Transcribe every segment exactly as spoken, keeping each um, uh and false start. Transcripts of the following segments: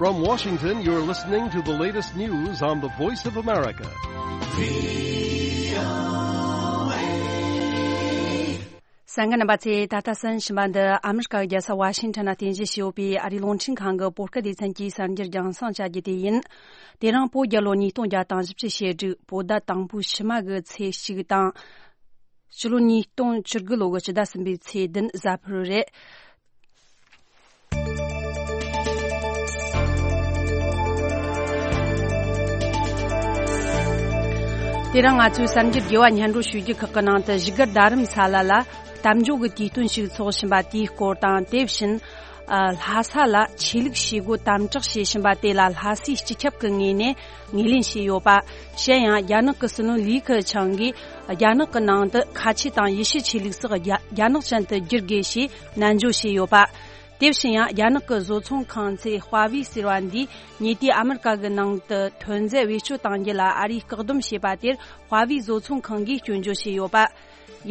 From Washington, you're listening to the latest news on the Voice of America. གསན་མཁན་རྣམ་པ་ཚོས། ད་ལྟ་གསན་བཞིན་པ་འདི་ཨ་མི་རི་ཀ་གི་རྒྱལ་ས་ཝ་ཤིང་ཊོན་ན་རྟེན་གཞི་བྱས་ཡོད་པའི་ཨ་རིའི་རླུང་འཕྲིན་ཁང་གི་བོད་སྐད་སྡེ་ཚན་གྱི་གསར་འགྱུར་རྒྱང་སྲིང་བྱ་རྒྱུ་དེ་ཡིན། དེ་རིང་བོད་རྒྱལ་ལོ་ཉིས་སྟོང་བརྒྱ་དང་བཞི་བཅུ་ཞེ་དྲུག་བོད་ཟླ་དང་པོའི་ཕྱི་མ་གི་ཚེས་གཅིག་དང་། ཕྱི་ལོ་ཉིས་སྟོང་བཅུ་དགུ་ལོ་གི་སྤྱི་ཟླ་གསུམ་པའི་ཚེས་བདུན་གཟའ་ཕུར་བུ་རེད། དེ་རིང་ང་ཚོའི་གསར་འགྱུར་རྒྱས་པ་སྙན་སྒྲོན་ཞུ་རྒྱུ་ཁག་གི་ནང་དུ། བཞུགས་སྒར་རྡ་རམ་ས་ལ་ལ་གཏམ་བརྗོད་ཀྱི་དུས་སྟོན་ཞིག་འཚོགས་བཞིན་པ་དེའི་སྐོར་དང་། དེ་བཞིན་ཨ་ལྷ་ས་ལ་ཆོས་ལུགས་བྱེད་སྒོ་དམ་དྲག་བྱེད་བཞིན་པ་དེ་ལ་ལྷ་སའི་སྤྱི་ཁྱབ་ཀྱི་ངོས་ནས་ངོས་ལེན་བྱས་ཡོད་པ། གཞན་ཡང་རྒྱ་ནག་གི་སྲིད་བློན་ལི་ཁེ་ཆང་གིས་རྒྱ་ནག་གི་ནང་དུ་ཁ་ཆེ་དང་ཡེ་ཤུ་ཆོས་ལུགས་སོགས་རྒྱ་རྒྱ་ནག་ཅན་དུ་བསྒྱུར་དགོས་ཞེས་ནན་བརྗོད་བྱས་ཡོད་པ། དེ་བཞིན་ཡང་རྒྱ་ནག་གི་བཟོ་ཚོང་ཁང་ཚན་ཧྭ་ཝེ་ཟེར་བ་འདིས་ཉེ་དུས་ཨ་མི་རི་ཀ་གི་ནང་དུ་ཐོན་རྫས་བེད་སྤྱོད་གཏང་རྒྱུ་ལ་ཨ་རིས་བཀག་སྡོམ་བྱས་པ་དེར་ཧྭ་ཝེ་བཟོ་ཚོང་ཁང་གིས་སྐྱོན་བརྗོད་བྱས་ཡོད་པ།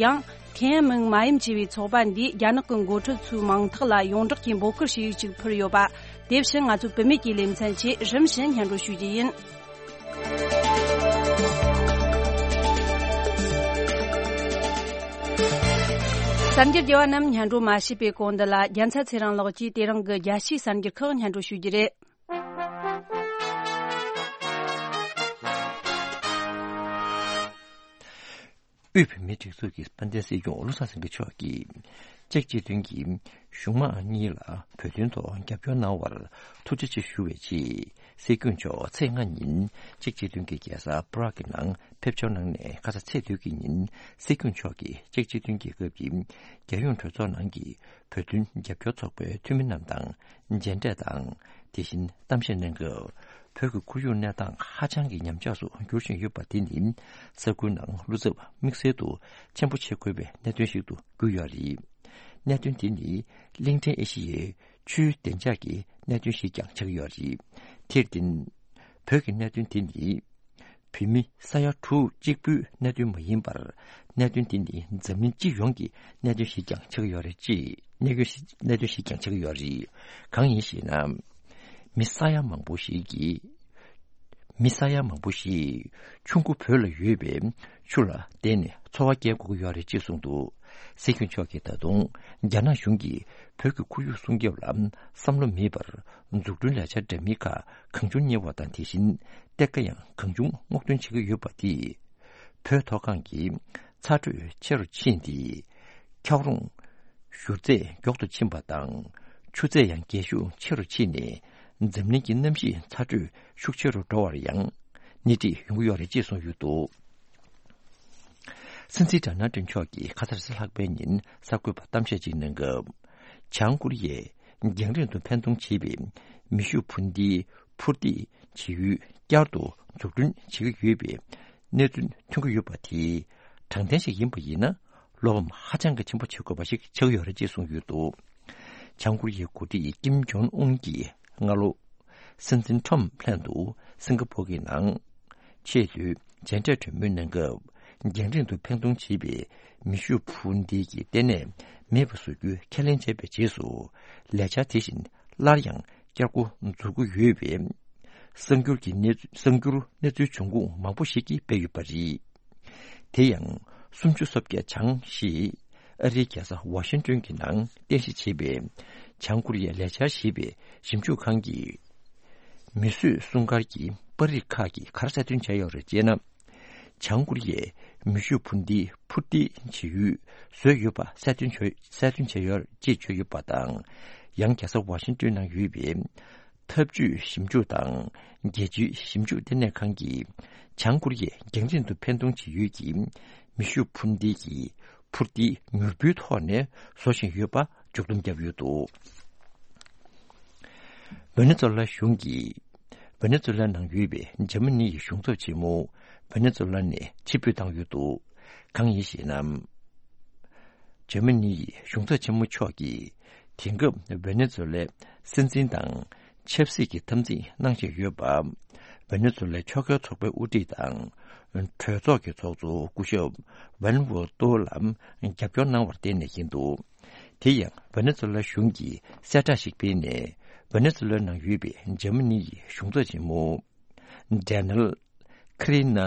ཡང་ཐེན་ཨན་མིང་མ་ཡིན་ཅེས་པའི་ཚོགས་པ་འདིས་རྒྱ་ནག་གི་འགོ་ཁྲིད་ཚོའི་མིང་ཐོག་ལ་ཡོངས་བསྒྲགས་ཀྱི་འབོད་སྐུལ་ཞུ་ཡིག་ཅིག་ཕུལ་ཡོད་པ། དེ་བཞིན་ང་ཚོའི་བུད་མེད་ཀྱི་ལེ་ཚན་ཆེད་རིམ་བཞིན་སྙན་སྒྲོན་ཞུ་རྒྱུ་ཡིན། གསར་འགྱུར་རྒྱས་པ་རྣམས་སྙན་སྒྲོན་མ་བྱས་པའི་གོང་འདི་ལ། རྒྱལ་མཚན་ཚེ་རིང་ལགས་ཀྱིས་དེ་རིང་གི་རྒྱལ་སྤྱིའི་གསར་འགྱུར་ཁག་སྙན་སྒྲོན་ཞུ་རྒྱུ་རེད། དབུས་བོད་མིའི་སྒྲིག་འཛུགས་ཀྱི་དཔལ་ལྡན་སྲིད་སྐྱོང་བློ་བཟང་སེང་གེ་མཆོག་གིས། ཅེཀ་སྤྱི་མཐུན་གྱི་གཞུང་མང་གཉིས་ལ་བོད་དོན་ཐོག་རྒྱབ་སྐྱོར་གནང་བར་ཐུགས་རྗེ་ཆེ་ཞུ་བའི་ཆེད། སྲིད་སྐྱོང་མཆོག་ཚེས་ལྔ་ཉིན་ཅེཀ་སྤྱི་མཐུན་གྱི་རྒྱལ་ས་པ་རག་གི་ནང་ཕེབས་འབྱོར་གནང་ནས། ཁ་ས་ཚེས་བདུན་གྱི་ཉིན་སྲིད་སྐྱོང་མཆོག་གིས་ཅེཀ་སྤྱི་མཐུན་རྒྱལ་ཁབ་ཀྱི་རྒྱལ་ཡོངས་གྲོས་ཚོགས་ནང་གི་བོད་དོན་རྒྱབ་སྐྱོར་ཚོགས་པའི་འཐུས་མི་རྣམས་དང་མཇལ་འཕྲད་དང་། དེ་བཞིན་གཏམ་བཤད་གནང་སྐབས། བོད་ཀྱི་ཁོར་ཡུག་གནས་སྟངས་ཧ་ཅང་གི་ཉམས་ཆག་སུ་འགྱུར་བཞིན་ཡོད་པ་དེ་ནི། ས་ཁུལ་ནང་བློ་འཚབ་དམིགས་བསལ་དུ་ཆེན་པོ་བྱེད་དགོས་པའི་གནད་དོན་ཞིག་ཏུ་གྱུར་ཡོད་རེད། གནད་དོན་དེ་ནི་གླིང་ཕྲན་ཨེ་ཤི་ཡའི་ཆུའི་བདེ་འཇགས་ཀྱི་གནད་དོན་ཞིག་ཀྱང་ཆགས་ཀྱི་ཡོད་རེད། དེར་བརྟེན། བོད་ཀྱི་གནད་དོན་དེ་ནི། བོད་མི་ས་ཡ་དྲུག་གཅིག་པུའི་གནད་དོན་མ་ཡིན་པར། གནད་དོན་དེ་ནི་འཛམ་གླིང་སྤྱི་ཡོངས་ཀྱི་གནད་དོན་ཞིག་ཀྱང་ཆགས་ཡོད་རེད། ཅེས་གནད་དོན་ཞིག་གནད་དོན་ཞིག་ཀྱང་ཆགས་ཡོད་རེད། གང་ཡིན་ཞེ་ན། མི་ས་ཡ་མང་པོ་ཞིག་གིས། མི་ས་ཡ་མང་པོ་ཞིག་ཆུ་མགོ་བོད་ལ་ཡོད་པའི་ཆུ་ལ་བརྟེན་ནས་འཚོ་བ་སྐྱེལ་དགོས་ཀྱི་ཡོད་རེད་ཅེས་གསུངས་འདུག། སྲིད་སྐྱོང་མཆོག་གིས་ད་དུང་རྒྱ་ནག་གཞུང་གིས་བོད་ཀྱི་ཁོར་ཡུག་སྲུང་སྐྱོབ་ལ་བསམ་བློ་མེད་པར། འཛུགས་སྐྲུན་ལས་འཆར་འདྲ་མིན་ཁག་གང་བྱུང་གཉེར་བ་དང་། དེ་བཞིན་གཏེར་ཁ་ཡང་གང་བྱུང་སྔོག་འདོན་བྱེད་ཀྱི་ཡོད་པ་དེས། བོད་མཐོ་སྒང་གི་ཚ་དྲོད་ཆེ་རུ་ཕྱིན་ཏེ། འཁྱགས་རོམ་བཞུར་ཚད་མགྱོགས་སུ་ཕྱིན་པ་དང་། ཆུ་ཚད་ཡང་རྒྱས་ཤུགས་ཆེ་རུ་ཕྱིན་ནས། འཛམ་གླིང་གི་གནམ་གཤིས་ཚ་དྲོད་ཤུགས་ཆེ་རུ་འགྲོ་བར་ཡང་སྣེ་ཁྲིད་ཡོང་གི་ཡོད་རེད་ཅེས་གསུངས་ཡོད་འདུག། སྲིད་འཛིན་ཌོ་ནལ་ཊམ་མཆོག་གིས་ཁ་སང་རེས་གཟའ་ལྷག་པའི་ཉིན་གསར་འགོད་པར་གཏམ་བཤད་ཅིག་གནང་སྐབས། བྱང་ཀོ་རི་ཡས་རྒྱང་རིང་དུ་འཕེན་གཏོང་བྱེད་པའི་མེ་ཤུགས་འཕུར་མདེལ་འཕུར་མདེལ་བྱེད་ཡུལ་བསྐྱར་དུ་འཛུགས་སྐྲུན་བྱེད་ཀྱི་ཡོད་པའི་གནས་ཚུལ་ཐོན་གྱི་ཡོད་པ་དེ་དྲང་བདེན་ཞིག་ཡིན་པ་ཡིན་ན། བློ་ཕམ་ཧ་ཅང་གི་ཆེན་པོ་བྱེད་དགོས་པ་ཞིག་ཆགས་ཡོད་རེད་ཅེས་གསུངས་ཡོད་འདུག། བྱང་ཀོ་རི་ཡའི་འགོ་ཁྲིད་ཀིམ་ཇོང་ཨུན་གྱིས་སྔ་ལོ། སྲིད་འཛིན་ཁྲོམ་ལྷན་དུ་སིང་ག་པོར་གྱི་ནང་ཆེས་མཐོའི་མཇལ་འཕྲད་གྲོས་མོལ་གནང་སྐབས། རྒྱང་རིང་དུ་འཕེན་གཏོང་བྱེད་པའི་མེ་ཤུགས་འཕུར་མདེལ་གྱི་ལྟེ་གནས་མེད་པ་བཟོ་རྒྱུའི་ཁས་ལེན་བྱས་པའི་རྗེས་སུ། ལས་འཆར་དེ་བཞིན་སླར་ཡང་བསྐྱར་འགོ་འཛུགས་ཀྱི་ཡོད་པའི་གསར་འགྱུར་གྱི་གནས་གསར་འགྱུར་གནས་ཚུལ་འབྱུང་ཁུངས་མང་པོ་ཞིག་གིས་སྤེལ་ཡོད་པ་རེད། དེ་ཡང་སུམ་ཅུ་སོ་བརྒྱད་བྱང་ཞེས་ཨ་རིའི་རྒྱལ་ས་ཝ་ཤིང་ཏོན་གྱི་ནང་རྟེན་གཞི་བྱས་པའི་བྱང་ཀོ་རི་ཡའི་ལས་འཆར་ཞེས་པའི་ཞིབ་འཇུག་ཁང་གིས། མིས་བཟོས་སྲུང་སྐར་གྱི་པར་རིས་ཁག་གིས་ག་རེ་གསལ་སྟོན་བྱས་ཡོད་རེད་ཅེ་ན། བྱང་ཀོ་རི་ཡས་མེ་ཤུགས་འཕུར་མདེལ་འཕུར་མདེལ་བྱེད་ཡུལ་བཟོས་ཡོད་པ་གསལ་སྟོན་བྱས་གསལ་སྟོན་བྱས་ཡོད་ཅེས་བརྗོད་ཡོད་པ་དང་། ཡང་རྒྱལ་ས་ཝ་ཤིང་ཏོན་ནང་ཡོད་པའི་འཐབ་ཇུས་ཞིབ་འཇུག་དང་རྒྱལ་སྤྱིའི་ཞིབ་འཇུག་ལྟེ་གནས་ཁང་གིས་བྱང་ཀོ་རི་ཡས་རྒྱང་རིང་དུ་འཕེན་གཏོང་བྱེད་ཡུལ་གྱི་མེ་ཤུགས་འཕུར་མདེལ་གྱི་འཕུར་མདེལ་མྱུར་འཕུར་ཐོག་ནས་བཟོ་བཞིན་ཡོད་པ་མཇུག་སྡོམ་བརྒྱབ་ཡོད་འདུག། ཝེ་ནེ་ཛུ་ལ་གཞུང་གིས། ཝེ་ནེ་ཛུ་ལ་ནང་ཡོད་པའི་འཇར་མ་ནི་ཡི་གཞུང་ཚབ་ཆེན་མོ་ཝེ་ནེ་ཛུ་ལ་ནས་ཕྱིར་འབུད་བཏང་ཡོད་འདུག། གང་ཡིན་ཞེ་ན། འཇར་མ་ནི་ཡི་གཞུང་ཚབ་ཆེན་མོ་མཆོག་གིས། དེང་སྐབས་ཝེ་ནེ་ཛུ་ལའི་སྲིད་འཛིན་དང་ཆབ་སྲིད་ཀྱི་འཐབ་འཛིང་གནང་བཞིན་ཡོད་པ། ཝེ་ནེ་ཛུ་ལའི་ཕྱོགས་འགལ་ཚོགས་པའི་དབུ་ཁྲིད་དང་། གྲོས་ཚོགས་ཀྱི་ཚོགས་གཙོ་སྐུ་ཞབས་ཝན་ཝུ་ཏོ་ལ་རྒྱབ་སྐྱོར་གནང་བར་བརྟེན་ནས་ཡིན་འདུག། དེ་ཡང་ཝེ་ནེ་ཛུ་ལ་གཞུང་གིས་གསལ་བསྒྲགས་ཤིག་སྤེལ་ནས། ཝེ་ནེ་ཛུ་ལའི་ནང་ཡོད་པའི་འཇར་མ་ནི་ཡི་གཞུང་ཚབ་ཆེན་མོ། ཌེ་ནེལ་ཁི་རི་ན།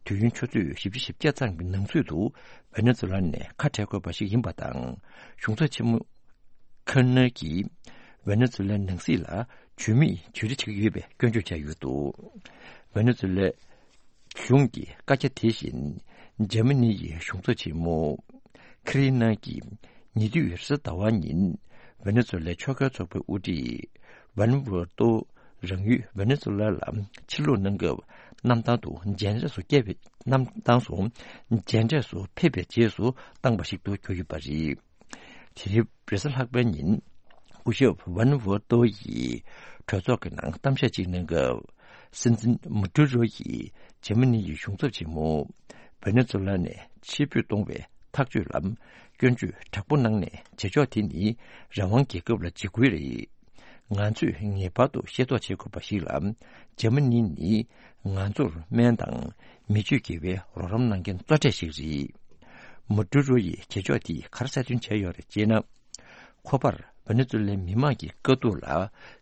དུས་ཡུན་ཆུ་ཚོད་བཞི་བཅུ་ཞེ་བརྒྱད་ཙམ་གྱི་ནང་ཚུད་དུ་ཝེ་ནེ་ཛུ་ལ་ནས་ཁ་བྲལ་དགོས་པ་ཞིག་ཡིན་པ་དང་། གཞུང་ཚབ་ཆེན་མོ་ཁེར་ནར་གྱིས་ཝེ་ནེ་ཛུ་ལའི་ནང་སྲིད་ལ་ཇུས་མེད་ཇུས་འདྲི་བྱེད་ཀྱི་ཡོད་པའི་སྐྱོན་བརྗོད་བྱས་ཡོད་འདུག་ཝེ་ནེ་ཛུ་ལའི་གཞུང་གི་བཀའ་རྒྱ་དེ་བཞིན་འཇར་མ་ནི་ཡི་གཞུང་ཚབ་ཆེན་མོ་ཁི་རི་ན་གྱིས་ཉེ་དུས་རེས་གཟའ་ཟླ་བ་ཉིན་ཝེ་ནེ་ཛུ་ལའི་ཕྱོགས་འགལ་ཚོགས་པའི་དབུ་ཁྲིད་ཝན་ཝུའུ་ཏོ་རང་ཡུལ་ཝེ་ནེ་ཛུ་ལ་ལ་ཕྱིར་ལོག་གནང་སྐབས་གནམ་ཐང་དུ་མཇལ་འཕྲད་སུ་བསྐྱལ་བའི་གནམ་ཐང་སུ་མཇལ་འཕྲད་སུ་ཕེབས་པའི་རྗེས་སུ་བཏང་བ་ཞིག་ཏུ་གྱུར་ཡོད་པ་རེད། དེ་རིང་རེས་གཟའ་ལྷག་པའི་ཉིན་སྐུ་ཞབས་ཝན་ཝུའུ་ཏོ་ཡིས་གྲོས་ཚོགས་ཀྱི་ནང་གཏམ་བཤད་ཅིག་གནང་སྐབས། སྲིད་འཛིན་མུ་ཏུ་རོ་ཡིས་འཇར་མ་ནི་ཡི་གཞུང་ཚབ་ཆེན་མོ་ཝེ་ནེ་ཛུ་ལ་ནས་ཕྱིར་འབུད་གཏོང་བའི་ཐག་གཅོད་ལ་སྐྱོན་བརྗོད་དྲག་པོ་གནང་ནས། བྱེད་ཕྱོགས་དེ་ནི་རང་དབང་རྒྱལ་ཁབ་ལ་འཇིགས་སྐུལ་རེད། ང་ཚོས་ངེས་པར་དུ་ཤེས་རྟོགས་བྱེད་དགོས་པ་ཞིག་ལ། འཇར་མ་ནི་ནི་ང་ཚོར་སྨན་དང་མི་སྤྱོད་དགེ་བའི་རོགས་རམ་གནང་མཁན་གཙོ་གྲས་ཤིག་རེད། མུ་ཏུ་རོ་ཡི་བྱེད་ཕྱོགས་དེས་ག་རེ་གསལ་སྟོན་བྱས་ཡོད་རེད་ཅེ་ན། ཁོ་པར་ཝེ་ནེ་ཛུ་ལའི་མི་མང་གི་དཀའ་སྡུག་ལ་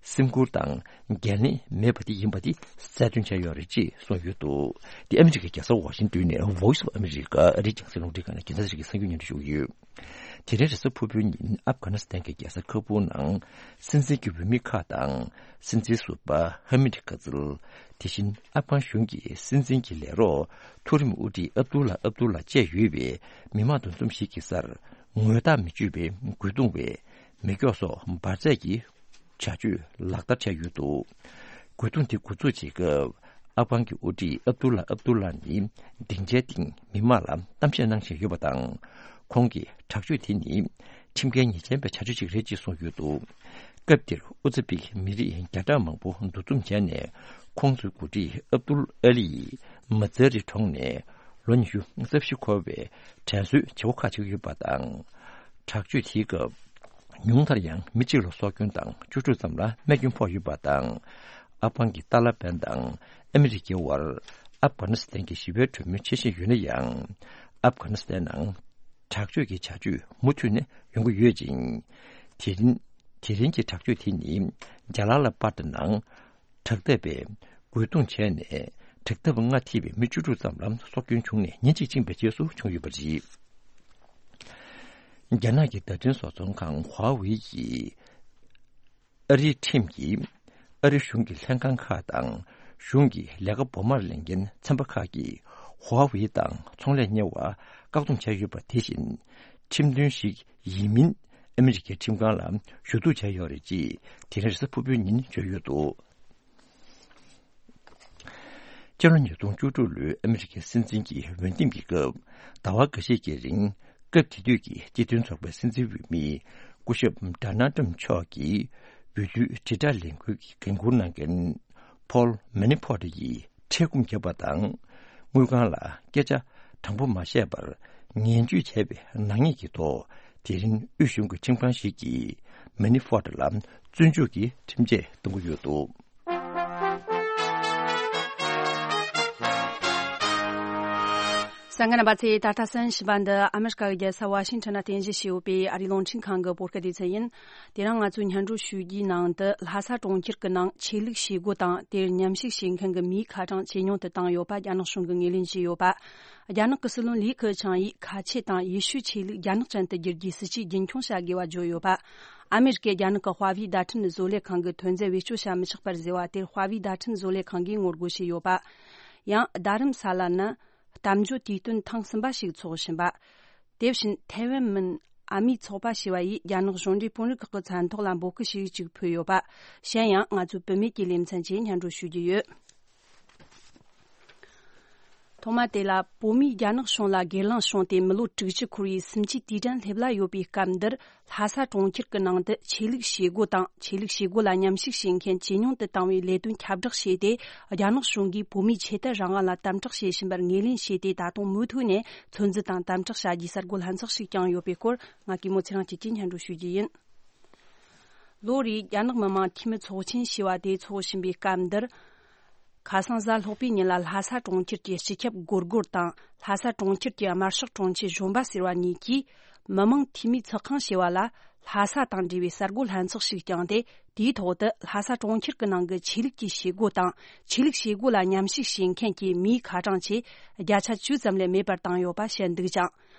སེམས་ཁུར་དང་འགན་ལེན་མེད་པ་དེ་ཡིན་པ་དེ་གསལ་སྟོན་བྱས་ཡོད་རེད་ཅེས་གསུངས་ཡོད་འདུག་དེ་ཨ་མི་རི་ཀའི་རྒྱལ་ས་ཝ་ཤིང་ཏོན་ནས་Voice of America ཨ་རིའི་རྒྱང་སྲིང་རླུང་འཕྲིན་ཁང་ནས་རྒྱལ་ས་ཞིག་གི་གསར་འགྱུར་སྙན་སྒྲོན་ཞུ་གི་ཡོད། དེ་རིང་རེས་གཟའ་ཕུར་བུའི་ཉིན་ཨབ་གྷ་ནི་སི་ཐན་གྱི་རྒྱལ་ས་ཁ་བུར་ནང་སྲིད་འཛིན་གྱི་འོས་མི་ཁག་དང་སྲིད་འཛིན་ཟུར་པ་ཧ་མིད་ཀ་ཛིལ། དེ་བཞིན་ཨབ་གྷན་གཞུང་གི་སྲིད་འཛིན་གྱི་ལས་རོགས་མཐོ་རིམ་དབུ་ཁྲིད་ཨབ་དུ་ལ་ཨབ་དུ་ལ་བཅས་ཡོད་པའི་མི་མང་འདུ་འཛོམས་ཤིག་གི་སར་ངོ་རྟགས་མི་བརྗོད་པའི་རྒོལ་རྡུང་བའི་མེ་སྒྱོགས་སོགས་འབར་རྫས་ཀྱི་བྱ་སྤྱོད་ལག་བསྟར་བྱས་ཡོད་འདུག་རྒོལ་རྡུང་དེ་འགོ་འཛུགས་བྱེད་སྐབས་ཨབ་གྷན་གྱི་དབུ་ཁྲིད་ཨབ་དུ་ལ་ཨབ་དུ་ལ་ནི་སྡིངས་ཆའི་སྟེང་མི་མང་ལ་གཏམ་བཤད་གནང་བཞིན་ཡོད་པ་དང་། ཁོང་གིས་དྲག་སྤྱོད་དེ་ནི་ཁྲིམས་འགལ་ཉེས་ཅན་པའི་བྱ་སྤྱོད་ཅིག་རེད་ཅེས་གསུངས་ཡོད་འདུག་སྐབས་དེར་ཨུ་ཛི་བིག་མི་རིགས་བརྒྱ་ཕྲག་མང་པོ་འདུ་འཛོམས་བྱས་ནས། ཁོང་ཚོའི་འགོ་ཁྲིད་ཨབ་དུལ་ཨ་ལི་ཡིས་མ་ཛ་རི་གྲོང་ནས་ལོ་ཉི་ཤུ་རྩ་བཞི་འཁོར་བའི་དྲན་གསོའི་བྱེད་སྒོ་ཁག་ཅིག་ཡོད་པ་དང་། དྲག་སྤྱོད་དེའི་སྐབས་ཉུང་མཐར་ཡང་མི་གཅིག་ལ་སྲོག་སྐྱོན་དང་བཅུ་དྲུག་ཙམ་ལ་རྨས་སྐྱོན་ཕོག་ཡོད་པ་དང་། ཨབ་གྷན་གྱི་ཏཱ་ལ་བན་དང་ཨ་མི་རི་ཀའི་དབར་ཨབ་གྷ་ནི་སི་ཐན་གྱི་ཞི་བའི་གྲོས་མོལ་བྱེད་བཞིན་ཡོད་ན་ཡང་། ཨབ་གྷ་ནི་སི་ཐན་ནང་དྲག་སྤྱོད་ཀྱི་བྱ་སྤྱོད་མུ་མཐུད་ནས་ཡོང་གི་ཡོད་ཅིང་། དེ་རིང་དེ་རིང་གི་དྲག་སྤྱོད་དེ་ནི་རྒྱ་ལ་ལ་པར་དེ་ནང་དྲག་འཐབ་པས་རྒོལ་རྡུང་བྱས་ནས། དྲག་འཐབ་པ་ལྔ་ཐེ་བའི་མི་བཅུ་དྲུག་ཙམ་ལ་སྲོག་སྐྱོན་བྱུང་ནས་ཉིན་གཅིག་ཕྱིན་པའི་རྗེས་སུ་བྱུང་ཡོད་པ་རེད། རྒྱ་ནག་གི་བརྡ་འཕྲིན་བཟོ་ཚོང་ཁང་ཧྭ་ཝེ་ཡིས་ཨ་རིའི་ཁྲིམས་ཀྱིས་ཨ་རི་གཞུང་གི་ལྷན་ཁང་ཁག་དང་གཞུང་གི་ལས་ཀ་འབོར་མར་ལེན་མཁན་ཚན་པ་ཁག་གིས་ཧྭ་ཝེ་དང་ཚོང་ལས་གཉེར་བར་བཀག་སྡོམ་བྱས་ཡོད་པ་དེ་བཞིན། ཁྲིམས་མཐུན་ཞིག་ཡིན་མིན་ཨ་མི་རི་ཀའི་ཁྲིམས་ཁང་ལ་ཞུ་གཏུག་བྱས་ཡོད་རེད་ཅེས་དེ་རིང་རེས་གཟའ་ཕུར་བུའི་ཉིན་བརྗོད་ཡོད་འདུག་སྤྱི་ལོ་ཉིས་སྟོང་བཅུ་དྲུག་ལོའི་ཨ་མི་རི་ཀའི་སྲིད་འཛིན་གྱི་འོས་འདེམས་ཀྱི་སྐབས། ཟླ་བ་འགའ་ཤས་ཀྱི་རིང་སྐབས་དེ་དུས་ཀྱི་སྤྱི་མཐུན་ཚོགས་པའི་སྲིད་འཛིན་འོས་མི་སྐུ་ཞབས་ཌོ་ནལ་ཏྲམ་མཆོག་གིས་འོས་བསྡུའི་དྲིལ་བསྒྲགས་ལས་འགུལ་གྱི་འགན་འཁུར་གནང་མཁན་ཕོལ་མེ་ནི་ཕོར་ཡིས་ཁྲལ་སྐུམ་བརྒྱབ་པ་དང་། དངུལ་ཁང་ལ་སྐད་ཆ་དྲང་པོ་མ་བཤད་པར་ངན་ཇུས་བྱས་པའི་ནག་ཉེས་ཀྱི་ཐོག་དེ་རིང་དབུས་གཞུང་གི་ཁྲིམས་ཁང་ཞིག་གིས་མེ་ནི་ཕོར་ལ་བཙོན་འཇུག་གི་ཁྲིམས་ཆད་གཏོང་གི་ཡོད་འདུག་གསན་མཁན་རྣམ་པ་ཚོས་ད་ལྟ་གསན་བཞིན་པ་འདི་ཨ་མེ་རི་ཀ་གི་རྒྱལ་ས་ཝ་ཤིང་ཊོན་ནང་རྟེན་གཞི་བྱས་ཡོད་པའི་ཨ་རིའི་རླུང་འཕྲིན་ཁང་གི་བོད་སྐད་སྡེ་ཚན་ཡིན། དེ་རིང་ང་ཚོའི་སྙན་སྒྲོན་ཞུ་རྒྱུའི་ནང་དུ་ལྷ་ས་གྲོང་ཁྱེར་གྱི་ནང་ཆོས་ལུགས་བྱེད་སྒོ་དང་དེར་མཉམ་ཞུགས་བྱེད་མཁན་གྱི་མིའི་ཁ་གྲངས་ཇེ་ཉུང་དུ་བཏང་ཡོད་པ་རྒྱ་ནག་གཞུང་གིས་ངོས་ལེན་བྱས་ཡོད་པ། རྒྱ་ནག་གི་སྲིད་བློན་ལི་ཁེ་ཆང་ཡིས་ཁ་ཆེ་དང་ཡེ་ཤུའི་ཆོས་ལུགས་རྒྱ་ནག་ཅན་དུ་བསྒྱུར་རྒྱུའི་སྲིད་ཇུས་རྒྱུན་འཁྱོངས་བྱ་དགོས་པ་བརྗོད་ཡོད་པ། ཨ་མེ་རི་ཀའི་རྒྱ་ནག་གི་ཧྭ་ཝེ་བརྡ་འཕྲིན་བཟོ་ལས་ཁང་གིས་ཐོན་རྫས་བེད་སྤྱོད་བྱ་མི་ཆོག་པར་ཟེར་བ་དེར་ཧྭ་ཝེ་བརྡ་འཕྲིན་བཟོ་ལས་ཁང་གིས་ངོ་རྒོལ་བྱས་ཡོད་པ། ཡང་རྡ་རམ་ས་ལ་ནི་གཏམ་བརྗོད་དུས་སྟོན་ཐེངས་གསུམ་པ་ཞིག་འཚོགས་བཞིན་པ། དེ་བཞིན་ཐའེ་ཝན་མིན་ཨ་མིའི་ཚོགས་པ་ཞེས་པ་ཡིས་རྒྱ་ནག་གཞུང་འབྲེལ་དཔོན་རིགས་ཁག་གི་མཚན་ཐོག་ལ་འབོད་སྐུལ་ཞིག་ཅིག་ཕུལ་ཡོད་པ། གཞན་ཡང་ང་ཚོའི་བུད་མེད་ཀྱི་ལེ་ཚན་གྱིས་སྙན་སྒྲོན་ཞུ་རྒྱུ་ཡོད། ཐོག་མ་དེ་ལ་བོད་མིས་རྒྱ་ནག་གཞུང་ལ་སྒེར་ལངས་བྱུང་སྟེ་མི་ལོ་དྲུག་ཅུ་འཁོར་བའི་སུམ་ཅུའི་དུས་དྲན་སླེབས་ལ་ཡོད་པའི་སྐབས་འདིར། ལྷ་ས་གྲོང་ཁྱེར་གྱི་ནང་དུ་ཆོས་ལུགས་བྱེད་སྒོ་དང་ཆོས་ལུགས་བྱེད་སྒོ་ལ་མཉམ་ཞུགས་བྱེད་མཁན་ཇེ་ཉུང་དུ་བཏང་བའི་ལས་དོན་ཁྱབ་བསྒྲགས་བྱས་ཏེ། རྒྱ་ནག་གཞུང་གིས་བོད་མིའི་ཆོས་དད་རང་དབང་ལ་དམ་དྲག་བྱེད་བཞིན་པར་ངོས་ལེན་བྱས་ཏེ། ད་དུང་མུ་མཐུད་ནས་ཚོད་འཛིན་དང་དམ་དྲག་བྱ་རྒྱུའི་གསར་འགོད་ལྷན་ཚོགས་ཤིག་བསྐྱངས་ཡོད་པའི་སྐོར། ང་གིས་མོ་ཚེ་རིང་སྐྱིད་ཀྱིས་སྙན་སྒྲོན་ཞུ་རྒྱུ་ཡིན། ལོ་རེའི་རྒྱ་ནག་མི་དམངས་འཐུས་མི་ཚོགས་ཆེན་ཞེས་པ་དེ་འཚོགས་བཞིན་པའི་སྐབས་འདིར། ཁ་སང་གཟའ་ལྷག་པའི་ཉིན་ལ་ལྷ་ས་གྲོང་ཁྱེར་གྱི་སྤྱི་ཁྱབ་སྒོར་སྒོར་དང་ལྷ་ས་གྲོང་ཁྱེར་གྱི་དམར་ཤོག་དྲུང་ཆེ་གཞོན་པ་ཟེར་བ་གཉིས་ཀྱིས། མི་དམངས་འཐུས་མིའི་ཚོགས་ཁང་ཞེས་པ་ལ། ལྷ་ས་དང་འབྲེལ་བའི་གསར་འགོད་ལྷན་ཚོགས་ཤིག་བསྐྱངས་ཏེ། དེའི་ཐོག་ཏུ་ལྷ་ས་གྲོང་ཁྱེར་གྱི་ནང་གི་ཆོས་ལུགས་ཀྱི་བྱེད་སྒོ་དང་། ཆོས་ལུགས་བྱེད་སྒོ་ལ་མཉམ་ཞུགས་བྱེད་མཁན་གྱི་མིའི་ཁ་གྲངས་ཆེས་བརྒྱ་ཆ་བཅུ་ཙམ་ལས་མེད་པར་བཏང་ཡོད་པ་བཤད་འདུག་ཅིང་།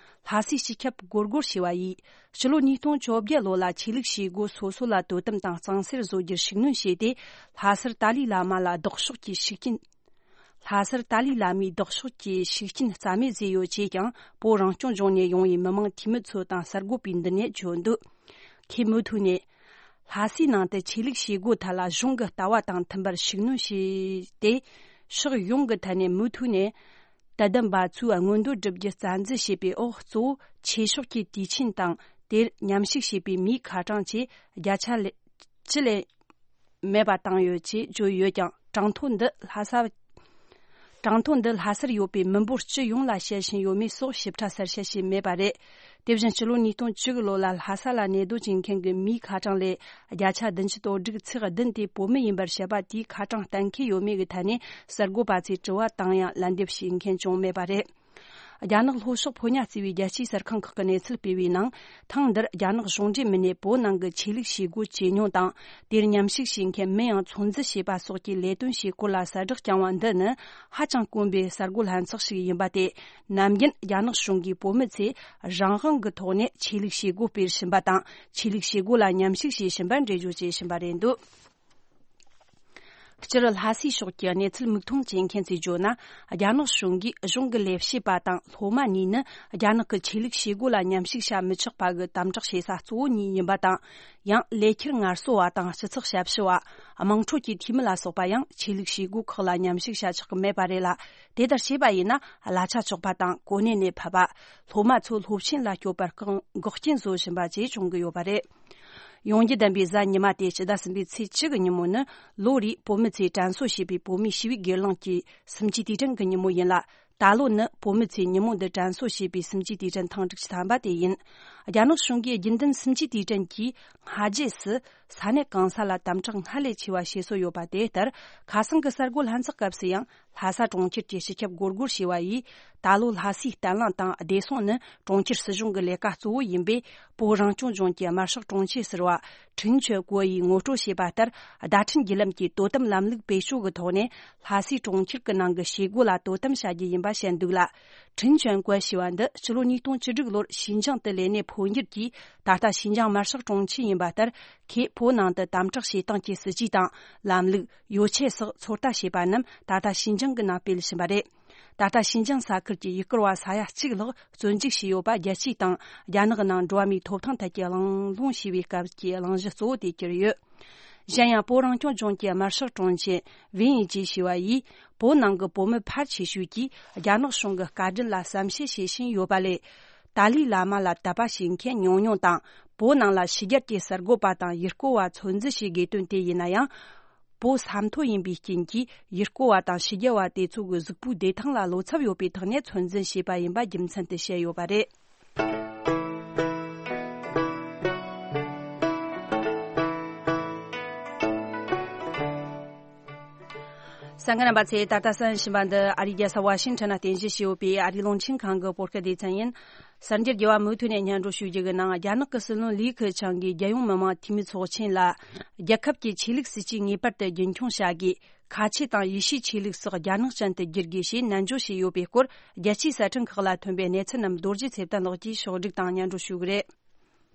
ལྷ་སའི་སྤྱི་ཁྱབ་སྒོར་སྒོར་ཞེས་པ་ཡིས། ཕྱི་ལོ་ཉིས་སྟོང་བཅོ་བརྒྱད་ལོ་ལ་ཆོས་ལུགས་བྱེད་སྒོ་སོ་སོ་ལ་དོ་དམ་དང་གཙང་སེལ་བཟོ་རྒྱུར་ཤུགས་སྣོན་བྱས་ཏེ། ལྷ་སར་ཏཱ་ལའི་བླ་མ་ལ་ལྡོག་ཕྱོགས་ཀྱི་ཤུགས་རྐྱེན། ལྷ་སར་ཏཱ་ལའི་བླ་མའི་ལྡོག་ཕྱོགས་ཀྱི་ཤུགས་རྐྱེན་རྩ་མེད་བཟོས་ཡོད་ཅེས་ཀྱང་། བོད་རང་སྐྱོང་ལྗོངས་ནས་ཡོང་བའི་མི་མང་འཐུས་མི་ཚོ་དང་གསར་འགོད་པས་འདི་ནས་བརྗོད་འདུག་ཁོས་མུ་མཐུད་ནས། ལྷ་སའི་ནང་དུ་ཆོས་ལུགས་བྱེད་སྒོ་ཐད་ལ་གཞུང་གི་ལྟ་བ་དང་མཐུན་པར་ཤུགས་སྣོན་བྱས་ཏེ། ཕྱོགས་ཡོངས་ཀྱི་ཐད་ནས་མུ་མཐུད་ནས། དད་ལྡན་པ་ཚོས་མངོན་འདོད་བསྒྲུབ་རྒྱུ་རྩ་འཛིན་བྱས་པའི་འོག་གཙོ་བོ་ཆོས་ཕྱོགས་ཀྱི་དུས་ཆེན་དང་། དེར་མཉམ་ཞུགས་བྱས་པའི་མིའི་ཁ་གྲངས་ཆེས་བརྒྱ་ཆ་ལས་བཅུ་ལས་མེད་པ་བཏང་ཡོད་ཅེས་བརྗོད་ཡོད་ཀྱང་། གྲངས་ཐོ་འདི་ལྷ་ས། གྲངས་ཐོ་འདི་ལྷ་སར་ཡོད་པའི་མི་འབོར་སྤྱི་ཡོངས་ལ་བཤད་བཞིན་ཡོད་མེད་སོགས་ཞིབ་ཕྲ་གསལ་བཤད་བྱས་མེད་པ་རེད། དེ་བཞིན་ཕྱི་ལོ་ཉིས་སྟོང་བཅུ་དགུ་ལོ་ལ་ལྷ་ས་ལ་གནས་སྡོད་བྱེད་མཁན་གྱི་མིའི་ཁ་གྲངས་ལས་བརྒྱ་ཆ་བདུན་ཅུ་དོན་དྲུག་ཚེག་བདུན་དེ་བོད་མི་ཡིན་པར་བཤད་པ་དེའི་ཁ་གྲངས་གཏན་འཁེལ་ཡོད་མེད་ཀྱི་ཐད་ནས་གསར་འགོད་པ་ཚོས་དྲི་བ་བཏང་ཡང་ལན་འདེབས་བྱེད་མཁན་ཅང་མེད་པ་རེད། རྒྱ་ནག་ལྷོ་ཕྱོགས་ཕོ་ཉ་བརྩེ་བའི་རྒྱལ་སྤྱིའི་གསར་ཁང་ཁག་གིས་གནས་ཚུལ་སྤེལ་བའི་ནང་། ཐེངས་འདིར་རྒྱ་ནག་གཞུང་འབྲེལ་མི་སྣས་བོད་ནང་གི་ཆོས་ལུགས་བྱེད་སྒོ་ཇེ་ཉུང་དང་། དེར་མཉམ་ཞུགས་བྱེད་མཁན་མིན་ཡང་ཚོད་འཛིན་བྱེད་པ་སོགས་ཀྱི་ལས་དོན་བྱེད་སྐོར་ལ་གསལ་བསྒྲགས་བསྐྱངས་པ་འདི་ནི་ཧ་ཅང་དཀོན་པའི་གསར་འགོད་ལྷན་ཚོགས་ཤིག་ཡིན་པ་སྟེ། ནམ་རྒྱུན་རྒྱ་ནག་གཞུང་གིས་བོད་མི་ཚོས་རང་དབང་གི་ཐོག་ནས་ཆོས་ལུགས་བྱེད་སྒོ་སྤེལ་བཞིན་པ་དང་། ཆོས་ལུགས་བྱེད་སྒོ་ལ་མཉམ་ཞུགས་བྱེད་བཞིན་པར་འགྲེལ་བརྗོད་བྱེད་བཞིན་པ་རེད་འདུག་སྤྱིར་ལྷ་སའི་ཕྱོགས་ཀྱི་གནས་ཚུལ་མིག་མཐོང་བྱེད་མཁན་ཚོས་བརྗོད་ན། རྒྱ་ནག་གཞུང་གིས་གཞུང་གི་ལས་བྱེད་པ་དང་སློབ་མ་གཉིས་ནི་རྒྱ་ནག་གི་ཆོས་ལུགས་བྱེད་སྒོ་ལ་མཉམ་ཞུགས་བྱ་མི་ཆོག་པ་གི་དམ་དྲག་བྱེད་ས་གཙོ་བོ་གཉིས་ཡིན་པ་དང་། ཡང་ལས་འཁྱུར་ངལ་གསོ་བ་དང་སྤྱི་ཚོགས་ཞབས་ཞུ་བ། དམངས་ཁྲོད་ཀྱི་འཐུས་མི་ལ་སོགས་པ་ཡང་ཆོས་ལུགས་བྱེད་སྒོ་ཁག་ལ་མཉམ་ཞུགས་བྱ་ཆོག་གི་མེད་པ་རེད་ལ། དེ་ལྟར་བྱས་པ་ཡིན་ན་གླ་ཆ་གཅོག་པ་དང་གོ་གནས་ནས་ཕབ་པ། སློབ་མ་ཚོ་སློབ་ཆེན་ལ་སྐྱོད་པར་འགོག་རྐྱེན་བཟོ་བཞིན་པ་བཅས་བྱུང་གི་ཡོད་པ་རེད། ཡོང་རྒྱུ་ལྡན་པའི་གཟའ་ཉི་མ་སྟེ་ཕྱི་ཟླ་གསུམ་པའི་ཚེས་བཅུ་གི་ཉིན་མོ་ནི་ལོ་རེའི་བོད་མི་ཚོས་དྲན་གསོ་བྱེད་པའི་བོད་མིའི་ཞི་བའི་སྒེར་ལངས་ཀྱི་སུམ་བརྒྱད་དུས་དྲན་གྱི་ཉིན་མོ་ཡིན་ལ། ད་ལོ་ནི་བོད་མི་ཚོས་ཉིན་མོ་འདི་དྲན་གསོ་བྱེད་པའི་སུམ་བརྒྱད་དུས་དྲན་ཐེངས་དྲུག་ཅུ་ཐམ་པ་དེ་ཡིན། རྒྱ་ནག་གཞུང་གིས་རྒྱུན་ལྡན་སུམ་བརྒྱད་དུས་དྲན་གྱི་སྔ་རྗེས་སུ་ས་གནས་གང་ས་ལ་དམ་དྲག་སྔར་ལས་ཆེ་བ་བྱེད་སྲོལ་ཡོད་པ་དེ་ལྟར། ཁ་སང་གི་གསར་འགོད་ལྷན་ཚོགས་སྐབས་སུ་ཡང་། ལྷ་ས་གྲོང་ཁྱེར་གྱི་སྤྱི་ཁྱབ་སྒོར་སྒོར་ཞེས་པ་ཡིས། ད་ལོ་ལྷ་སའི་བརྟན་ལྷིང་དང་བདེ་སྲུང་ནི་གྲོང་ཁྱེར་སྲིད་གཞུང་གི་ལས་ཀ་གཙོ་བོ་ཡིན་པས། བོད་རང་སྐྱོང་ལྗོངས་ཀྱི་དམར་ཤོག་དྲུང་ཆེ་ཟུར་པ་ཁྲིན་ཆོན་ཀོ་ཡིས་ངོ་སྤྲོད་བྱས་པ་ལྟར། བརྡ་འཕྲིན་བརྒྱུད་ལམ་གྱི་དོ་དམ་ལམ་ལུགས་བེད་སྤྱོད་ཀྱི་ཐོག་ནས། ལྷ་སའི་གྲོང་ཁྱེར་གྱི་ནང་གི་བྱེད་སྒོ་ལ་དོ་དམ་བྱ་རྒྱུ་ཡིན་པ་བཤད་འདུག་ལ། ཁྲིན་ཆོན་ཀོ་ཞེས་པ་འདི་ཕྱི་ལོ་ཉིས་སྟོང་བཅུ་དྲུག་ལོར་ཞིན་ཅང་དུ་ལས་གནས་འཕོ་འགྱུར་གྱིས། ད་ལྟ་ཞིན་ཅང་དམར་ཤོག་དྲུང་ཆེ་ཡིན་པ་ལྟར། ཁོས་བོད་ནང་དུ་དམ་དྲག་བྱེད་སྟངས་ཀྱི་སྲིད་ཇུས་དང་། ལམ་ལུགས། ཡོ་ཆས་སོགས་ཚོད་ལྟ་བྱས་པ་རྣམས་ད་ལྟ་ཞིན་ཅང་གི་ནང་སྤེལ་བཞིན་པ་རེད། ད་ལྟ་ཞིན་ཅང་ས་ཁུལ་གྱི་ཡུལ་སྐོར་བ་ས་ཡ་གཅིག་ལྷག་བཙོན་འཇུག་བྱས་ཡོད་པ། རྒྱལ་སྤྱིའི་སྟེང་རྒྱ་ནག་ནང་འགྲོ་བ་མིའི་ཐོབ་ཐང་ཐད་ཀྱི་གླེང་སློང་བྱས་པའི་སྐབས་ཀྱི་གླེང་གཞི་གཙོ་བོ་དེ་གྱུར་ཡོད། གཞན་ཡང་། བོད་རང་སྐྱོང་ལྗོངས་ཀྱི་དམར་ཤོག་དྲུང་ཆེ་ཝེན་ཡི་ཅི་ཞུ་བ་ཡིས། བོད་ནང་གི་བོད་མི་ཕལ་ཆེ་ཤོས་ཀྱིས་རྒྱ་ནག་གཞུང་གི་བཀའ་དྲིན་ལ་བསམ་ཤེས་བྱེད་བཞིན་ཡོད་པ་ལས། ཏཱ་ལའི་བླ་མ་ལ་དད་པ་བྱེད་མཁན་ཉུང་ཉུང་དང་། བོད་ནང་ལ་ཕྱི་རྒྱལ་གྱི་གསར་འགོད་པ་དང་ཡུལ་སྐོར་བ་ཚོད་འཛིན་བྱེད་དགོས་དོན་དེ་ཡིན་ན་ཡང་། བོད་ས་མཐོ་ཡིན་པའི་རྐྱེན་གྱིས། ཡུལ་སྐོར་བ་དང་ཕྱི་རྒྱལ་བ་དེ་ཚོ་གི་གཟུགས་པོའི་བདེ་ཐང་ལ་བློ་འཚབ་ཡོད་པའི་ཐོག་ནས་ཚོད་འཛིན་བྱས་པ་ཡིན་པ་རྒྱུ་མཚན་དུ་བཤད་ཡོད་པ་རེད། གསན་མཁན་རྣམ་པ་ཚོས་ད་ལྟ་གསན་བཞིན་པ་འདི་ཨ་རིའི་རྒྱལ་ས་ཝ་ཤིང་ཊོན་ན་རྟེན་གཞི་བྱས་ཡོད་པའི་ཨ་རིའི་རླུང་འཕྲིན་ཁང་གི་བོད་སྐད་སྡེ་ཚན་ཡིན། གསར་འགྱུར་རྒྱས་པ་མུ་མཐུད་ནས་སྙན་སྒྲོན་ཞུ་རྒྱུ་གི་ནང་། རྒྱ་ནག་གི་སྲིད་བློན་ལི་ཁེ་ཆང་གིས་རྒྱལ་ཡོངས་མི་དམངས་འཐུས་མི་ཚོགས་ཆེན་ལ། རྒྱལ་ཁབ་ཀྱི་ཆོས་ལུགས་སྲིད་ཇུས་ངེས་པར་དུ་རྒྱུན་འཁྱོངས་བྱ་དགོས། ཁ་ཆེ་དང་ཡེ་ཤུའི་ཆོས་ལུགས་སོགས་རྒྱ་ནག་ཅན་དུ་བསྒྱུར་དགོས་ཞེས་ནན་བརྗོད་བྱས་ཡོད་པའི་སྐོར། རྒྱལ་སྤྱིའི་གསར་འཕྲིན་ཁག་ལ་ཐོན་པའི་གནས་ཚུལ་རྣམས་རྡོ་རྗེ་ཚེ་བརྟན་ལགས་ཀྱིས་ཕྱོགས་བསྒྲིགས་དང་སྙན་སྒྲོན་ཞུ་གི་རེད།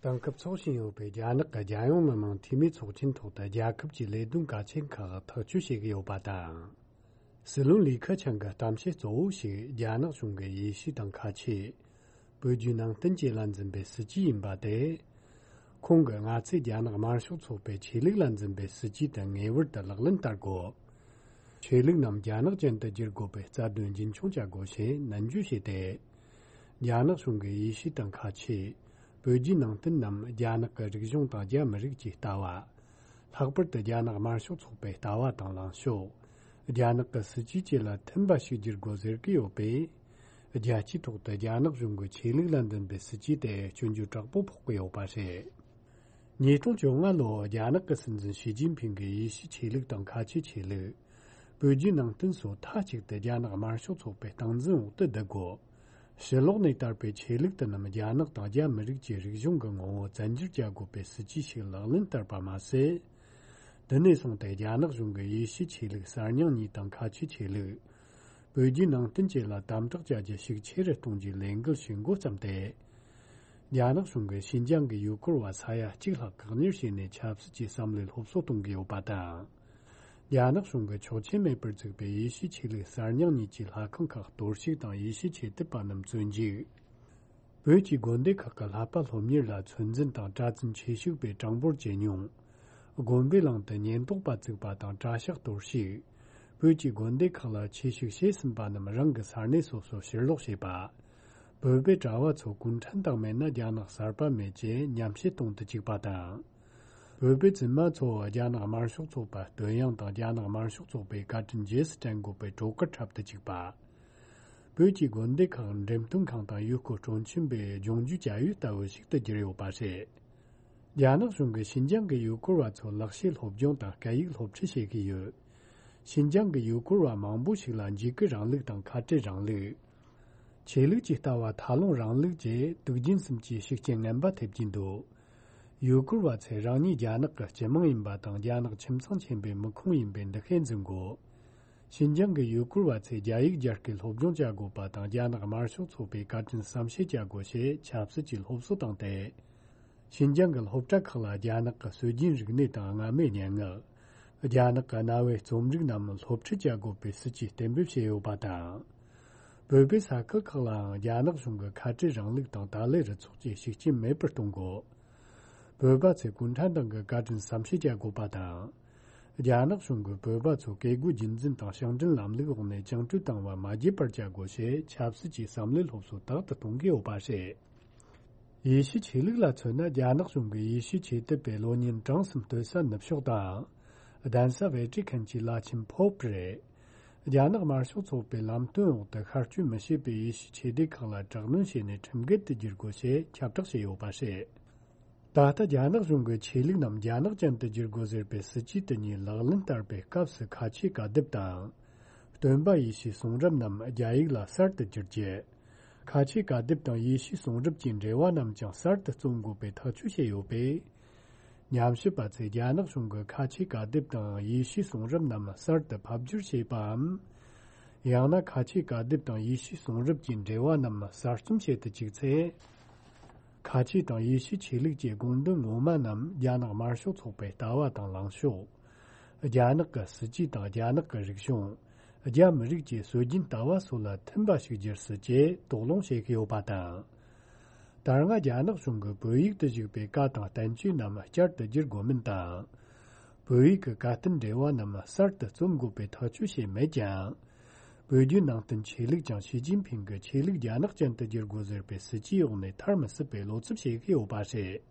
དེང་སྐབས་འཚོགས་བཞིན་ཡོད་པའི་རྒྱ་ནག་གི་རྒྱལ་ཡོངས་མི་དམངས་འཐུས་མིའི་ཚོགས་ཆེན་ཐོག་ཏུ། རྒྱལ་ཁབ་ཀྱི་ལས་དོན་གལ་ཆེན་ཁག་ཐག་གཅོད་བྱེད་ཀྱི་ཡོད་པ་དང་། སྲིད་བློན་ལི་ཁེ་ཆང་གི་གཏམ་བཤད་གཙོ་བོ་ཞིག་རྒྱ་ནག་གཞུང་གི་ཡེ་ཤུ་དང་ཁ་ཆེ། བོད་བརྒྱུད་ནང་བསྟན་བཅས་ལ་འཛིན་པའི་སྲིད་ཇུས་ཡིན་པ་སྟེ། ཁོང་གིས་ང་ཚོས་རྒྱ་ནག་དམར་ཤོག་ཚོགས་པའི་ཆོས་ལུགས་ལ་འཛིན་པའི་སྲིད་ཇུས་དེ་ངེས་པར་དུ་ལག་ལེན་བསྟར་དགོས། ཆོས་ལུགས་རྣམས་རྒྱ་ནག་ཅན་དུ་བསྒྱུར་དགོས་པའི་རྩ་དོན་རྒྱུན་འཁྱོངས་བྱ་དགོས་ཞེས་ནན་བརྗོད་བྱས་ཏེ། རྒྱ་ནག་གཞུང་གིས་ཡེ་ཤུ་དང་ཁ་ཆེ། བོད་བརྒྱུད་ནང་བསྟན་རྣམས་རྒྱ་ནག་གི་རིག་གཞུང་དང་རྒྱ་མི་རིགས་ཀྱི་ལྟ་བ། ལྷག་པར་དུ་རྒྱ་ནག་དམར་ཤོག་ཚོགས་པའི་ལྟ་བ་དང་ལངས་ཕྱོགས། རྒྱ་ནག་གི་སྲིད་ཇུས་བཅས་ལ་མཐུན་པ་ཞིག་བསྒྱུར་དགོས་ཟེར་གྱི་ཡོད་པས། རྒྱལ་སྤྱིའི་ཐོག་ཏུ་རྒྱ་ནག་གཞུང་གི་ཆོས་ལུགས་ལ་འཛིན་པའི་སྲིད་ཇུས་དེ་སྐྱོན་བརྗོད་དྲག་པོ་ཕོག་གི་ཡོད་པ་རེད། ཉིས་སྟོང་བཅོ་ལྔ་ལོར་རྒྱ་ནག་གི་སྲིད་འཛིན་ཞི་ཅིན་ཕིང་གིས་ཡེ་ཤུའི་ཆོས་ལུགས་དང་ཁ་ཆེའི་ཆོས་ལུགས། བོད་བརྒྱུད་ནང་བསྟན་སོགས་མཐའ་གཅིག་ཏུ་རྒྱ་ནག་དམར་ཤོག་ཚོགས་པའི་སྟངས་འཛིན་འོག་ཏུ་བསྡུ་དགོས། ཕྱི་ལོགས་ནས་དར་བའི་ཆོས་ལུགས་དེ་རྣམས་རྒྱ་ནག་དང་རྒྱ་མི་རིགས་ཀྱི་རིག་གཞུང་གི་ངོ་བོ་བཙན་འགྱུར་བྱ་དགོས་པའི་སྲིད་ཇུས་ཤིག་ལག་ལེན་བསྟར་པ་མ་ཟད། དེ་ནས་བཟུང་སྟེ་རྒྱ་ནག་གཞུང་གིས་ཡེ་ཤུའི་ཆོས་ལུགས་གསར་རྙིང་གཉིས་དང་ཁ་ཆེའི་ཆོས་ལུགས། བོད་བརྒྱུད་ནང་བསྟན་བཅས་ལ་དམ་དྲག་བྱ་རྒྱུ་ཤུགས་ཆེ་རུ་གཏོང་རྒྱུའི་ལས་འགུལ་ཞིག་འགོ་བརྩམས་ཏེ། རྒྱ་ནག་གཞུང་གིས་ཤིན་ཅང་གི་ཡུལ་སྐོར་བ་ས་ཡ་གཅིག་ལྷག་བཀག་ཉར་བྱས་ནས་ཆབ་སྲིད་ཀྱི་བསམ་བློའི་སློབ་གསོ་གཏོང་གི་ཡོད་པ་དང་། རྒྱ་ནག་གཞུང་གིས་ཆོག་མཆན་མེད་པར་བཙུགས་པའི་ཡེ་ཤུའི་ཆོས་ལུགས་གསར་རྙིང་གཉིས་ཀྱི་ལྷ་ཁང་ཁག་གཏོར་བཤིག་དང་ཡེ་ཤུའི་ཆོས་དད་པ་རྣམས་བཙོན་འཇུག་བོད་ཀྱི་དགོན་སྡེ་ཁག་གི་བསླབ་པ་སློབ་གཉེར་ལ་ཚོད་འཛིན་དང་གྲྭ་བཙུན་ཆོས་ཞུགས་པའི་གྲངས་འབོར་ཇེ་ཉུང་། དགོན་པའི་གླིང་དུ་ཉེན་རྟོག་པ་བཙུགས་པ་དང་གྲྭ་ཤག་གཏོར་བཤིག་བོད་ཀྱི་དགོན་སྡེ་ཁག་ལ་ཆོས་ཞུགས་བྱས་ཟིན་པ་རྣམས་རང་གི་ས་གནས་སོ་སོར་ཕྱིར་ལོག་བྱས་པ། བོད་པའི་གྲྭ་བ་ཚོ་གུང་ཁྲན་ཏང་མེད་ན་རྒྱ་ནག་གསར་པ་མེད་ཅེས་ཉམས་བཞེས་གཏོང་དུ་བཅུག་པ་དང་། བོད་པའི་བཙུན་མ་ཚོ་རྒྱ་ནག་དམར་ཤོག་ཚོགས་པ་བསྟོད་དབྱངས་དང་རྒྱ་ནག་དམར་ཤོག་ཚོགས་པའི་བཀའ་དྲིན་རྗེས་སུ་དྲན་དགོས་པའི་སྒྲོག་སྐུར་འཁྲབ་ཏུ་བཅུག་པ། བོད་ཀྱི་དགོན་སྡེ་ཁག་འགྲེམས་སྟོན་ཁང་དང་ཡུལ་སྐོར་སྤྲོ་འཆམ་པའི་ལྗོངས་རྒྱུའི་བྱ་ཡུལ་ལྟ་བུ་ཞིག་ཏུ་གྱུར་ཡོད་པ་རེད། རྒྱ་ནག་གཞུང་གིས་ཤིན་ཅང་གི་ཡུལ་སྐོར་བ་ཚོར་ལག་ཤེས་སློབ་སྦྱོང་དང་སྐད་ཡིག་སློབ་ཁྲིད་བྱེད་ཀྱི་ཡོད། ཤིན་ཅང་གི་ཡུལ་སྐོར་བ་མང་པོ་ཞིག་ལ་འཇིགས་སྐུལ་རིང་ལུགས་དང་ཁ་བྲལ་རིང་ལུགས། ཆོས་ལུགས་ཀྱི་ལྟ་བ་ཐལ་རླུང་རིང་ལུགས་བཅས་དུག་རྒྱུན་གསུམ་གྱི་ཤུགས་རྐྱེན་ངན་པ་ཐེབས་ཀྱིན་འདུག་ཡུལ་སྐོར་བ་ཚོས་རང་ཉིད་རྒྱ་ནག་གི་སྤྱི་དམངས་ཡིན་པ་དང་རྒྱ་ནག་ཁྱིམ་ཚང་ཆེན་པོའི་མི་ཁུངས་ཡིན་པའི་འདུ་ཤེས་འཛིན་དགོས། ཤིན་ཅང་གི་ཡུལ་སྐོར་བ་ཚོས་རྒྱ་ཡིག་རྒྱ་སྐད་སློབ་སྦྱོང་བྱ་དགོས་པ་དང་རྒྱ་ནག་དམར་ཤོག་ཚོགས་པའི་བཀའ་དྲིན་བསམ་ཤེས་བྱ་དགོས་ཞེས་ཆབ་སྲིད་ཀྱི་སློབ་གསོ་བཏང་སྟེ། ཤིན་ཅང་གི་སློབ་གྲྭ་ཁག་ལ་རྒྱ་ནག་གི་སྲོལ་རྒྱུན་རིག་གནས་དང་སྔ་མའི་སྙན་ངག་རྒྱ་ནག་གི་གནའ་བོའི་རྩོམ་རིག་རྣམས་སློབ་ཁྲིད་བྱ་དགོས་པའི་སྲིད་ཇུས་གཏན་འབེབས་བྱས་ཡོད་པ་དང་། བོད་པའི་ས་ཁུལ་ཁག་ལའང་རྒྱ་ནག་གཞུང་གི་ཁ་བྲལ་རིང་ལུགས་དང་ཏཱ་ལའི་རུ་ཚོགས་ཀྱི་ཤུགས་རྐྱེན་མེད་པར་གཏོང་དགོས། བོད་པ་ཚོས་གུང་ཁྲན་ཏང་གི་བཀའ་དྲིན་བསམ་ཤེས་བྱ་དགོས་པ་དང་། རྒྱ་ནག་གཞུང་གིས་བོད་པ་ཚོ་བཀས་བཀོད་རྒྱུད་འཛིན་དང་ཞིང་བྲན་ལམ་ལུགས་འོག་ནས་བཅིངས་འགྲོལ་བཏང་བ་མ་བརྗེད་པར་བྱ་དགོས་ཞེས་ཆབ་སྲིད་ཀྱི་བསམ་བློའི་སློབ་གསོ་དག་ཏུ་གཏོང་གི་ཡོད་པ་རེད། ཡེ་ཤུའི་ཆོས་ལུགས་ལ་མཚོན་ན་རྒྱ་ནག་གཞུང་གིས་ཡེ་ཤུའི་ཆོས་དད་པའི་བློ་ཉེན་གྲངས་སུ་འདོད་ས་ནུབ་ཕྱོགས་དང་། གདན་ས་ཝེ་ཏི་ཁན་གྱི་བླ་ཆེན་ཕོབ་རེད། རྒྱ་ནག་དམར་ཤོག་ཚོགས་པའི་ལམ་སྟོན་འོག་ཏུ་ཤར་བསྐྱོད་མི་བྱེད་པའི་ཡེ་ཤུའི་ཆོས་སྡེ་ཁག་ལ་དྲག་གནོན་བྱས་ནས་ཁྲིམས་འགལ་དུ་བསྒྱུར་དགོས་ཞེས་ཁྱབ་བསྒྲགས་བྱས་ཡོད་པ་རེད། ད་ལྟ་རྒྱ་ནག་གཞུང་གིས་ཆོས་ལུགས་རྣམས་རྒྱ་ནག་ཅན་དུ་བསྒྱུར་དགོས་ཟེར་བའི་སྲིད་ཇུས་དེ་ཉིད་ལག་ལེན་བསྟར་བའི་སྐབས་སུ་ཁ་ཆེའི་བཀའ་སྡེབ་དང་། སྟོན་པ་ཡེ་ཤུའི་གསུང་རབ་རྣམས་རྒྱ་ཡིག་ལ་གསར་དུ་བསྒྱུར་རྒྱུ། ཁ་ཆེའི་བཀའ་སྡེབ་དང་ཡེ་ཤུའི་གསུང་རབ་ཀྱི་འགྲེལ་བ་རྣམས་ཀྱང་གསར་དུ་རྩོམ་དགོས་པའི་ཐག་གཅོད་བྱས་ཡོད་པས། ཉམས་ཞིབ་པ་ཚོས་རྒྱ་ནག་གཞུང་གིས་ཁ་ཆེའི་བཀའ་སྡེབ་དང་ཡེ་ཤུའི་གསུང་རབ་རྣམས་གསར་དུ་ཕབ་བསྒྱུར་བྱས་པའམ། ཡང་ན་ཁ་ཆེའི་བཀའ་སྡེབ་དང་ཡེ་ཤུའི་གསུང་རབ་ཀྱི་འགྲེལ་བ་རྣམས་གསར་རྩོམ་བྱེད་དུ་བཅུག་ཚེ། ཁ་ཆེ་དང་ཡེ་ཤུའི་ཆོས་ལུགས་ཀྱི་དགོངས་དོན་ངོ་མ་རྣམས་རྒྱ་ནག་དམར་ཤོག་ཚོགས་པའི་ལྟ་བ་དང་ལངས་ཕྱོགས། རྒྱ་ནག་གི་སྲིད་ཇུས་དང་རྒྱ་ནག་གི་རིག་གཞུང་། རྒྱ་མི་རིགས་ཀྱི་སྲོལ་རྒྱུན་ལྟ་བ་སོགས་ལ་མཐུན་པ་ཞིག་བསྒྱུར་སྲིད་ཅེས་དོགས་སློང་བྱེད་ཀྱི་ཡོད་པ་དང་། ད་སྔ་རྒྱ་ནག་གཞུང་གིས་བོད་ཡིག་ཏུ་བཞུགས་པའི་བཀའ་དང་བསྟན་བཅོས་རྣམས་བསྐྱར་དུ་བསྒྱུར་དགོས་མིན་དང་། བོད་ཡིག་གི་བཀའ་བསྟན་འགྲེལ་བ་རྣམས་གསར་དུ་རྩོམ་དགོས་པའི་ཐག་གཅོད་བྱས་མེད་ཀྱང་། བོད་བརྒྱུད་ནང་བསྟན་ཆོས་ལུགས་ཀྱང་ཞི་ཅིན་ཕིང་གིས་ཆོས་ལུགས་རྒྱ་ནག་ཅན་དུ་བསྒྱུར་དགོས་ཟེར་བའི་སྲིད་ཇུས་འོག་ནས་ཐར་མི་སྲིད་པའི་བློ་འཚབ་བྱེད་ཀྱི་ཡོད་པ་རེད།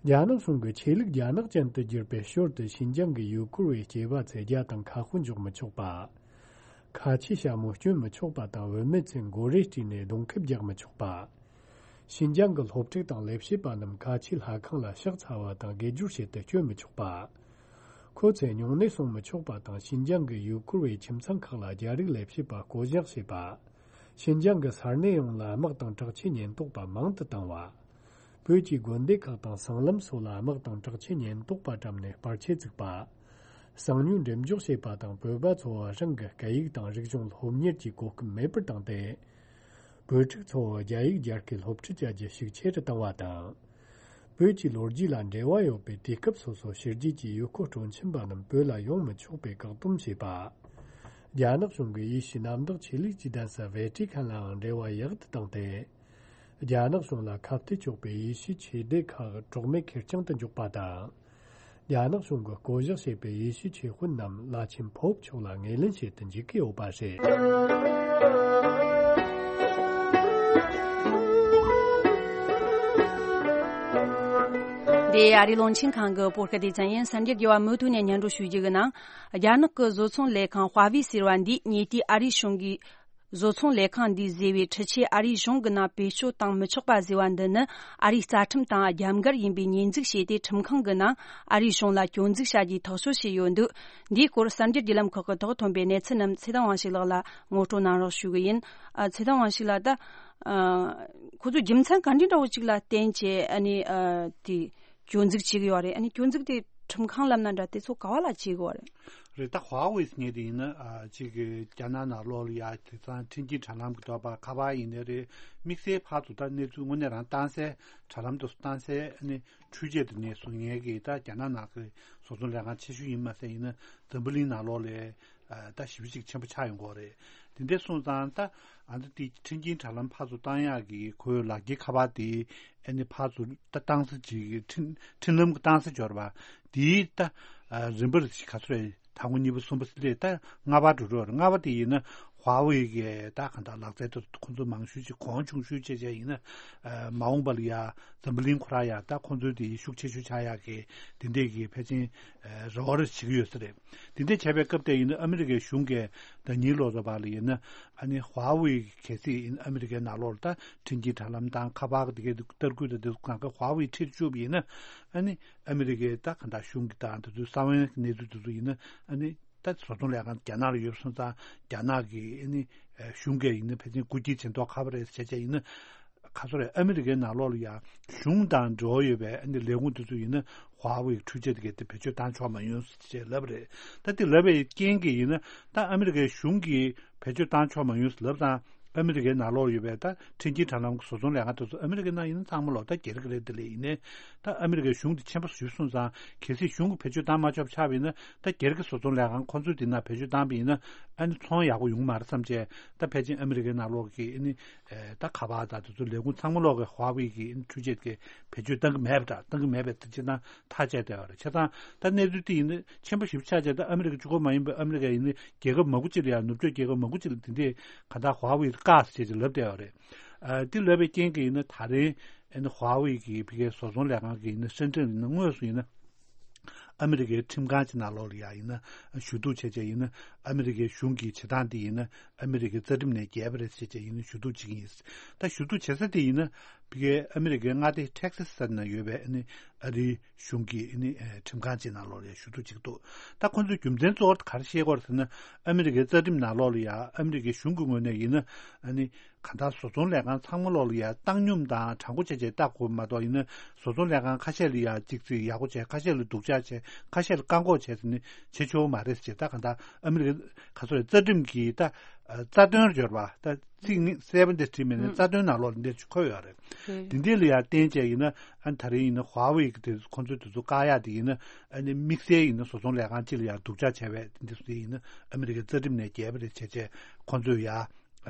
རྒྱ་ནག་གཞུང་གིས་ཆོས་ལུགས་རྒྱ་ནག་ཅན་དུ་བསྒྱུར་བའི་ཞོར་དུ་ཤིན་ཅང་གི་ཡུལ་སྐོར་བའི་སྐྱེས་པ་ཚོས་རྒྱ་དང་ཁ་དཔོན་འཇོག་མི་ཆོག་པ། ཁ་ཆེའི་ཞྭ་མོ་སྐྱོན་མི་ཆོག་པ་དང་བུད་མེད་ཚོས་མགོ་རས་བཀྲུས་ནས་གདོང་ཁེབས་རྒྱག་མི་ཆོག་པ། ཤིན་ཅང་གི་སློབ་ཕྲུག་དང་ལས་བྱེད་པ་རྣམས་ཁ་ཆེའི་ལྷ་ཁང་ལ་ཕྱག་འཚལ་བ་དང་དགེ་སྦྱོར་བྱེད་དུ་བསྐྱོད་མི་ཆོག་པ། ཁོ་ཚོས་ཉུང་གནས་སྲུང་མི་ཆོག་པ་དང་ཤིན་ཅང་གི་ཡུལ་སྐོར་བའི་ཁྱིམ་ཚང་ཁག་ལ་རྒྱ་རིགས་ལས་བྱེད་པ་བསྐོ་གཞག་བྱེད་པ། ཤིན་ཅང་གི་ས་གནས་ཡོངས་ལ་དམག་དང་དྲག་ཆས་ཉེན་རྟོག་པ་མང་དུ་བཏང་བ། བོད་ཀྱི་དགོན་སྡེ་ཁག་དང་སྲང་ལམ་སོགས་ལ་དམག་དང་དྲག་ཆས་ཉེན་རྟོག་པ་བཀྲམ་ནས་པར་ཆས་བཙུགས་པ། གསང་ཉུལ་འགྲེམས་འཇོག་བྱས་པ་དང་བོད་པ་ཚོ་རང་གི་སྐད་ཡིག་དང་རིག་གཞུང་སློབ་གཉེར་གྱི་གོ་སྐབས་མེད་པར་བཏང་སྟེ། བོད་ཕྲུག་ཚོ་རྒྱ་ཡིག་རྒྱ་སྐད་སློབ་ཁྲིད་བྱ་རྒྱུ་ཤུགས་ཆེ་རུ་བཏང་བ་དང་། བོད་ཀྱི་ལོ་རྒྱུས་ལ་འབྲེལ་བ་ཡོད་པའི་དུས་སྐབས་སོ་སོ་ཕྱི་རྒྱལ་གྱི་ཡུལ་སྐོར་སྤྲོ་འཆམ་པ་རྣམས་བོད་ལ་ཡོང་མི་ཆོག་པའི་བཀག་སྡོམ་བྱས་པ། རྒྱ་ནག་གཞུང་གིས་ཡེ་ཤུའི་གནམ་བདག་ཆོས་ལུགས་ཀྱི་གདན་ས་ཝེ་ཏི་ཁན་ལའང་འབྲེལ་བ་ཡག་ཏུ་བཏང་སྟེ། རྒྱ་ནག་གཞུང་ལ་ཁ་གཏད་གཅོག་པའི་ཡེ་ཤུའི་ཆོས་སྡེ་ཁག་གྲོགས་མེད་ཁེར་རྐྱང་དུ་འཇོག་པ་དང་། རྒྱ་ནག་གཞུང་གིས་བསྐོ་གཞག་བྱས་པའི་ཡེ་ཤུའི་ཆོས་དཔོན་རྣམས་བླ་ཆེན་ཕོབ་མཆོག་ལ་ངོས་ལེན་བྱེད་དུ་འཇུག་གི་ཡོད་པ་རེད། འདི་ཨ་རིའི་རླུང་འཕྲིན་ཁང་གི་བོད་སྐད་སྡེ་ཚན་ཡིན། གསར་འགྱུར་རྒྱས་པ་མུ་མཐུད་ནས་སྙན་སྒྲོན་ཞུ་རྒྱུ་གི་ནང་། རྒྱ་ནག་གི་བཟོ་ཚོང་ལས་ཁང་ཧྭ་ཝེ་ཟེར་བ་འདིས་ཉེ་དུས་ཨ་རིའི་གཞུང་གིས། བཟོ་ཚོང་ལས་ཁང་འདིས་བཟོས་པའི་འཕྲུལ་ཆས་ཨ་རིའི་གཞུང་གི་ནང་བེད་སྤྱོད་གཏང་མི་ཆོག་པ་བཟོས་པ་འདི་ནི་ཨ་རིའི་རྩ་ཁྲིམས་དང་རྒྱབ་འགལ་ཡིན་པའི་ཉེས་འཛུགས་བྱས་ཏེ། ཁྲིམས་ཁང་གི་ནང་ཨ་རིའི་གཞུང་ལ་སྐྱོན་འཛུགས་བྱ་རྒྱུའི་ཐག་གཅོད་བྱས་ཡོད་འདུག་འདིའི་སྐོར་གསར་འགྱུར་བརྒྱུད་ལམ་ཁག་གི་ཐོག་ཐོན་པའི་གནས་ཚུལ་རྣམས་ཚེ་བརྟན་དབང་ཕྱུག་ལགས་ལ་ངོ་སྤྲོད་གནང་རོགས་ཞུ་གི་ཡིན། ཨ། ཚེ་བརྟན་དབང་ཕྱུག་ལགས། ད་ཨ་ཁོ་ཚོས་རྒྱུ་མཚན་ག་འདྲ་འདྲ་བོ་ཅིག་ལ་བརྟེན་བྱས་ཨ་ནི་ཨ་དེ་སྐྱོན་འཛུགས་བྱེད་ཀྱི་ཡོད་རེད། ཨ་ནི་སྐྱོན་འཛུགས་དེ་ཁྲིམས་ཁང་ལབ་ན་འདྲ། དེ་ཚོ་ག་བ་ལ་བྱེད་དགོས་རེད། རེད། ད་ཧྭ་ཝེ་ཟེར་མཁན་དེ་ཡིན་ན། ཨ། གཅིག་གི་རྒྱ་ནག་ནང་ལོགས་ལ་ཡ། དེང་སང་འཕྲིན་སྐྱེལ་དྲ་ལམ་གྱི་ཐོག་པ་ཁ་པར་ཡིན་ནའི་རེད། དམིགས་བསལ་ཕར་ཚུར་ད་གནས་ཚུལ་དངོས་གནས་རང་བཏང་སའི་དྲ་ལམ་དུ་བཏང་སའི་ཨ་ནི་འཕྲུལ་ཆས་དེ་ནས་བཟོ་མཁན་གྱི་ད་རྒྱ་ནག་ནང་གི་བཟོ་ཚོང་ལས་ཁང་ཆེ་ཤོས་ཡིན་མ་ཟད་ཡིན་ན་འཛམ་བུ་གླིང་ནང་ལོགས་ལ་ད་ཞེ་པོ་ཅིག་ཆེན་པོ་ཆགས་ཡོང་གི་ཡོད་རེད། དེ་འདྲ་སོང་ཙང་ད་ཨ་ད་དེ་འཕྲིན་སྐྱེལ་དྲ་ལམ་ཕར་ཚུར་བཏང་ཡག་གི་ཁོའི་ལག་འཁྱེར་ཁ་པར་དེ་ཨ་ནི་ཕར་ཚུར་ད་བཏང་ས་ཅིག་འཕྲིན་འཕྲིན་ལམ་གྱི་བཏང་ས་འབྱོར་བ་དེའི་ད་རིམ་པར་ག་ཚོད་རེད། དང་པོ་གཉིས་པ་གསུམ་པ་ཟེར་ད་ལྔ་པ་འགྲོ་འགྲོ་རེད། ལྔ་པ་དེ་ཡིན་ན་ཧྭ་ཝེ་གི་ད་གང་ལྟར་ལག་རྩལ་དུ་ཁོང་ཚོ་མང་ཤོས་ཅིག་གོང་ཆུང་ཤོས་བྱས་བྱས་ཡིན་ན། ཨ། མ་འོངས་པ་ལ་ཡ་འཛམ་བུ་གླིང་ཁོ་རང་ཡ་ད་ཁོང་ཚོའི་དེ་ཤུགས་ཆེ་ཤོས་ཆགས་ཡག་གི་དེ་འདྲས་ཀྱི་ཕལ་ཆེར་ཨ་རེ་བ་རེ་བྱེད་ཀྱི་ཡོད་ས་རེད། དེ་འདྲས་བྱས་པའི་སྐབས་དེ་ཡིན་ན་ཨ་མི་རི་ཀའི་གཞུང་གིས་ད་ཉིན་ལོ་ཙཱ་བ་ལ་ཡིན་ན་ཨ་ནི་ཧྭ་ཝེ་གལ་སྲིད་ཡིན་ཨ་མི་རི་ཀའི་ནང་ལོགས་ལ་ད་འཕྲིན་སྐྱེལ་དྲ་ལམ་དང་ཁ་པར་དེ་གའི་ལྟ་སྐུལ་དང་དེ་ཚོ་གང་ག་ཧྭ་ཝེ་ཁྲིད་བཅུག་པ་ཡིན་ན། ཨ་ནི་ཨ་མི་རི་ཀའི་ད་གང་ལྟར་གཞུང་གི་དང་དེ་ཚོའི་གསང་བའི་གནས་ཚུལ་དེ་ཚོ་ཡིན་ན་ཨ་ནི། ད་བཟོ་ཚོང་ལས་ཁང་རྒྱ་ནག་ལ་ཡོད་སོང་ཙང་རྒྱ་ནག་གི་ཨ་ནི་གཞུང་གིས་ཡིན་ན་ཕལ་ཆེར་རྐུ་འཁྱེར་བྱེད་མདོག་ཁ་པོ་རེད་ཟེར་བྱས་ཡིན་ན། ག་ཚོད་རེད། ཨ་མི་རི་ཀའི་ནང་ལོགས་ལ་ཡང་གཞུང་དང་འབྲེལ་བ་ཡོད་པའི་ཨ་ནི་ལས་ཁུངས་དེ་ཚོ་ཡིན་ན་ཧྭ་ཝེ་འཕྲུལ་ཆས་དེ་གའི་དེ་བེད་སྤྱོད་བཏང་ཆོག་མ་ཡོང་ཟེར་བྱས་ལབ་རེད། ད་དེ་ལབ་པའི་རྐྱེན་གྱིས་ཡིན་ན་ད་ཨ་མི་རི་ཀའི་གཞུང་གིས་བེད་སྤྱོད་བཏང་ཆོག་མ་ཡོང་ཟེར་ལབ་ཙང་། ཨ་མི་རི་ཀའི་ནང་ལོགས་ཡོད་པའི་ད་འཕྲིན་སྐྱེལ་དྲ་ལམ་གྱི་བཟོ་ཚོང་ལས་ཁང་དེ་ཚོ་ཨ་མི་རི་ཀའི་ནང་ཡིན་ན་ཚང་མ་ལོག་ད་སྒེར་གྱི་རེད། དེ་ལས་ཡིན་ནའི་ད་ཨ་མི་རི་ཀའི་གཞུང་དེ་ཆེན་པོ་ཞིག་སོང་ཙང་གལ་སྲིད་གཞུང་གིས་བེད་སྤྱོད་བཏང་མ་ཆོག་པ་ཆགས་པ་ཡིན་ན་ད་སྒེར་གྱི་བཟོ་ཚོང་ལས་ཁང་ཁོང་ཚོའི་དེ་ན་བེད་སྤྱོད་བཏང་པ་ཡིན་ན་ཨ་ནི་ཚོང་ཡག་པོ་ཡོང་གི་མ་རེད་བསམ་བྱས། ད་ཕལ་ཆེར་ཨ་མི་རི་ཀའི་ནང་ལོགས་ཀྱི་ཨ་ནི་ད་ཁ་པར་དང་དེ་ཚོ་ལས་ཁུངས་ཚང་མ་ལོག་གི་ཧྭ་ཝེ་གི་ཨ་ནི་འཕྲུལ་ཆས་ཀྱི་བེད་སྤྱོད་བཏང་གི་མེད་པ་འདྲ། བཏང་གི་མེད་པའི་དེ་སྤྱིར་བཏང་ཐག་བཅད་བསྡད་པ་རེད། བྱས་ཙང་ད་གནས་ཚུལ་དེ་ཡིན་ན་ཆེན་པོ་ཞིབ་ཆགས་བྱས། ད་ཨ་མི་རི་ཀ་གཅིག་པོ་མ་ཡིན་པར་ཨ་མི་རི་ཀ་ཡིན་ན་རྒྱལ་ཁབ་མང་པོ་ཅིག་ལ་ཡང་ནུབ་ཕྱོགས་རྒྱལ་ཁབ་མང་པོ་ཅིག་ལ་དེ་འདྲས་གང་ལྟར་ཧྭ་ཝེ་བཀག་ཟེར་བྱས་ལབ་བསྡད་པ་རེད། ཨ། དེ་ལབ་པའི་རྐྱེན་གྱིས་ཡིན་ན་ད་རེས་ཨ་ནི་ཧྭ་ཝེ་གི་ཕ་གིའི་བཟོ་ཚོང་ལས་ཁང་གི་ཡིན་ན་སེན་ཀྲེན་ཡིན་ན་དངོས་སུ་ཡིན་ན་ཨ་མི་རི་ཀའི་ཁྲིམས་ཁང་གི་ནང་ལོགས་ལ་ཡང་ཡིན་ན་ཞུ་གཏུག་བྱས་བྱས་ཡིན་ན་ཨ་མི་རི་ཀའི་གཞུང་གི་བྱེད་སྟངས་དེ་ཡིན་ན་ཨ་མི་རི་ཀའི་རྩ་ཁྲིམས་ནས་འགལ་བ་རེད་ཟེར་བྱས་ཡིན་ན་ཞུ་གཏུག་བྱེད་ཀྱི་ཡིན། ད་ཞུ་གཏུག་བྱེད་ས་དེ་ཡིན་ན་ཕ་གིའི་ཨ་མི་རི་ཀའི་མངའ་སྡེ་ཊེག་སཱ་ཟེར་ན་ཡོད་པའི་ཨ་ནི་ཨ་རིའི་གཞུང་གི་ཨ་ནི་ཁྲིམས་ཁང་གི་ནང་ལོགས་ལ་ཞུ་གཏུག་བྱེད་ཀྱི་འདུག་ད་ཁོང་ཚོས་རྒྱུ་མཚན་གཙོ་བོ་ག་རེ་བཤད་ཀྱི་ཡོད་རེད་ཟེར་ན་ཨ་མི་རི་ཀའི་རྩ་ཁྲིམས་ནང་ལོགས་ལ་ཡང་ཨ་མི་རི་ཀའི་གཞུང་གི་ངོས་ནས་ཡིན་ན་ཨ་ནི། གང་ལྟར་བཟོ་ཚོང་ལས་ཁང་ཚང་མ་ལོག་ལ་ཡ་བཏང་སྙོམས་དང་དྲང་པོ་བྱས་བྱས་བལྟ་དགོས་མ་གཏོགས་ཡིན་ན་བཟོ་ཚོང་ལས་ཁང་ཁ་ཤས་ལ་ཡ་གཅིག་ཚིག་ཡག་པོ་བྱས། ཁ་ཤས་ལ་སྡུག་ཅག་བྱས། ཁ་ཤས་ལ་བཀག་འགོག་བྱས་ཟེར་ནས་བྱེད་ཆོག་མ་རེད་ཟེར། ད་གང་ལྟར་ཨ་མི་རི་ཀ་ག་ཚོད་རེད། རྩ་ཁྲིམས་ཀྱི་ད་རྩ་དོན་སྦྱོར་བ་ད་ཚིག་ནི་གསལ་པོ་འདི་བྲིས་མེད་ནས་རྩ་དོན་ནང་ལོགས་ལ་འདིར་འཁོད་ཡོད་རེད། དེ་འདི་ལ་ཡ་བརྟེན་བྱས་ཡིན་ན་ཨ་ནི་ད་རེས་ཡིན་ན་ཧྭ་ཝེ་གི་དེ་ཁོང་ཚོས་དེ་ཚོ་བཀག་ཡག་དེ་ཡིན་ན་ཨ་ནི་དམིགས་བསལ་ཡིན་ན་བཟོ་ཚོང་ལས་ཁང་གཅིག་ལ་ཡ་སྡུག་ཅག་བྱས་པས་འདི་ཚོ་ཡིན་ན་ཨ་མི་རི་ཀའི་རྩ་ཁྲིམས་ནས་འགལ་བ་རེད་བྱས་བྱས་ཁོང་ཚོས་ཡ། ཨ།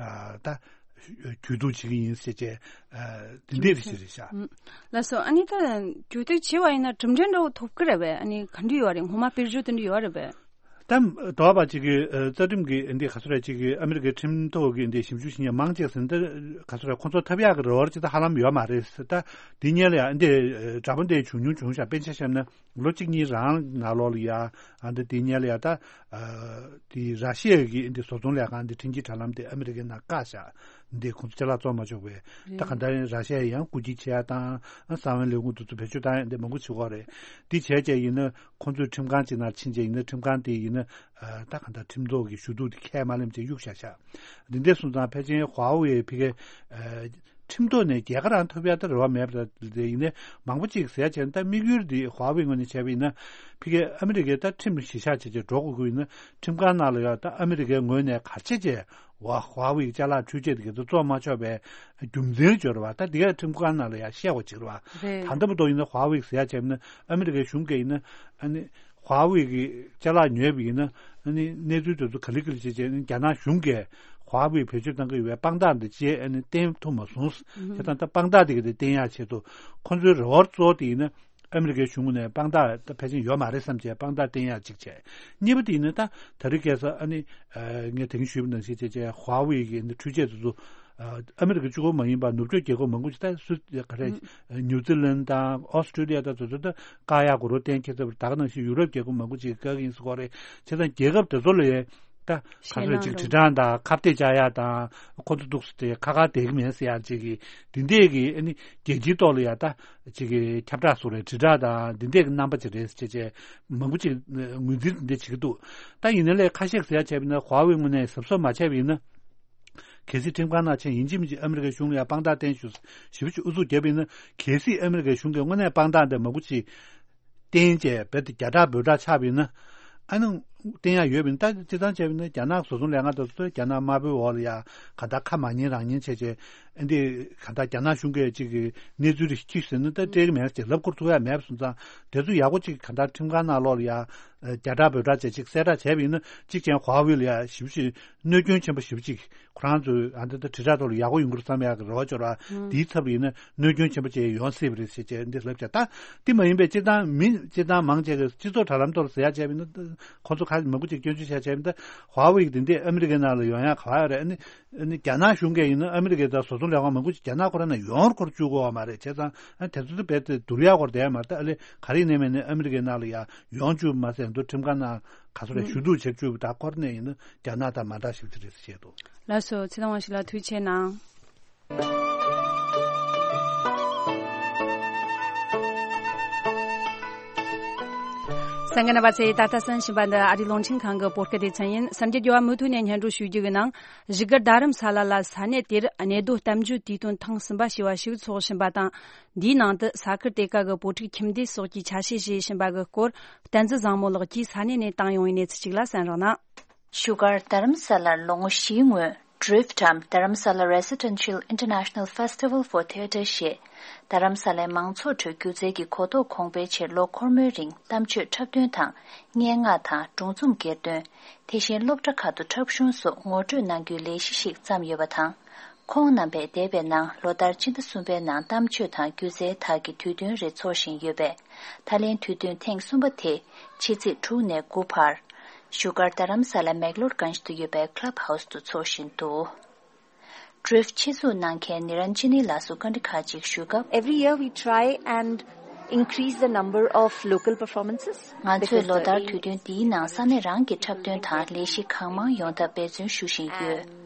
ད་གྱོད་གཏུག་བྱེད་ཀྱི་ཡིན་ཟེར་བྱས། ཨ། དེ་འདྲས་རེད་ཟེར་རེད་ཤག་ཨུམ། ལགས་སོ། ཨ་ནི་ད་གྱོད་གཏུག་བྱས་པ་ཡིན་ན་གྲུབ་འབྲས་འདྲ་བོ་ཐོབ་ཀྱི་རེད་པས། ཨ་ནི་ག་འདྲ་ཡོད་རེད། ངོ་མ་དཔེར་བརྗོད་དེ་འདྲ་ཡོད་རེད་པས། ད་དོགས་པ་གཅིག་གི་ཨ་རྩ་ཁྲིམས་ཀྱི་འདི་ག་ཚོད་རེད། གཅིག་གི་ཨ་མི་རི་ཀའི་ཁྲིམས་ཐོག་གི་འདི་ཞིབ་འཇུག་བྱེད་མཁན་མང་ཆེ་ཟིན་ད་ག་ཚོད་རེད། ཁོང་ཚོ་ཐབས་ཡག་གི་རེ་བ་ཅིག་ད་ཧ་ལམ་ཡོད་མ་རེད། ད་འདི་སྔོན་ལ་ཡང་འདི་འདྲ་པོ་འདི་བྱུང་མྱོང་བྱུང་ཤག་དཔེར་ཆ་བཞག་ན། ལོ་གཅིག་གཉིས་རང་ནང་ལོགས་ལ་ཡ། ཨ། འདི་དེའི་སྔོན་ལ་ཡ་ད། ཨ། དེ་ར་ཤི་ཡ་གི་འདི་བཟོ་ཚོང་ལས་ཁང་འདི་འཕྲིན་སྐྱེལ་དྲ་ལམ་དེ་ཨ་མི་རི་ཀའི་ནང་བཀག་བཞག་འདི་ཁོང་ཚོ་ཅ་ལག་བཙོང་མ་ཆོག་པའི། ད་ག་འདྲ་ཡིན། ར་ཤི་ཡ་ཡང་རྐུ་འཁྱེར་བྱེད་ཡ་དང་། ཨ། གསང་བའི་ལས་ཁུངས་དེ་ཚོ་བེད་སྤྱོད་བཏང་ཡ་འདི་མང་པོ་བྱེད་ཀྱི་ཡོད་རེད། འདི་བྱས་བྱས་ཡིན་ན་ཁོང་ཚོས་ཁྲིམས་ཁང་ཅིག་ནང་ཕྱིན་བྱས་ཡིན་ན་ཁྲིམས་ཁང་དེ་ཡིན་ན། ཨ། ད་ག་འདྲ་ཁྲིམས་ཐོག་གི་ཞུ་གཏུག་དེ་ཁས་མ་ལེན་བྱས་གཡུག་བཞག་བཞག་འདི་འདྲ་སོང་ཙང་ཕལ་ཆེར་ཧྭ་ཝེ་ཕ་གི། ཨ། ཁྲིམས་ཐོག་ནས་རྒྱལ་ཁ་རང་ཐོབ་ཡ་ད་རེ་བ་མེད་པ་རེད། ཡིན་ནའི་མང་པོ་ཅིག་ཟེར་ཡ་བྱས་ན་ད་དམིགས་ཡུལ་འདི་ཧྭ་ཝེ་ངོས་ནས་བྱས་པ་ཡིན་ན་ཕ་གི་ཨ་མི་རི་ཀའི་ད་ཁྲིམས་གཞི་བཞག་བྱས་བྱས་འགྲོ་དགོས་ཀྱི་ཡིན་ན་ཁྲིམས་ཁང་ནང་ལ་ཡ་ད་ཨ་མི་རི་ཀའི་ངོས་ནས་ག་རེ་བྱས་བྱས་ཧྭ་ཧྭ་ཝེ་ཅ་ལག་འཕྲུལ་ཆས་དེ་ག་ཚོད་བཙོང་མ་ཆོག་པའི་རྒྱུ་མཚན་སྦྱོར་བ་ད་འདི་ག་ཁྲིམས་ཁང་ནང་ལ་ཡ་བཤད་དགོས་ཅིག་རེད་བ། རེད། ད་ལྟ་བར་དུ་ཡིན་ན་ཧྭ་ཝེ་ཟེར་ཡ་བྱས་ན་ཨ་མི་རི་ཀའི་གཞུང་གིས་ཡིན་ན་ཨ་ནི། ཧྭ་ཝེ་གི་ཅ་ལག་ཉོས་པ་ཡིན་ན་ཨ་ནི་གནས་ཚུལ་དེ་ཚོ་ག་ལེ་ག་ལེ་བྱས་བྱས་ཨ་ནི་རྒྱ་ནག་གཞུང་གིས་ཧྭ་ཝེ་བེད་སྤྱོད་གཏང་གི་ཡོད་པའི་དཔང་རྟགས་འདི་བཅས་ཨ་ནི་བསྟན་ཐུབ་མ་སོང་། ཨུ་ཧུམ། དེ་དང་ད་དཔང་རྟགས་དེ་ག་དེ་བསྟན་ཡག་ཆེད་དུ་ཁོང་ཚོའི་རེ་བ་གཙོ་བོ་དེ་ཡིན་ན་ཨ་མི་རི་ཀའི་གཞུང་ནས་དཔང་རྟགས་ད་ཕལ་ཆེར་ཡོད་མ་རེད་བསམ་བྱས་དཔང་རྟགས་བསྟན་ཡག་གཅིག་བྱས། གཉིས་པ་དེ་ཡིན་ན་ད་ད་རེས་ཁ་སང་ཨ་ནི་ཨ་ངས་དེ་རིང་ཞུས་པ་ནང་བཞིན་བྱས་བྱས་ཧྭ་ཝེ་གི་ཨ་ནི་འཕྲུལ་ཆས་དེ་ཚོ། ཨ་མི་རི་ཀ་གཅིག་པོ་མ་ཡིན་པར་ནུབ་ཕྱོགས་རྒྱལ་ཁབ་མང་པོ་ཞིག་ད་སུ་ག་རེ། ཨ་ནིའུ་ཛི་ལན་དང་ཨོ་སི་ཀྲི་ལི་ཡ་དང་དེ་ཚོ་ད་བཀག་ཡག་གོ་རོ་གཏན་འཁེལ་ཚར་བ་རེད། ད་ག་ནང་བཞིན་ཡུ་རོབ་རྒྱལ་ཁབ་མང་པོ་ཅིག་བཀག་གི་ཡིན་ཟེར་གོ་རེད། བྱས་ཙང་རྒྱལ་ཁབ་དེ་ཚོ་ལ་ཡ་ ད་ག་ཚོད་ཅིག་དྲིལ་བསྒྲགས་དང་ཁ་གཏད་བཅག་ཡ་དང་ཁོ་ཚོ་འདུག་སེ་དེ་ཁ་ཁ་བསྡད་ཀྱི་མེད་ཟེར་ཡ་ཅིག་གི་འདི་འདྲས་ཀྱི་ཨ་ནི་རྒྱལ་སྤྱིའི་ཐོག་ལ་ཡ་ད་ཅིག་གི་ཁྱབ་བསྒྲགས་སོགས་རེད། དྲིལ་བསྒྲགས་དང་འདི་འདྲས་ཀྱི་རྣམ་པ་ཅིག་རེད་ཟེར་བྱས་བྱས་མང་པོ་ཅིག་ངོས་འཛིན་འདི་འདྲས་བྱེད་ཀྱི་འདུག་ད་ཡིན་ན་ལས་ཁ་ཤས་ཟེར་ཡ་བྱས་པ་ཡིན་ན་ཧྭ་ཝེ་ངོས་ནས་གཟབ་གཟབ་མ་བྱས་པ་ཡིན་ན། གལ་སྲིད་ཁྲིམས་ཁང་ནང་ཕྱིན་ཡིན་གཅིག་མིན་གཅིག་ཨ་མི་རི་ཀའི་གཞུང་ལ་ཡང་དཔང་རྟགས་བསྟན་ཞུ་ཞེ་པོ་ཅིག་ཨུ་ཚུགས་བརྒྱབ་པ་ཡིན་ན། གལ་སྲིད་ཨ་མི་རི་ཀའི་གཞུང་གིས་དངོས་གནས་དཔང་རྟགས་འདི་མང་པོ་ཅིག་བསྟན་བྱས་རྦད་དེ་རྒྱ་གྲགས་འབོད་སྒྲ་ཆགས་པ་ཡིན་ན། ཨ་ནི་བསྟན་ཡག་ཡོད་པ་ཡིན་ན། ད་སྤྱིར་བཏང་བྱས་པ་ཡིན་ན་རྒྱ་ནག་བཟོ་ཚོང་ལས་ཁང་དེ་ཚོ་རྒྱ་ནག་དམར་པོའི་འོག་ལ་ཡ་ག་ད་ཁ་མ་ཉན་རང་ཉན་བྱས་བྱས་ཨ་འདི་ག་ད་རྒྱ་ནག་གཞུང་གིས་ཅིག་གི་གནས་ཚུལ་རེ་ཅིག་ཟེར་ན་ད་སྤྲད་ཀྱི་མེད་ཟེར་ལབ་ཁུར་ཐུབ་ཡ་མེད་པ་སོང་ཙང་། དེ་ཚོ་ཡག་པོ་ཅིག་ག་ད་ཁྲིམས་ཁང་ནང་ལོགས་ལ་ཡ་རྒྱ་གྲགས་འབོད་སྒྲ་བྱས་ཅིག་གསལ་བསྒྲགས་བྱས་པ་ཡིན་ན། གཅིག་ཀྱང་ཧྭ་ཝེ་ལ་ཡ་ཞེ་པོ་ཅིག་གནོད་སྐྱོན་ཆེན་པོ་ཞེ་པོ་ཅིག་ཁོ་རང་ཚོས་ཨ་འདི་ད་དྲིལ་བསྒྲགས་ཐོག་ལ་ཡག་པོ་ཡོང་གི་རེད་བསམ་ཡག་གི་རེ་བ་ཅོ་ར། ཨང་། དེའི་ཚབ་ལ་ཡིན་ན་གནོད་སྐྱོན་ཆེན་པོ་ཅིག་ཡོང་སྲིད་པ་རེད་ཟེར་བྱས་འདི་ལབ་བྱས། ད་དེ་མ་ཡིན་པའི་སྤྱིར་བཏང་མི་སྤྱིར་བཏང་མང་ཆེ་གི་སྤྱི་ཚོགས་དྲ་ལམ་ཐོག་ལ་ཟེར་ཡག་བྱས་པ་ཡིན་ན། ཁོ་ཚོ་ཁ་མང་པོ་ཅིག་སྐྱོན་བརྗོད་བྱས་བྱས་པ་ཡིན་ན། ཧྭ་ཝེ་གི་དེ་འདྲས་ཨ་མི་རི་ཀའི་ནང་ལ་ཡོང་ཡག་ག་བ་ཡོད་རེད། ཨ་ནི་ཨ་ནི་རྒྱ་ནག་གཞུང་གིས་ཡིན་ན་ཨ་མི་རི་ཀའི་ད་བཟོ་ཚོང་ལས་ཁང་མང་པོ་ཅིག་རྒྱ་ནག་ཁོ་རང་ནང་ཡོང་བར་ཁོ་ཚོ་བཅུག་གི་ཡོད་མ་རེད། བྱས་ཙང་ཨ་དེ་ཚོ་ད་རྦད་དེ་བསྡུར་ཡག་སྐོར་དེ་མ་རེད། ད་ཨ་ལེ་ག་རེ་ཡིན་ནའི་མིན་ནའི་ཨ་མི་རི་ཀའི་ནང་ལ་ཡ་ཡོང་བཅུག་མ་ཟད་མདོ་ཁྲིམས་ཁང་ནང་ག་ཚོད་རེད་ཞུ་གཏུག་བྱེད་བཅུག་པ་ད་སྐོར་ནས་ཡིན་ན་རྒྱ་ནག་དང་མ་འདྲ་ཞིག་ཅིག་རེད་ཟེར་བཤད་འདུག་ལགས་སོ། ཚེ་དབང་ཞིག་ལ་ཐུགས་རྗེ་གནང་། གསན་མཁན་རྣམ་པ་ཚོས་ད་ལྟ་གསན་བཞིན་པ་འདི་ཨ་རིའི་རླུང་འཕྲིན་ཁང་གི་བོད་སྐད་སྡེ་ཚན་ཡིན། གསར་འགྱུར་རྒྱས་པ་མུ་མཐུད་ནས་སྙན་སྒྲོན་ཞུ་རྒྱུ་གི་ནང་། བཞུགས་སྒར་རྡ་རམ་ས་ལ་ལ་ས་གནས་དེར་གནས་སྡོད་གཏམ་བརྗོད་དུས་སྟོན་ཐེངས་གསུམ་པ་ཞེས་པ་ཞིག་འཚོགས་བཞིན་པ་དང་། འདིའི་ནང་དུ་ས་ཁུལ་དེ་ག་གི་བོད་ཕྲུག་ཁྱིམ་སྡེ་སོགས་ཀྱིས་ཆ་ཤས་བཞེས་བཞིན་པ་གི་སྐོར། བསྟན་འཛིན་བཟང་མོ་ལགས་ཀྱིས་ས་གནས་ནས་བཏང་ཡོང་བའི་གནས་ཚུལ་ཅིག་ལ་གསན་རོགས་གནང་། བཞུགས་སྒར་རྡ་རམ་ས་ལར་ལོ་ངོ་བཞིའི་སྔོན་ཌྲིཕ་ཊམ་Dharamsala Residential International Festival for Theatre ཞེས་རྡ་རམ་ས་ལའི་མང་ཚོགས་ཁྲོད་སྒྱུ་རྩལ་གྱི་གོ་རྟོགས་གོང་སྤེལ་ཆེད་ལོ་འཁོར་མོའི་རིང་གཏམ་བརྗོད་འཁྲབ་སྟོན་དང་སྙན་ངག་དང་སྒྲུང་རྩོམ་གྱེར་འདོན། དེ་བཞིན་སློབ་གྲྭ་ཁག་ཏུ་འཁྲབ་གཞུང་སོགས་ངོ་སྤྲོད་གནང་རྒྱུའི་ལས་གཞི་ཞིག་བརྩམས་ཡོད་པ་དང་། ཁོང་རྣམ་པས་འདས་པའི་ནང་ལོ་ལྟར་སྤྱི་ཟླ་གསུམ་པའི་ནང་གཏམ་བརྗོད་དང་སྒྱུ་རྩལ་དག་གི་དུས་སྟོན་རེ་འཚོགས་བཞིན་ཡོད་པས། ད་ལན་དུས་སྟོན་ཐེངས་གསུམ་པ་དེ་ཕྱི་ཚེས་དྲུག་ནས་དགུ་བར་བཞུགས་སྒར་རྡ་རམ་ས་ལ་མེག་ལོར་གྷན་ཇི་དུ་ཡོད་པའི་ཀླབ་ཧའུ་སི་དུ་འཚོགས་བཞིན་འདུག་ཌྲིཕ་ཊམ་ཆེད་འཛུགས་གནང་མཁན་ནི་རན་ཇི་ནི་ལགས་སུ་བཀའ་འདྲི་ཁག་ཅིག་ཞུས་སྐབས། Every year we try and increase the number of local performances. ང་ཚོས་ལོ་ལྟར་དུས་སྟོན་འདིའི་ནང་ས་གནས་རང་གི་འཁྲབ་སྟོན་དང་ལས་གཞི་གང་མང་ཡོང་ཐབས་འབད་བརྩོན་ཞུ་བཞིན་ཡོད།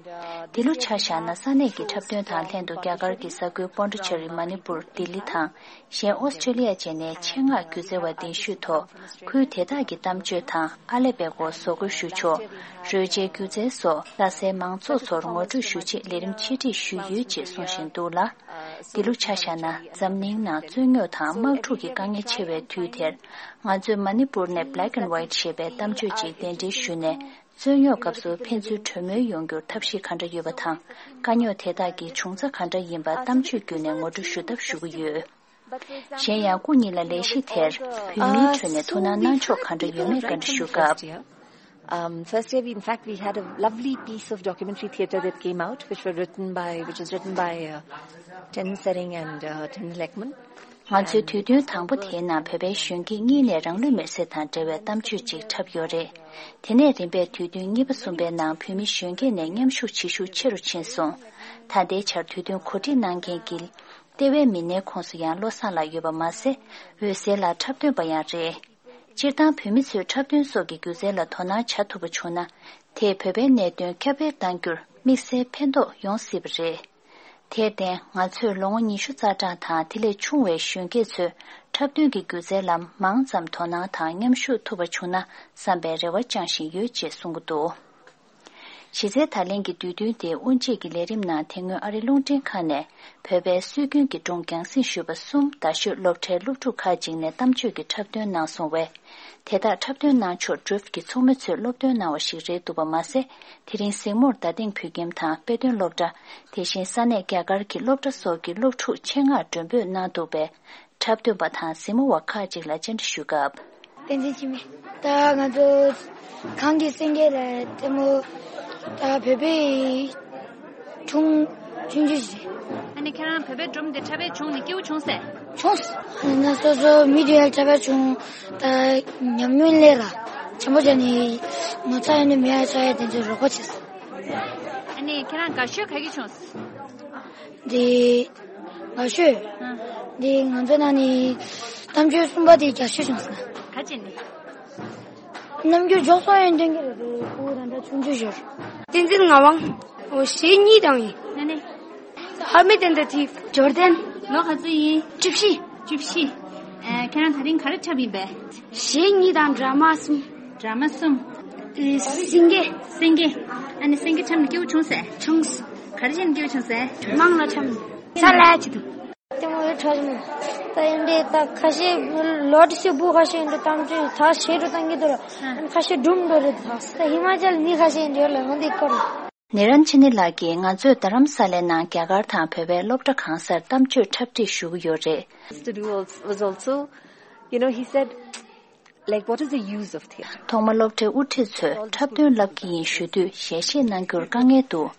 འདི་ལོ་ཆ་བཞག་ན་ས་གནས་ཀྱི་འཁྲབ་སྟོན་དང་ལྷན་དུ་རྒྱ་གར་གྱི་ས་ཁུལ་པོན་ཌི་ཆེ་རི། མ་ནི་པུར། ལྡི་ལི་དང་གཞན་ཨོ་སི་ཀྲི་ལི་ཡ་བཅས་ནས་ཆེད་མངགས་སྒྱུ་རྩལ་བ་གདན་ཞུས་ཐོག་ཁུལ་དེ་དག་གི་གཏམ་བརྗོད་དང་ཨ་ལེ་པེ་ཀོ་བཟོ་བཀོད་ཞུ་ཕྱོགས། རོལ་ཆའི་སྒྱུ་རྩལ་སོགས་ལྷ་སའི་མང་ཚོགས་ཚོར་ངོ་སྤྲོད་ཞུ་ཆེད་ལས་རིམ་ཆེད་སྒྲིག་ཞུས་ཡོད་ཅེས་གསུངས་བཞིན་འདུག་ལ། འདི་ལོ་ཆ་བཞག་ན་འཛམ་གླིང་ནང་རྩོད་རྙོག་དང་དམག་འཁྲུག་གི་དཀའ་ངལ་ཆེ་བའི་དུས་དེར། ང་ཚོས་མ་ནི་པུར་ནས་Black and White ཞེས་པའི་གཏམ་བརྗོད་ཅིག་གདན་འདྲེན་ཞུས་ནས། རྩོད་རྙོག་སྐབས་སུ་ཕན་ཚུན་གྲོས་མོལ་ཡོང་རྒྱུར་ཐབས་ཤེས་ག་འདྲ་ཡོད་པ་དང་། དཀའ་རྙོག་དེ་དག་གི་བྱུང་རྩ་ག་འདྲ་ཡིན་པ་གཏམ་བརྗོད་བརྒྱུད་ནས་ངོ་སྤྲོད་ཞུ་ཐབས་ཞུ་གི་ཡོད། གཞན་ཡང་སྐུ་ཉིད་ལ་ལས་གཞི་དེར་བོད་མིའི་ཁྲོད་ནས་ཐུགས་སྣང་གནང་ཕྱོགས་ག་འདྲ་ཡོད་མེད་བཀའ་འདྲི་ཞུ་སྐབས། Um, first year, we, in fact, we had a lovely piece of documentary theatre that came out, which were written by, which was written by uh, Ten Sereng and uh, Ten Lekman. ང་ཚོའི་དུས་སྟོན་དང་པོ་དེའི་ནང་བོད་པའི་གཞོན་སྐྱེས་གཉིས་ནས་རང་ལུས་མེར་སྲེག་དང་འབྲེལ་བའི་གཏམ་བརྗོད་ཅིག་འཁྲབ་ཡོད་རེད། དེ་ནས་རིམ་པས་དུས་སྟོན་གཉིས་པ་གསུམ་པའི་ནང་བོད་མི་གཞོན་སྐྱེས་ནས་མཉམ་ཞུགས་བྱེད་ཤུགས་ཆེ་རུ་ཕྱིན་སོང་། ད་ལྟའི་ཆར་དུས་སྟོན་གོ་སྒྲིག་གནང་མཁན་གྱི་ལྟེ་བའི་མི་སྣའི་ཁོངས་སུ་ཡང་བློ་བཟང་ལགས་ཡོད་པ་མ་ཟད། འོད་ཟེར་ལགས་འཁྲབ་སྟོན་པ་ཡང་རེད། སྤྱིར་བཏང་བོད་མི་ཚོས་འཁྲབ་སྟོན་སོགས་ཀྱི་སྒྱུ་རྩལ་ལ་དོ་སྣང་བྱ་ཐུབ་པ་བྱུང་ན། དེས་བོད་པའི་གནད་དོན་ཁྱབ་སྤེལ་གཏང་རྒྱུར་དམིགས་བསལ་ཕན་ཐོགས་ཡོང་སྲིད་པ་རེད། དེར་བརྟེན་ང་ཚོས་ལོ་ངོ་ཉི་ཤུ་རྩ་གྲངས་དང་དེ་ལས་ཆུང་བའི་གཞོན་སྐྱེས་ཚོས་འཁྲབ་སྟོན་གྱི་སྒྱུ་རྩལ་ལ་མང་ཙམ་དོ་སྣང་དང་མཉམ་ཞུགས་ཐུབ་པ་བྱུང་ན་བསམ་པའི་རེ་བ་བཅངས་བཞིན་ཡོད་ཅེས་གསུང་གི་འདུག་གཞི་རྩའི་ད་ལན་གྱི་དུས་སྟོན་དེའི་དབུ་འབྱེད་ཀྱི་ལས་རིམ་ནང་དེ་སྔོན་ཨ་རིའི་རླུང་འཕྲིན་ཁང་ནས་བོད་པའི་སྲོལ་རྒྱུན་གྱི་སྒྲུང་རྒྱང་སྲིང་ཞུས་པ་གསུམ་རྡ་ཤོད་སློབ་གྲྭའི་སློབ་ཕྲུག་ཁག་ཅིག་ནས་གཏམ་བརྗོད་ཀྱི་འཁྲབ་སྟོན་གནང་སོང་བས། དེ་དག་འཁྲབ་སྟོན་གནང་ཕྱོགས་ཌྲིཕ་ཊམ་གྱི་ཚོགས་མི་ཚོས་སློབ་སྟོན་གནང་བ་ཞིག་རེད་འདུག་པ་མ་ཟད། དེ་རིང་གཟིགས་མོར་རྡ་སྟེང་བོད་ཁྱིམ་དང་དཔེ་སྟོན་སློབ་གྲྭ། དེ་བཞིན་ས་གནས་རྒྱ་གར་གྱི་སློབ་གྲྭ་སོགས་ཀྱི་སློབ་ཕྲུག་ཆེད་མངགས་མགྲོན་འབོད་གནང་འདུག་པས། འཁྲབ་སྟོན་པ་དང་གཟིགས་མོ་བ་ཁག་ཅིག་ལ་བཅར་འདྲི་ཞུས་སྐབས། བསྟན་འཛིན་འཆི་མེད། ད་ང་ཚོ་གངས་ཀྱི་སེང་གེ་ལ་ལྟད་མོ། ད་བོད་པའི་སྒྲུང་ཆུང་ཆུང་ཞིག་རེད། ཨ་ནི་ཁྱེད་རང་བོད་པའི་སྒྲུང་དེ་འཁྲབ་པའི་བྱུང་ནས་སྐྱིད་པོ་བྱུང་སྲིད། བྱུང་སོང་། ཨ་ནི་སོ་སོ་མི་དེ་ཡར་འཁྲབ་པ་བྱུང་། ད་ཉམས་མྱོང་ལས་ལ་བྱམས་པོ་བྱས་ནས་ངོ་ཚ་ཡོད་ནི་མེད་ཡ་ཆགས་ཡ་དེ་ཚོ་རོགས་པ་བྱས་སོང་། ཨ་ནི་ཁྱེད་རང་དགའ་ཤོས་ག་གི་བྱུང་སོང་། འདི་དགའ་ཤོས། ཨ། འདི་ང་ཚོ་ནང་ནས་གཏམ་བརྗོད་གསུམ་པ་དེ་རྒྱ་ཤོས་བྱུང་སོང་། ག་ཅི་ནས། རྣམ་འགྱུར་མགྱོགས་སོང་ཡོད་མདུན་གྱི་རེད། ཁོ་ད་ལྟ་ཆུང་ཆུང་ཞོར། བསྟན་འཛིན་ངག་དབང་། འོ་ཞེ་གཉིས་དང་ཡིན། ནས་ནས། ཧ་མི་ཏན་ད་ཐིབ། འབྱོར་ལྡན། ལོ་ག་ཚོད་ཡིན། བཅུ་བཞི། བཅུ་བཞི། ཨ། ཁྱེད་རང་ད་རིང་ག་རེ་འཁྲབ་ཡིན་པས། ཞེ་གཉིས་དང་ཌ་ར་མ་གསུམ། ཌ་ར་མ་གསུམ། ཨེ། སེང་གེ། སེང་གེ། ཨ་ནི་སེང་གེ་འཁྲབ་ནས་སྐྱིད་པོ་བྱུང་ཟེར། བྱུང་། ག་རེ་བྱས་ནས་སྐྱིད་པོ་བྱུང་ཟེར། མང་ལ་འཁྲབ་ནས། ས་ལ་ཅི་འདུག། ལྟད་མོ་ཡོད་ཁྲ་ཞིམ། ད་ཡིན་འདྲེ་ད་ཁ་ཤས་ལོ་དྲི་སུ་བུ་ཁ་ཤས་ཡིན་འདྲེ་གཏམ་བརྗོད་ད་ཞེ་དྲུག་བཏང་གི་འདུག་ར། ཁ་ཤས་སྒྲུང་འགྲོ་རེད་ད། ད་ཧི་མ་ཅལ་མི་ཁ་ཤས་ཡིན་འདྲེ་ལ་འོན་ཏེ་སྐོར། ནེ་རན་ཆི་ནི་ལགས་ཀྱིས་ང་ཚོས་རྡ་རམ་ས་ལའི་ནང་རྒྱ་གར་དང་བོད་པའི་སློབ་གྲྭ་གང་སར་གཏམ་བརྗོད་འཁྲབ་ཁྲིད་ཞུ་གི་ཡོད་རེད། To do als- was also, you know, he said, like, what is the use of theatre? ཐོག་མ་སློབ་གྲྭའི་དབུ་ཁྲིད་ཚོས་འཁྲབ་སྟོན་བསླབ་ཀྱི་ཡིན་ཞུ་དུས་ཞལ་བཞེས་གནང་རྒྱུར་དཀའ་ངལ་འདུག།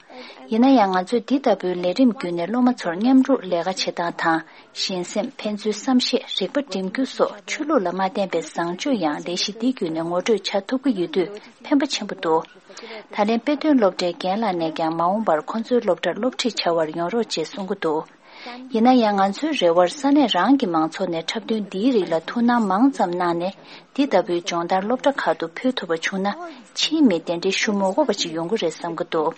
ཡིན་ན་ཡང་ང་ཚོས་འདི་ལྟ་བུའི་ལས་རིམ་བརྒྱུད་ནས་སློབ་མ་ཚོར་མཉམ་རུབ་ལས་ཀ་བྱེད་སྟངས་དང་། གཞན་སེམས། ཕན་ཚུན་བསམ་ཤེས། རིག་པ་འགྲིམ་རྒྱུ་སོགས་ཆོས་ལུགས་ལ་མ་བརྟེན་པའི་བཟང་སྤྱོད་ཡང་ལས་གཞི་འདི་བརྒྱུད་ནས་ངོ་སྤྲོད་བྱ་ཐུབ་ཀྱི་ཡོད་དུས་ཕན་པ་ཆེན་པོ་འདུག། ད་ལན་དཔེ་སྟོན་སློབ་གྲྭའི་རྒན་ལགས་ནས་ཀྱང་མ་འོངས་པར་ཁོང་ཚོའི་སློབ་གྲྭར་སློབ་ཁྲིད་བྱ་བར་ཡོང་རོགས་ཅེས་གསུང་གི་འདུག། ཡིན་ན་ཡང་ང་ཚོའི་རེ་བར་ས་གནས་རང་གི་མང་ཚོགས་ནས་འཁྲབ་སྟོན་འདིའི་རིགས་ལ་ཐུགས་སྣང་མང་ཙམ་གནང་ནས། འདི་ལྟ་བུའི་སྦྱོང་བརྡར་སློབ་གྲྭ་ཁག་ཏུ་ཕུལ་ཐུབ་པ་བྱུང་ན། ཕྱིའི་མི་དེ་འདྲའི་ཞུ་མི་དགོས་པ་ཅིག་ཡོང་གི་རེད་བསམ་གྱི་འདུག།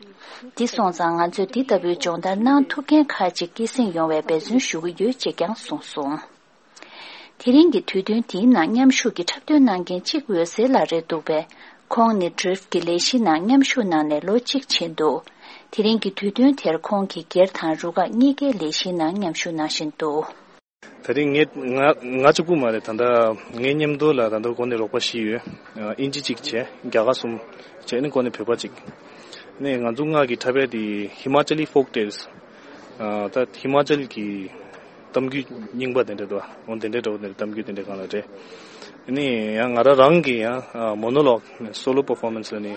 འདི་སོང་ཙང་ང་ཚོས་འདི་ལྟ་བུའི་སྦྱོང་བརྡར་གནང་ཐུབ་མཁན་ཁག་ཅིག་སྐྱེད་སྲིང་ཡོང་བའི་འབད་བརྩོན་ཞུ་གི་ཡོད་ཅེས་ཀྱང་གསུངས་སོང་། དེ་རིང་གི་དུས་སྟོན་འདིའི་ནང་མཉམ་ཞུགས་ཀྱིས་འཁྲབ་སྟོན་གནང་མཁན་གཅིག་འོད་ཟེར་ལགས་རེད་འདུག་པས། ཁོང་ནི་ཌྲིཕ་གི་ལས་གཞིའི་ནང་མཉམ་ཞུགས་གནང་ནས་ལོ་གཅིག་ཕྱིན་འདུག། དེ་རིང་གི་དུས་སྟོན་དེར་ཁོང་གིས་སྒེར་དང་རུ་ཁག་གཉིས་ཀའི་ལས་གཞིའི་ནང་མཉམ་ཞུགས་གནང་བཞིན་འདུག། དེ་རིང་ངས་ང་ང་གཅིག་པུ་མ་རེད། ད་ལྟ་ངའི་མཉམ་དུ་ལ་ད་ལྟ་འགོ་ནས་རོགས་པ་བཞི་ཡོད། ཨིན་ཇི་གཅིག་བྱས། རྒྱ་གར་གསུམ་བྱས་ནས་འགོ་ནས་བོད་པ་གཅིག། ནས་ང་ཚོ་ལྔ་གི་འཁྲབ་པ་དེ་ཧི་མ་ཅལ་ལི་ཕོག་ཊེལ། ད་ཧི་མ་ཅལ་གྱི་གཏམ་རྒྱུད་རྙིང་པ་དེ་འདྲ་འདུག། འོ་དེ་འདྲ་འདྲ་བོ་དེ་འདྲ་གཏམ་རྒྱུད་དེ་འདྲ་གང་ལ་རེད། ནས་ཡང་ང་རང་རང་གི་ཡང་མོ་ནོ་ལོག་སོ་ལོ་པར་ཕོར་མན་སི་ལ་ནི་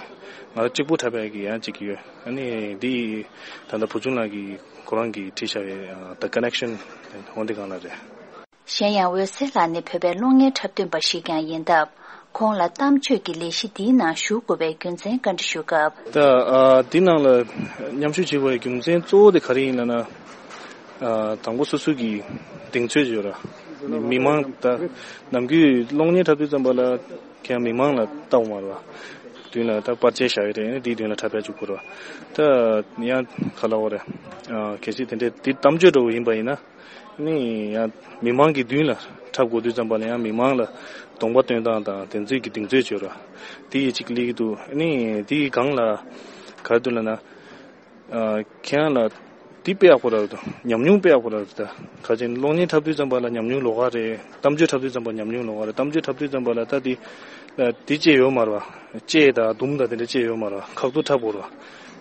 ང་རང་གཅིག་པུ་འཁྲབ་པའི་གི་ཡང་གཅིག་ཡོད། ཨ་ནི་འདི་ད་ལྟ་བུ་ཆུང་ལགས་ཀྱིས་ཁོ་རང་གིས་བྲིས་བཞག་པའི་The Connection འོ་འདི་གང་ལ་རེད། གཞན་ཡང་འོད་ཟེར་ལགས་ནི་བོད་པའི་གློག་བརྙན་འཁྲབ་སྟོན་པ་ཞིག་ཀྱང་ཡིན་སྟབས། ཁོང་ལ་གཏམ་བརྗོད་ཀྱི་ལས་གཞི་འདིའི་ནང་ཞུགས་དགོས་པའི་རྒྱུ་མཚན་བཀའ་འདྲི་ཞུས་སྐབས། ད་ཨ་འདི་ནང་ལ་མཉམ་ཞུགས་བྱེད་དགོས་པའི་རྒྱུ་མཚན་གཙོ་བོ་དེ་ག་རེ་ཡིན་ལབ་ན། ཨ་དང་པོ་སོ་སོ་གི་གདེང་ཚོད་ཡོད་ར། མི་མང་ད་ནམ་རྒྱུན་གློག་བརྙན་འཁྲབ་དུས་ཙམ་པ་ལ་ཁྱེད་མི་མང་ལ་ལྟ་འོང་མ་རེད་བ། མདུན་ལ་ད་པར་ཆས་བཞག་ཡོད་རེད། ཨ་ནི་དེའི་མདུན་ལ་འཁྲབ་པ་བཅུག་དགོས་རེད་བ། ད་ཡང་ག་ལ་འོ་རེད། ཨ་གལ་སྲིད་དེ་འདྲའི་འདི་གཏམ་བརྗོད་འདྲ་བོ་ཡིན་པ་ཡིན་ན། ནི་ཡང་མི་མང་གི་མདུན་ལ་འཁྲབ་དགོས་དུས་ཙམ་པ་ལ་ཡང་མི་མང་ལ་གདོང་པ་སྟོན་སྟངས་དང་དེ་ཚོའི་གི་གདེང་ཚོད་བྱོས་ར། དེ་ཡི་གཅིག་སླེབས་ཀྱི་འདུག། ནི་དེ་ཡི་སྒང་ལ་ག་རེ་འདུག་ལབ་ན། ཨ་ཁྱེད་རང་ལ་དེ་དཔེ་ཡག་པོ་ར་འདུག། ཉམས་མྱོང་དཔེ་ཡག་པོ་ར་འདུག། ད་ག་ཅིག་གློག་བརྙན་འཁྲབ་དུས་ཙམ་པ་ལ་ཉམས་མྱོང་ལོགས་ཀ་རེད། གཏམ་བརྗོད་འཁྲབ་དུས་ཙམ་པ་ཉམས་མྱོང་ལོགས་ཀ་རེད། གཏམ་བརྗོད་འཁྲབ་དུས་ཙམ་པ་ལ་ད་དེ་དེ་ཅེས་ཡོད་མ་རེད་བ། ཅེས་དང་དུམ་དང་དེ་འདྲ་ཅེས་ཡོད་མ་རེད་བ། ཁག་ཏུ་འཁྲབ་དགོས་རེད་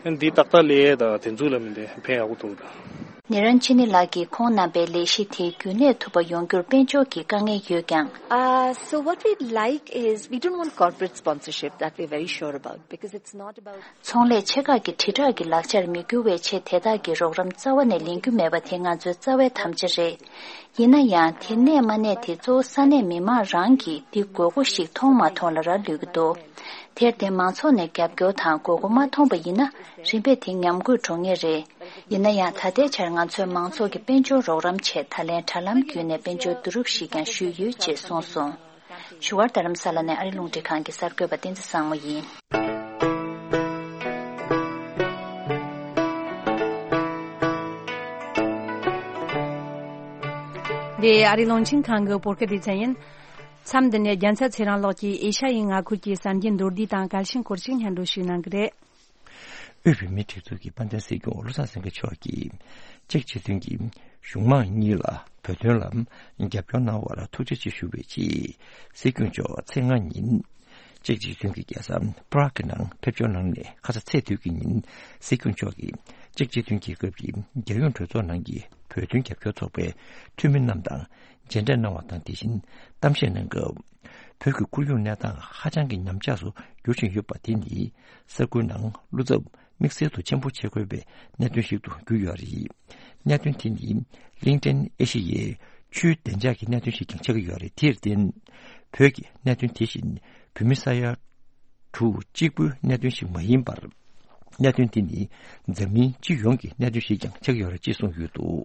བ། ཨ་ནི་དེ་ཏག་ཏག་ལས་དང་དེ་ཚོ་ལ་མི་འདི་ཕན་ཡག་པོ་འདུག་ད། ནེ་རན་ཆི་ནི་ལགས་ཀྱིས་ཁོང་རྣམ་པའི་ལས་གཞི་དེ་རྒྱུན་གནས་ཐུབ་པ་ཡོང་རྒྱུར་དཔལ་འབྱོར་གྱི་དཀའ་ངལ་ཡོད་ཀྱང་། Uh, so what we'd like is, we don't want corporate sponsorship, that we're very sure about, because it's not about. ཚོང་ལས་ཆེ་ཁག་གི་དྲིལ་བསྒྲགས་ཀྱི་ལག་ཆར་མི་འགྱུར་བའི་ཆེད་དེ་དག་གི་རོགས་རམ་རྩ་བ་ནས་ལེན་རྒྱུ་མེད་པ་དེ་ང་ཚོའི་རྩ་བའི་དམ་བཅའ་རེད། ཡིན་ན་ཡང་དེ་གནས་མ་གནས་དེ་གཙོ་བོ་ས་གནས་མི་མང་རང་གིས་འདི་དགོས་མཁོ་ཞིག་མཐོང་མ་མཐོང་ལ་རག་ལུས་ཀྱི་འདུག། དེར་བརྟེན་མང་ཚོགས་ནས་རྒྱབ་སྐྱོར་དང་དགོས་མཁོ་མ་མཐོང་པ་ཡིན་ན་རིམ་པས་དེ་ཉམས་རྒུད་འགྲོ་ངེས་རེད། ཡིན་ན་ཡང་ད་ལྟའི་ཆར་ང་ཚོས་མང་ཚོགས་ཀྱི་དཔལ་འབྱོར་རོགས་རམ་ཆེད་ད་ལན་དྲ་ལམ་བརྒྱུད་ནས་དཔལ་འབྱོར་བསྡུ་རུབ་ཞིག་ཀྱང་ཞུས་ཡོད་ཅེས་གསུངས་སོང་། བཞུགས་སྒར་རྡ་རམ་ས་ལ་ནས་ཨ་རི་རླུང་འཕྲིན་ཁང་གི་གསར་འགོད་པ་བསྟན་འཛིན་བཟང་མོ་ཡིན། འདི་ཨ་རི་རླུང་འཕྲིན་ཁང་གི་བོད་སྐད་སྡེ་ཚན་ཡིན། མཚམས་འདི་ནས་རྒྱལ་མཚན་ཚེ་རིང་ལགས་ཀྱིས་ཨེ་ཤ་ཡའི་མངའ་ཁུལ་གྱི་གསར་འགྱུར་མདོར་བསྡུས་དང་གལ་ཆེན་སྐོར་ཞིག་སྙན་སྒྲོན་ཞུས་གནང་གི་རེད། དབུས་བོད་མིའི་སྒྲིག་འཛུགས་ཀྱི་དཔལ་ལྡན་སྲིད་སྐྱོང་བློ་བཟང་སེང་གེ་མཆོག་གིས་ཅེཀ་སྤྱི་མཐུན་གྱི་གཞུང་མང་གཉིས་ལ་བོད་དོན་ལ་རྒྱབ་སྐྱོར་གནང་བར་ཐུགས་རྗེ་ཆེ་ཞུ་བའི་ཆེད་སྲིད་སྐྱོང་མཆོག་ཚེས་ལྔ་ཉིན་ཅེཀ་སྤྱི་མཐུན་གྱི་རྒྱལ་ས་པ་རག་གི་ནང་ཕེབས་འབྱོར་གནང་ནས་ཁ་ས་ཚེས་བདུན་གྱི་ཉིན་སྲིད་སྐྱོང་མཆོག་གིས་ཅེཀ་སྤྱི་མཐུན་རྒྱལ་ཁབ་ཀྱི་རྒྱལ་ཡོངས་གྲོས་ཚོགས་ནང་གི་བོད་དོན་རྒྱབ་སྐྱོར་ཚོགས་པའི་འཐུས་མི་རྣམས་དང་མཇལ་འཕྲད་གནང་བ་དང་། དེ་བཞིན་གཏམ་བཤད་གནང་སྐབས། བོད་ཀྱི་ཁོར་ཡུག་གནས་སྟངས་ཧ་ཅང་གི་ཉམས་ཆག་སུ་འགྱུར་བཞིན་ཡོད་པ་དེ་ནི་ས་ཁུལ་ནང་བློ་འཚབ་དམིགས་བསལ་དུ་ཆེན་པོ་བྱེད་དགོས་པའི་གནད་དོན་ཞིག་ཏུ་གྱུར་ཡོད་རེད། གནད་དོན་དེ་ནི་གླིང་ཕྲན་ཨེ་ཤེ་ཡའི་ཆུའི་བདེ་འཇགས་ཀྱི་གནད་དོན་ཞིག་ཀྱང་ཆགས་ཀྱི་ཡོད་རེད། དེར་བརྟེན། བོད་ཀྱི་གནད་དོན་དེ་བཞིན་བོད་མི་ས་ཡ་དྲུག་གཅིག་པུའི་གནད་དོན་ཞིག་མ་ཡིན་པར། གནད་དོན་དེ་ནི་འཛམ་གླིང་སྤྱི་ཡོངས་ཀྱི་གནད་དོན་ཞིག་ཀྱང་ཆགས་ཀྱི་ཡོད་རེད་ཅེས་གསུངས་ཡོད་འདུག།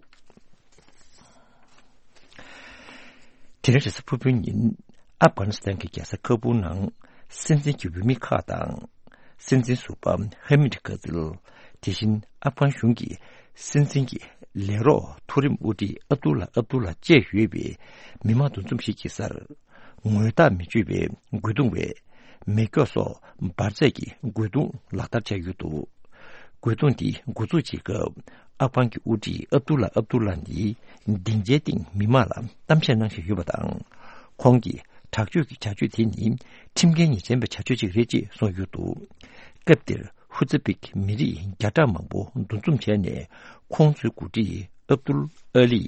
དེ་རིང་རེས་གཟའ་ཕུར་བུའི་ཉིན་ཨབ་གྷ་ནི་སི་ཐན་གྱི་རྒྱལ་ས་ཁ་བུར་ནང་ སྲིད་འཛིན་གྱི་འོས་མི་ཁག་དང་། སྲིད་འཛིན་ཟུར་པ་ཧ་མིད་ཀ་ཛིལ། དེ་བཞིན་ཨབ་གྷན་གཞུང་གི་སྲིད་འཛིན་གྱི་ལས་རོགས་མཐོ་རིམ་དབུ་ཁྲིད་ཨབ་དུ་ལ་ཨབ་དུ་ལ་བཅས་ཡོད་པའི་མི་མང་འདུ་འཛོམས་ཤིག་གི་སར། ངོ་རྟགས་མི་ཆོད་པའི་རྒོལ་རྡུང་བས་མེ་སྒྱོགས་སོགས་འབར་རྫས་ཀྱི་རྒོལ་རྡུང་ལག་བསྟར་བྱས་ཡོད་འདུག། རྒོལ་རྡུང་འདི་འགོ་འཛུགས་བྱེད་སྐབས། ཨབ་གྷན་གྱི་དབུ་ཁྲིད་ཨབ་དུ་ལ་ཨབ་དུ་ལ་ནི་སྡིངས་ཆའི་སྟེང་མི་མང་ལ་གཏམ་བཤད་གནང་བཞིན་ཡོད་པ་དང་། ཁོང་གིས་དྲག་སྤྱོད་ཀྱི་བྱ་སྤྱོད་དེ་ནི་ཁྲིམས་འགལ་ཉེས་ཅན་པའི་བྱ་སྤྱོད་ཅིག་རེད་ཅེས་གསུངས་ཡོད་འདུག། སྐབས་དེར་ཧུ་ཙི་པིག་མི་རིགས་བརྒྱ་ཕྲག་མང་པོ་འདུ་འཛོམས་བྱས་ནས། ཁོང་ཚོའི་འགོ་ཁྲིད་ཨབ་དུལ་ཨ་ལི་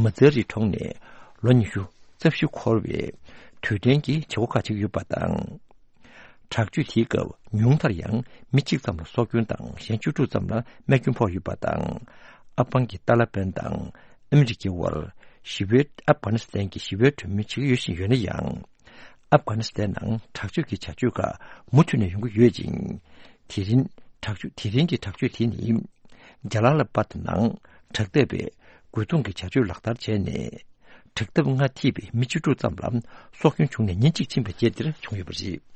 མ་ཛ་རི་གྲོངས་ནས་ལོ་ཉི་ཤུ་རྩ་བཞི་འཁོར་བའི་དུས་དྲན་གྱི་བྱེད་སྒོ་ཁག་ཅིག་ཡོད་པ་དང་། དྲག་སྤྱོད་དེའི་སྐབས་ཉུང་མཐར་ཡང་མི་གཅིག་ཙམ་ལ་སྲོག་སྐྱོན་དང་གཞན་བཅུ་དྲུག་ཙམ་ལ་རྨས་སྐྱོན་ཕོག་ཡོད་པ་དང་། ཨབ་གྷན་གྱི་ཏཱ་ལ་པན་དང་ཨ་མི་རི་ཀའི་དབར་ཞི་བའི་ཨབ་གྷ་ནི་སི་ཐན་གྱི་ཞི་བའི་གྲོས་མོལ་བྱེད་ཀྱི་ཡོད་བཞིན་ཡོད་ན་ཡང་། ཨབ་གྷ་ནི་སི་ཐན་ནང་དྲག་སྤྱོད་ཀྱི་བྱ་སྤྱོད་ཁག་མུ་མཐུད་ནས་ཡོང་གི་ཡོད་ཅིང་། དེ་རིང་དྲག་སྤྱོད་དེ་རིང་གི་དྲག་སྤྱོད་དེ་ནི་ཇ་ལ་ལ་པད་ནང་དྲག་འཐབ་པའི་རྒོལ་རྡུང་གི་བྱ་སྤྱོད་ལག་བསྟར་བྱས་ནས། དྲག་འཐབ་སྔ་ཐེབས་པའི་མི་བཅུ་དྲུག་ཙམ་ལ་སྲོག་སྐྱོན་བྱུང་ནས་ཉིན་གཅིག་ཕྱིན་པའི་རྗེས་དེར་བྱུང་ཡོད་པ་རེད།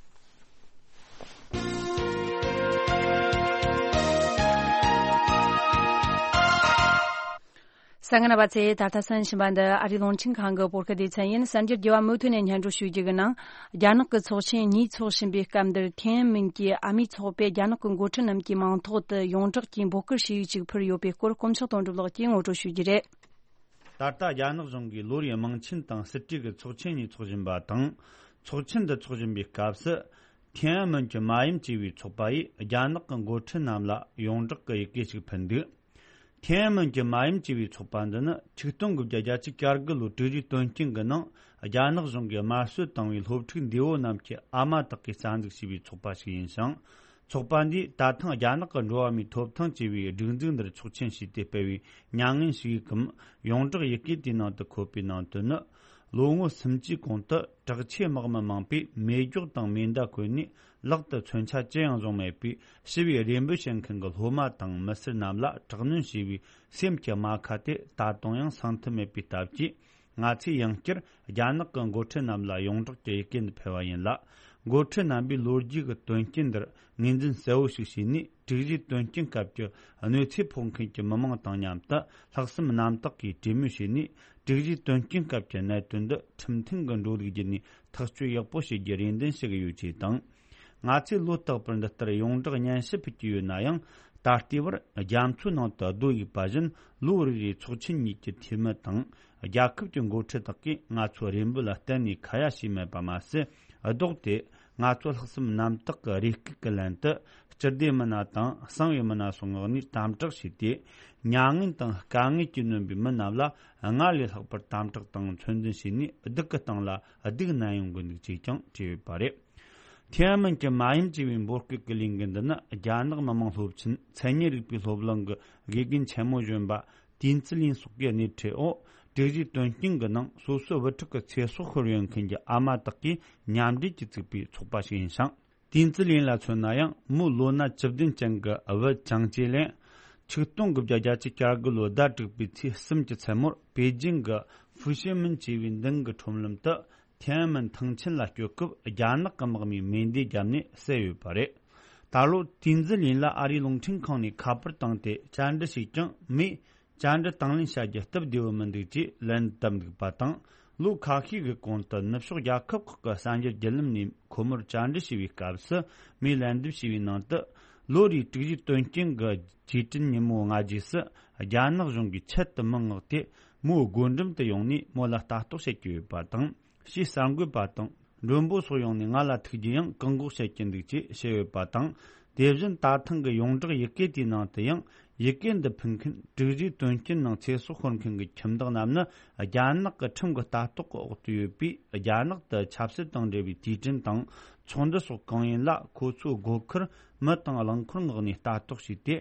གསན་མཁན་རྣམ་པ་ཚོས་ད་ལྟ་གསན་བཞིན་པ་འདི་ཨ་རིའི་རླུང་འཕྲིན་ཁང་གི་བོད་སྐད་སྡེ་ཚན་ཡིན། གསར་འགྱུར་རྒྱས་པ་མུ་མཐུད་ནས་སྙན་སྒྲོན་ཞུ་རྒྱུ་གི་ནང་། རྒྱ་ནག་གི་ཚོགས་ཆེན་གཉིས་འཚོགས་བཞིན་པའི་སྐབས་འདིར་ཐེན་ཨན་མིན་གྱི་ཨ་མིའི་ཚོགས་པས་རྒྱ་ནག་གི་འགོ་ཁྲིད་རྣམས་ཀྱི་མིང་ཐོག་ཏུ་ཡོངས་གྲགས་ཀྱི་འབོད་སྐུལ་ཞུ་ཡིག་ཅིག་ཕུལ་ཡོད་པའི་སྐོར། དཀོན་མཆོག་དོན་གྲུབ་ལགས་ཀྱིས་ངོ་སྤྲོད་ཞུ་རྒྱུ་རེད། ད་ལྟ་རྒྱ་ནག་གཞུང་གིས་ལོ་རེའི་དམངས་ཆེན་དང་སྲིད་གྲོས་ཀྱི་ཚོགས་ཆེན་གཉིས་འཚོགས་བཞིན་པ་དང་། ཚོགས་ཆེན་འདི་འཚོགས་བཞིན་པའི་སྐབས་སུ། ཐེན་ཨན་མིན་གྱི་མ་ཡུམ་ཅེས་པའི་ཚོགས་པ་ཡིས་རྒྱ་ནག་གི་འགོ་ཁྲིད་རྣམས་ལ་ཡོངས་གྲགས་ཀྱི་ཡི་གེ་ཞིག་ཕུལ་འདུག། ཐེན་ཨན་མིན་གྱི་མ་ཡུམ་ཅེས་པའི་ཚོགས་པ་འདི་ནི་ཆིག་སྟོང་དགུ་བརྒྱ་བརྒྱད་ཅུ་གྱ་དགུ་ལོའི་དྲུག་བཞིའི་དོན་རྐྱེན་གྱི་ནང་རྒྱ་ནག་གཞུང་གིས་དམར་གསོད་བཏང་བའི་སློབ་ཕྲུག་འདས་པོ་རྣམས་ཀྱི་ཨ་མ་དག་གིས་རྩ་འཛུགས་བྱས་པའི་ཚོགས་པ་ཞིག་ཡིན་ཞིང་། ཚོགས་པ་འདིས་ད་ཐེངས་རྒྱ་ནག་གི་འགྲོ་བ་མིའི་ཐོབ་ཐང་ཅེས་པའི་སྒྲིག་འཛུགས་འདིར་ཆོག་མཆན་ཞུས་ཏེ་སྤེལ་བའི་མྱ་ངན་ཞུ་ཡིག་གམ་ཡོངས་གྲགས་ཡི་གེ་དེའི་ནང་དུ་འཁོད་པའི་ནང་དོན་ནི། ལོ་ངོ་སུམ་ཅུའི་གོང་དུ་དྲག་ཆས་དམག་མི་མང་པོས་མེ་སྒྱོགས་དང་མེ་མདའ་བཀོལ་ནས་ལག་ཏུ་མཚོན་ཆ་ཅི་ཡང་བཟུང་མེད་པའི་ཞི་བའི་རེ་འབོད་བྱེད་མཁན་གྱི་སློབ་མ་དང་མི་སེར་རྣམས་ལ་དྲག་གནོན་བྱས་པའི་སེམས་ཀྱི་རྨ་ཁ་དེ་ད་དུང་ཡང་སངས་ཐུབ་མེད་པའི་སྟབས་ཀྱིས། ང་ཚོས་ཡང་བསྐྱར་རྒྱ་ནག་གི་འགོ་ཁྲིད་རྣམས་ལ་ཡོངས་གྲགས་ཀྱི་ཡི་གེ་འདི་ཕུལ་བ་ཡིན་ལ། འགོ་ཁྲིད་རྣམ་པས་ལོ་རྒྱུས་ཀྱི་དོན་རྐྱེན་འདིར་ངོས་འཛིན་གསལ་བོ་ཞིག་བྱས་ནས། དྲུག་བཞིའི་དོན་རྐྱེན་སྐབས་ཀྱི་གནོད་འཚེ་ཕོག་མཁན་གྱི་མི་མང་དང་མཉམ་དུ་ལྷག་བསམ་རྣམ་དག་གིས་གྲོས་མོལ་བྱས་ནས། དྲུག་བཞིའི་དོན་རྐྱེན་སྐབས་ཀྱི་གནད་དོན་འདི་ཁྲིམས་མཐུན་གྱི་འགྲོ་ལུགས་བརྒྱུད་ནས་ཐག་གཅོད་ཡག་པོ་བྱེད་རྒྱུ་རེ་འདུན་ཞུ་གི་ཡོད་ཅེས་དང་། ང་ཚོས་ལོ་རྟག་པར་འདི་ལྟར་ཡོངས་གྲགས་སྙན་ཞུ་ཕུལ་གྱི་ཡོད་ན་ཡང་། ད་ལྟའི་བར་རྒྱ་མཚོའི་ནང་དུ་རྡོ་གཡུགས་པ་བཞིན། ལོ་རེ་རེའི་ཚོགས་ཆེན་གཉིས་ཀྱི་འཐུས་མི་དང་། རྒྱལ་ཁབ་ཀྱི་འགོ་ཁྲིད་དག་གིས་ང་ཚོའི་རེ་འབོད་ལ་གཏན་ནས་ཁ་ཡ་བྱས་མེད་པ་མ་ཟད། ལྡོག་སྟེ་ང་ཚོ་ལྷག་བསམ་རྣམ་དག་གི་རེ་སྐུལ་གྱི་ལན་དུ། སྤྱི་བདེ་མི་སྣ་དང་གསང་བའི་མི་སྣ་སོགས་ངོས་ནས་དམ་དྲག་བྱས་ཏེ། མྱ་ངན་དང་དཀའ་ངལ་གྱིས་ནོན་པའི་མི་རྣམས་ལ་སྔར་ལས་ལྷག་པར་དམ་དྲག་དང་ཚོད་འཛིན་བྱས་ནས། སྡུག་གི་སྟེང་ལ་སྡུག་བསྣན་ཡོང་གི་འདུག་ཅེས་ཀྱང་བྲིས་ཡོད་པ་རེད། ཐེན་ཨན་མིན་གྱི་མ་ཡུམ་ཅེས་པའི་འབོད་སྐུལ་གྱི་ལས་འགུལ་འདི་ནི། རྒྱ་ནག་མི་དམངས་སློབ་ཆེན་མཚན་ཉིད་རིག་པའི་སློབ་གླིང་གི་དགེ་རྒན་ཆེན་མོ་གཞོན་པ་ཏིན་ཙི་ལིན་སོགས་ཀྱི་སྣེ་ཁྲིད་འོག་དྲུག་བཞིའི་དོན་རྐྱེན་གྱི་ནང་སོ་སོའི་བུ་ཕྲུག་གི་ཚེ་སྲོག་ཤོར་ཡོད་མཁན་གྱི་ཨ་མ་དག་གིས་མཉམ་འབྲེལ་གྱིས་བཙུགས་པའི་ཚོགས་པ་ཞིག་ཡིན་ཞིང་། ཏིན་ཙི་ལིན་ལ་མཚོན་ན་ཡང་། མོའི་ལོ་ན་བཅུ་བདུན་ཅན་གྱི་བུ་ཅང་ཅེ་ལེན། ཆིག་སྟོང་དགུ་བརྒྱ་བརྒྱད་ཅུ་གྱ་དགུ་ལོའི་ཟླ་དྲུག་པའི་ཚེས་གསུམ་གྱི་མཚན་མོར་པེ་ཅིང་གི་ཧྥུ་ཤེ་མིན་ཅེས་པའི་མདུན་གྱི་ཁྲོམ་ལམ་དུ། ཐེན་ཨན་མིན་ཐང་ཆེན་ལ་སྐྱོད་སྐབས། རྒྱ་ནག་གི་དམག་མིས་མེ་མདས་བརྒྱབ་ནས་བསད་ཡོད་པ་རེད། ད་ལོ་ཏིན་ཙི་ལིན་ལ་ཨ་རིའི་རླུང་འཕྲིན་ཁང་ནས་ཁ་པར་བཏང་སྟེ་བཅར་འདྲི་བྱས་ཀྱང་། མོས་བཅར་འདྲི་དང་ལེན་བྱ་རྒྱུ་སྟབས་བདེ་བོ་མི་འདུག་ཅེས་ལན་བཏབ་འདུག་པ་དང་། ལོ་ཁ་ཤས་ཀྱི་གོང་དུ་ནུབ་ཕྱོགས་རྒྱལ་ཁབ་ཁག་གི་གསར་འགྱུར་བརྒྱུད་ལམ་ནས་ཁོ་མོར་བཅར་འདྲི་བྱས་པའི་སྐབས་སུ། མོས་ལན་འདེབས་བྱས་པའི་ནང་དུ། ལོ་རེའི་དྲུག་བཞིའི་དོན་རྐྱེན་གྱི་རྗེས་དྲན་ཉིན་མོ་ལྔ་རྗེས་སུ། རྒྱ་ནག་གཞུང་གིས་ཆེད་དུ་མི་མངགས་ཏེ། མོའི་སྒོ་འགྲམ་དུ་ཡོང་ནས་མོ་ལ་ལྟ་རྟོག་བྱེད་ཀྱི་ཡོད་པ་དང་། ཞེས་གསར་འགོད་པ་དང་མགྲོན་པོ་སོགས་ཡོང་ནས་ང་ལ་ཐུག་རྒྱུ་ཡང་བཀག་འགོག་བྱེད་ཀྱི་འདུག་ཅེས་བཤད་ཡོད་པ་དང་། དེ་བཞིན་ད་ཐེངས་ཀྱི་ཡོངས་གྲགས་ཡི་གེ་དེའི་ནང་དུ་ཡང་། ཡི་གེ་འདི་ཕུལ་མཁན་དྲུག་བཞིའི་དོན་རྐྱེན་ནང་ཚེ་སྲོག་ཤོར་མཁན་གྱི་ཁྱིམ་བདག་རྣམས་ནི། རྒྱ་ནག་གི་ཁྲིམས་ཀྱི་ལྟ་རྟོག་གི་འོག་ཏུ་ཡོད་པས། རྒྱ་ནག་ཏུ་ཆབ་སྲིད་དང་འབྲེལ་བའི་དུས་དྲན་དང་། ཚོགས་འདུ་སོགས་གང་ཡིན་ལ། ཁོ་ཚོའི་སྒོ་ཁར་མི་དང་རླངས་འཁོར་མངགས་ནས་ལྟ་རྟོག་བྱས་ཏེ།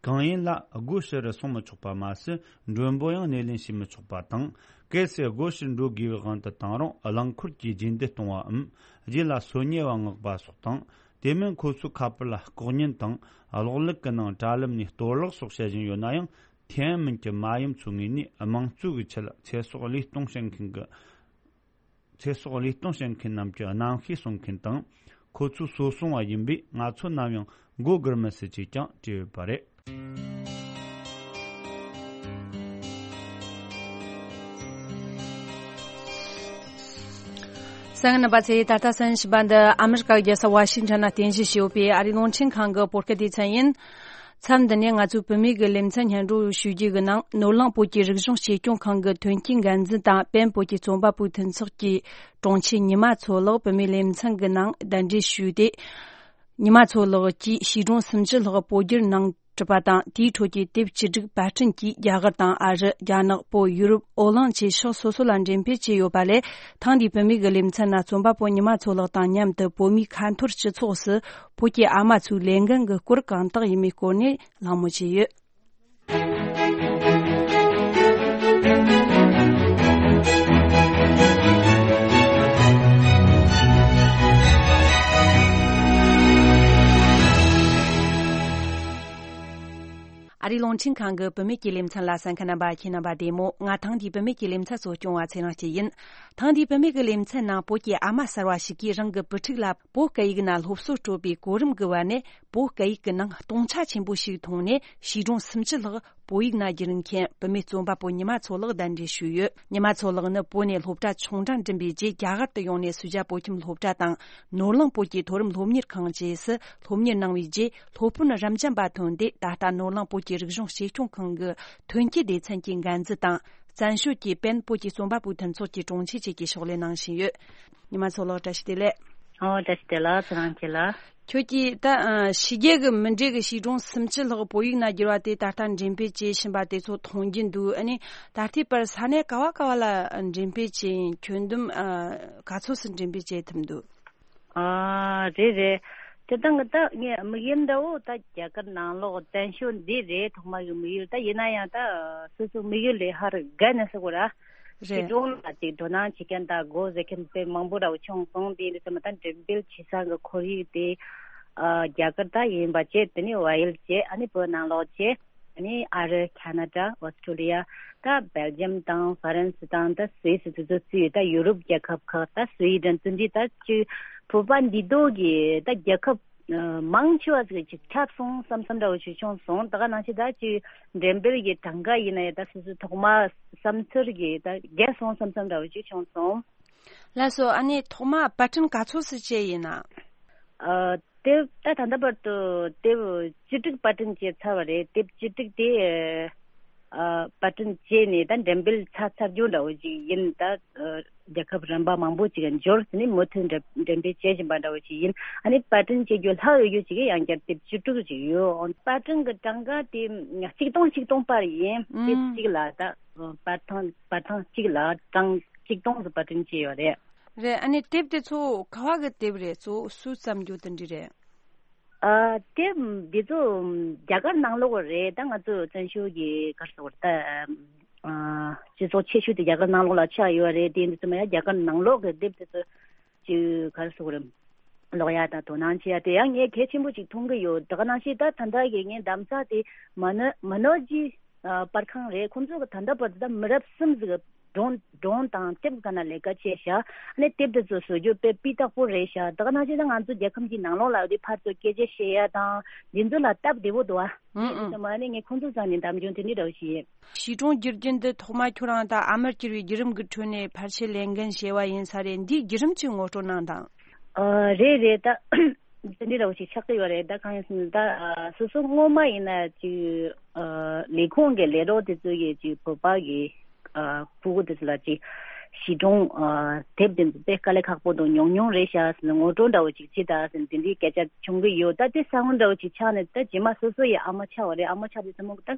གང་ཡིན་ལ་སྒོ་ཕྱི་རུ་སོང་མི་ཆོག་པ་མ་ཟད། མགྲོན་པོ་ཡང་སྣེ་ལེན་བྱེད་མི་ཆོག་པ་དང་། གལ་སྲིད་སྒོ་ཕྱིར་འགྲོ་དགོས་པའི་དབང་དུ་བཏང་རུང་། རླངས་འཁོར་གྱིས་རྗེས་འདེད་གཏོང་བའམ། རྗེས་ལ་སོ་ཉལ་བ་མངགས་པ་སོགས་དང་། དེ་མིན་ཁོ་ཚོའི་ཁ་པར་ལ་ལྐོག་ཉན་དང་། གློག་ཀླད་ཀྱི་ནང་དྲ་ལམ་ནས་གཏོར་བརླག་སོགས་བྱེད་བཞིན་ཡོད་ན་ཡང་། ཐེན་ཨན་མིན་གྱི་མ་ཡུམ་ཚོའི་ངོས་ནས་དམངས་གཙོ་གི་ཆེད་ཚེ་སྲོག་བློས་གཏོང་བྱེད་མཁན་གྱི། ཚེ་སྲོག་བློས་གཏོང་བྱེད་མཁན་རྣམས་ཀྱི་རྣམ་ཤེས་སྲུང་མཁན་དང་། ཁོ་ཚོས་གསོ་སྲུང་བ་ཡིན་པས། ང་ཚོ་ནམ་ཡང་མགོ་སྒུར་མི་སྲིད་ཅེས་ཀྱང་བྲིས་ཡོད་པ་རེད། གསན་མཁན་རྣམ་པ་ཚོས། ད་ལྟ་གསན་བཞིན་པ་འདི་ཨ་མི་རི་ཀ་རྒྱལ་ས་ཝ་ཤིང་ཊོན་ནས་རྟེན་གཞི་བྱས་ཡོད་པའི་ཨ་རིའི་རླུང་འཕྲིན་ཁང་གི་བོད་སྐད་སྡེ་ཚན་ཡིན། མཚམས་འདི་ནས་ང་ཚོས་བུད་མེད་ཀྱི་ལེ་ཚན་སྙན་སྒྲོན་ཞུ་རྒྱུ་གི་ནང་། ནོར་གླིང་བོད་ཀྱི་རིག་གཞུང་གཅེས་སྐྱོང་ཁང་གི་ཐོན་སྐྱེད་འགན་འཛིན་དང་པེན་བོད་ཀྱི་རྩོམ་པ་པོའི་མཐུན་ཚོགས་ཀྱི་དྲུང་ཆེ་ཉི་མ་མཚོ་ལགས་བུད་མེད་ལེ་ཚན་གྱི་ནང་གདན་འདྲེན་ཞུས་ཏེ། ཉི་མ་མཚོ་ལགས་ཀྱིས་བྱིས་སྒྲུང་སུམ་ཅུ་ལྷག་བོད་བསྒྱུར་གནང་གྲུབ་པ་དང་། དེའི་ཁྲོད་ཀྱི་དེབ་བཅུ་དྲུག་པར་སྐྲུན་གྱིས་རྒྱ་གར་དང་ཨ་རི། རྒྱ་ནག་པོ། ཡུ་རོབ། ཨོ་གླིང་བཅས་ཕྱོགས་སོ་སོ་ལ་འགྲེམས་སྤེལ་བྱས་ཡོད་པ་ལས། ཐེངས་འདིའི་བུད་མེད་ཀྱི་ལེ་ཚན་ནང་རྩོམ་པ་པོ་ཉི་མ་མཚོ་ལགས་དང་མཉམ་དུ་བོད་མིའི་ཁ་འཐོར་སྤྱི་ཚོགས་སུ་བོད་ཀྱི་ཨ་མ་ཚོའི་ལས་འགན་གྱི་སྐོར་གང་དག་ཡིན་མིན་སྐོར་ནས་གླེང་མོལ་བྱས་ཡོད། ཨ་རིའི་རླུང་འཕྲིན་ཁང་གི་བུད་མེད་ཀྱི་ལེ་ཚན་ལ་གསན་མཁན་རྣམ་པ། ཁྱེད་རྣམ་པ་བདེ་མོ། ང་ཐེངས་འདིའི་བུད་མེད་ཀྱི་ལེ་ཚན་གཙོ་སྐྱོང་བ་ཚེ་རིང་སྐྱིད་ཡིན། ཐེངས་འདིའི་བུད་མེད་ཀྱི་ལེ་ཚན་ནང་བོད་ཀྱི་ཨ་མ་གསར་བ་ཞིག་གིས་རང་གི་བུ་ཕྲུག་ལ་བོད་སྐད་ཡིག་ནང་སློབ་གསོ་སྤྲོད་པའི་གོ་རིམ་གྱི་བར་ནས། བོད་སྐད་ཡིག་གི་ནང་སྟོང་ཆ་ཆེན་པོ་ཞིག་མཐོང་ནས་བྱིས་སྒྲུང་སུམ་ཅུ་ལྷག་བོད་ཡིག་ནང་བསྒྱུར་མཁན་བུད་མེད་རྩོམ་པ་པོ་ཉི་མ་མཚོ་ལགས་གདན་འདྲེན་ཞུས་ཡོད། ཉི་མ་མཚོ་ལགས་ནི་བོད་ནས་སློབ་གྲྭ་ཆུང་འབྲིང་འགྲིམ་པའི་རྗེས་རྒྱ་གར་དུ་ཡོང་ནས་སུ་ཇཱ་བོད་ཁྱིམ་སློབ་གྲྭ་དང་། ནོར་གླིང་བོད་ཀྱི་མཐོ་རིམ་སློབ་གཉེར་ཁང་བཅས་སུ་སློབ་གཉེར་གནང་བའི་རྗེས། སློབ་དཔོན་རབ་འབྱམས་པ་ཐོན་ཏེ། ད་ལྟ་ནོར་གླིང་བོད་ཀྱི་རིག་གཞུང་གཅེས་སྐྱོང་ཁང་གི་ཐོན་སྐྱེད་སྡེ་ཚན་གྱི་འགན་འཛིན་དང་། བཙན་བྱོལ་གྱི་པེན་བོད་ཀྱི་རྩོམ་པ་པོའི་མཐུན་ཚོགས་ཀྱི་དྲུང་ཆེ་བཅས་ཀྱི་ཕྱག་ལས་གནང་བཞིན་ཡོད། ཉི་མ་མཚོ་ལགས། བཀྲ་ཤིས་བདེ་ལེགས། ཨོ། བཀྲ་ཤིས་བདེ་ལེགས། ཚེ་རིང་སྐྱིད་ལགས། ཁྱོད་ཀྱིས་ད་ཨ་ཕྱི་རྒྱལ་གྱི་མི་འདྲ་གི་བྱིས་སྒྲུང་སུམ་ཅུ་ལྷག་བོད་ཡིག་ནང་བསྒྱུར་བ་དེ་ད་ལྟ་འགྲེམས་སྤེལ་བྱེད་བཞིན་པ་དེ་ཚོ་མཐོང་རྒྱུ་འདུག་ཨ་ནི་ད་ལྟའི་བར་ས་གནས་ག་བ་ག་བ་ལ་འགྲེམས་སྤེལ་བྱས་ཡིན། ཁྱོན་བསྡོམས་ཨ་ག་ཚོད་ཙམ་འགྲེམས་སྤེལ་བྱེད་ཐུབ་འདུག་ཨ། རེད་རེད། དེ་དང་ད་ངས་དམིགས་ཡུལ་འདྲ་བོ་ད་རྒྱ་གར་ནང་ལོགས་བཙན་བྱོལ་འདི་རེད། ཐོག་མ་གི་དམིགས་ཡུལ། ད་ཡིན་ན་ཡང་ད་སོ་སོ་དམིགས་ཡུལ་ལས་ཧ་རུ་བརྒལ་ནས་ཟེར་དགོས་ར། རེད། ཞིག་སྒྲུང་ལ་ཅིག་དོ་སྣང་བྱེད་མཁན་དང་མགོ་འཛེགས་མཁན་དཔེ་མང་པོ་འདྲ་བོ་བྱུང་སོང་། དེ་འདྲ་ཚང་མ་ད་འགྲེམས་སྤེལ་བྱེད་ས་གི་ཁོར་ཡུག་དེ་ཨ་རྒྱ་གར་ད་ཡིན་པ་བྱས། དེ་ནས་བལ་ཡུལ་བྱས། ཨ་ནི་བོད་ནང་ལོགས་བྱས། ཨ་ནི་ཨ་རི། ཁ་ན་ཌ། ཨོ་སི་ཀྲོ་ལི་ཡ། ད་སྦེལ་ཇམ་དང་ཧྥ་རན་སི་དང་ད་སུད་སི། དེ་ཚོ་བརྩིས་ཡོད། ད་ཡུ་རོབ་རྒྱལ་ཁབ་ཁག་ད་སུའི་ཌེན་ཚོ་འདི་ད་ཅིག་བོད་པ་འདི་དག་གི་ད་རྒྱལ་ཁབ་ཨ་མང་ཆེ་བ་ཟིག་ཅིག་ཁྱབ་སོང་བསམ་བསམ་འདྲ་བོ་ཞིག་བྱུང་སོང་། ད་ག་ནང་བཞིན་ད་ཅིག་འགྲེམས་སྤེལ་གྱི་གྲངས་ཀ་ཡིན་ན་ཡང་ད་སོ་སོའི་ཐོག་མ་བསམ་ཚུལ་གྱི་ད་བརྒལ་སོང་བསམ་བསམ་འདྲ་བོ་ཞིག་བྱུང་སོང་། ལགས་སོ། ཨ་ནི་ཐོག་མ་པར་སྐྲུན་ག་ཚོད་ཙམ་བྱས་ཡིན་ན། ཨ་དེབ་ད་ད་ལྟ་བར་དུ་དེབ་བཅུ་དྲུག་པར་སྐྲུན་བྱས་ཚར་བ་རེད། དེབ་བཅུ་དྲུག་དེ་ཨ་པར་སྐྲུན་བྱས་ནས་ད་འགྲེམས་སྤེལ་ཚར་ཚར་རྒྱུ་འདྲ་བོ་ཅིག་ཡིན། ད་ཨ་རྒྱལ་ཁབ་རིམ་པ་མང་པོ་ཅིག་འབྱོར་ཟིན་ནས་མུ་མཐུད་འགྲེམས་འགྲེམས་སྤེལ་བྱེད་བཞིན་པ་འདྲ་བོ་ཅིག་ཡིན། ཨ་ནི་པར་སྐྲུན་བྱེད་རྒྱུ་ལྷག་ཡོད་རྒྱུ་ཅིག་ཡང་བསྐྱར་དེབ་བཅུ་དྲུག་ཅིག་ཡོད། པར་སྐྲུན་གྱི་གྲངས་ཀ་དེ་གཅིག་སྟོང་གཅིག་སྟོང་པར་ཡིན། ཨུམ། དེབ་གཅིག་ལ་ད་པར་ཐེངས་པར་ཐེངས་གཅིག་ལ་གྲངས་གཅིག་སྟོང་ཙམ་པར་སྐྲུན་བྱས་ཡོད་རེད། རེད། ཨ་ནི་དེབ་དེ་ཚོ་ག་བ་གི་དེབ་རེད། གཙོ་བོ་སུས་བརྩམས་རྒྱུ་དེ་འདྲ་རེད། ཨ་དེབ་འདི་ཚོ་རྒྱ་གར་ནང་ལོགས་རེད། ད་ང་ཚོ་བཙན་བྱོལ་གྱི་ག་རེ་ཟེར་དགོས་རེད། ད་ཨ་སྤྱི་ཚོགས་ཆེ་ཤོས་དེ་རྒྱ་གར་ནང་ལོགས་ལ་ཆགས་ཡོད་རེད། དེ་འདི་ཚོ་མ་ཡ་རྒྱ་གར་ནང་ལོགས་ཀྱི་དེབ་དེ་ཚོ་ཅིག་ག་རེ་ཟེར་དགོས་རེད། ཀློག་ཡ་དང་དོ་སྣང་བྱེད་ཡ་དེ་ཡང་ངས་གལ་ཆེན་པོ་ཅིག་མཐོང་གི་ཡོད། ད་ག་ནང་བཞིན་ད་ད་ལྟ་གི་ངའི་གདམ་ག་དེ་མ་ནོ་མ་ནོ་ཇི་ཨ་པར་ཁང་རེད། ཁོང་ཚོ་གི་ད་ལྟ་བར་དུ་ད་མི་རབས་གསུམ་ཟིག་སྒྲུང་སྒྲུང་དང་དེབ་ག་ན་ལས་ཀ་བྱས་ཤག་ཨ་ནི་དེབ་དེ་ཚོ་བཟོ་རྒྱུ་དཔེ་སྤུས་དག་པོ་རེད་ཤག་ད་ག་ནང་བཞིན་ད་ང་ཚོ་རྒྱལ་ཁམས་ཀྱི་ནང་ལོགས་ལ་དེ་ཕར་ཚུར་སྐད་ཆ་བཤད་ཡ་དང་འདི་ཚོ་ལ་སྟབས་བདེ་པོ་འདུག་ཨ། ཨང་། དེ་ཚོ་མ་ནི་ངས་ཁོང་ཚོ་ཚང་ནས་འདམ་ཆུང་དེ་འདྲ་འདྲ་བོ་ཞིག་ཡིན། བྱིས་སྒྲུང་བསྒྱུར་རྒྱུ་འདི་ཐོག་མ་ཁྱོད་རང་ད་ཨ་མར་གྱུར་བའི་བརྒྱུད་རིམ་གྱི་ཁྲོད་ནས་ཕལ་ཆེར་ལས་འགན་བཞེས་པ་ཡིན་ས་རེད། འདིའི་བརྒྱུད་རིམ་ཅིག་ངོ་སྤྲོད་གནང་དང་། ཨ་རེད་རེད། ད་དེ་འདྲ་འདྲ་བོ་ཞིག་ཆགས་ཀྱི་ཡོད་རེད། ད་གང་ཡིན་ཟེར་ན་ད་ཨ་སོ་སོ་སྔོན་མ་ཡིན་ན་ཅིག་ཨ་ལས་ཁུངས་ཀྱི་ལས་རོགས་དེ་ཚོ་ཡིས་ཅིག་བོད་པ་གི་ཨ་ཕྲུ་གུ་དེ་ཚོ་ལ་ཅིག་བྱིས་སྒྲུང་ཨ་དེབ་དེ་ཚོ་དཔེ་དཀའ་ལས་ཁག་པོ་དང་ཉུང་ཉུང་རེད་ཤག་ཟེར་ནས་ངོ་སྤྲོད་འདྲ་བོ་ཅིག་བྱེད་དང་ཟེར་ནས་དེ་འདྲའི་སྐད་ཆ་བྱུང་གི་ཡོད། ད་དེ་ས་བོན་འདྲ་བོ་ཅིག་ཆགས་ནས་ད་རྗེས་མ་སོ་སོ་ཡི་ཨ་མ་ཆགས་པ་རེད། ཨ་མ་ཆགས་དུས་ཙམ་པ་ད་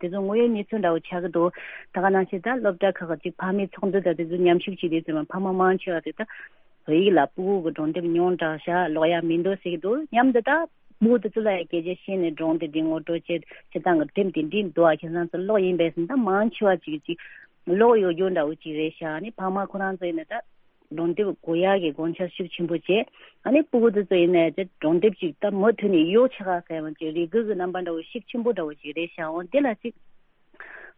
དེ་ཚོ་དངོས་ཡོད་གནས་ཚུལ་འདྲ་བོ་ཆགས་ཀྱི་འདུག་ད་ག་ནང་བཞིན་ད་སློབ་གྲྭ་ཁག་གི་ཅིག་ཕ་མའི་ཚོགས་འདུ་དང་དེ་ཚོ་མཉམ་ཞུགས་བྱེད་དུས་ཙམ་པ་ཕ་མ་མང་ཆེ་བ་དེ་ད་བོད་ཡིག་ལ་ཕྲུ་གུ་གི་སྒྲུང་དེབ་ཉུང་དྲགས་ཤག་ཀློག་ཡ་མི་འདུག་ཟེར་གྱི་འདུག་མཉམ་དུ་ད་ཕྲུ་གུ་དེ་ཚོ་ལ་ཡང་སྐད་ཆ་བཤད་ནས་སྒྲུང་དེ་འདི་ངོ་སྤྲོད་བྱེད་བྱེད་སྟངས་ཀྱི་དེབ་དེ་འདི་འདུག་ཨ། ཁྱེད་རང་ཚོ་ཀློག་ཡིན་པས་ཟེར་ན་ད་མང་ཆེ་བ་ཅིག་ཅིག་ཀློག་ཡོད་རྒྱུ་འདྲ་བོ་ཅིག་རེད་ཤག་ཨ་ནི་ཕ་མ་ཁོ་རང་ཚོ་ཡིན་ན་ད་སྒྲུང་དེབ་དགོས་ཡག་གི་དགོངས་འཆར་ཤུགས་ཆེན་པོ་བྱས། ཨ་ནི་ཕྲུ་གུ་དེ་ཚོ་ཡིན་ནའི་དེ་སྒྲུང་དེབ་ཅིག་ད་མུ་མཐུད་ནས་གཡོག་ཆ་ག་ཟེར་བ་ཅིག་རེ་སྒུག་གི་རྣམ་པ་འདྲ་བོ་ཤུགས་ཆེན་པོ་འདྲ་བོ་ཅིག་རེད་ཤག་འོ་དེ་ལ་ཅིག་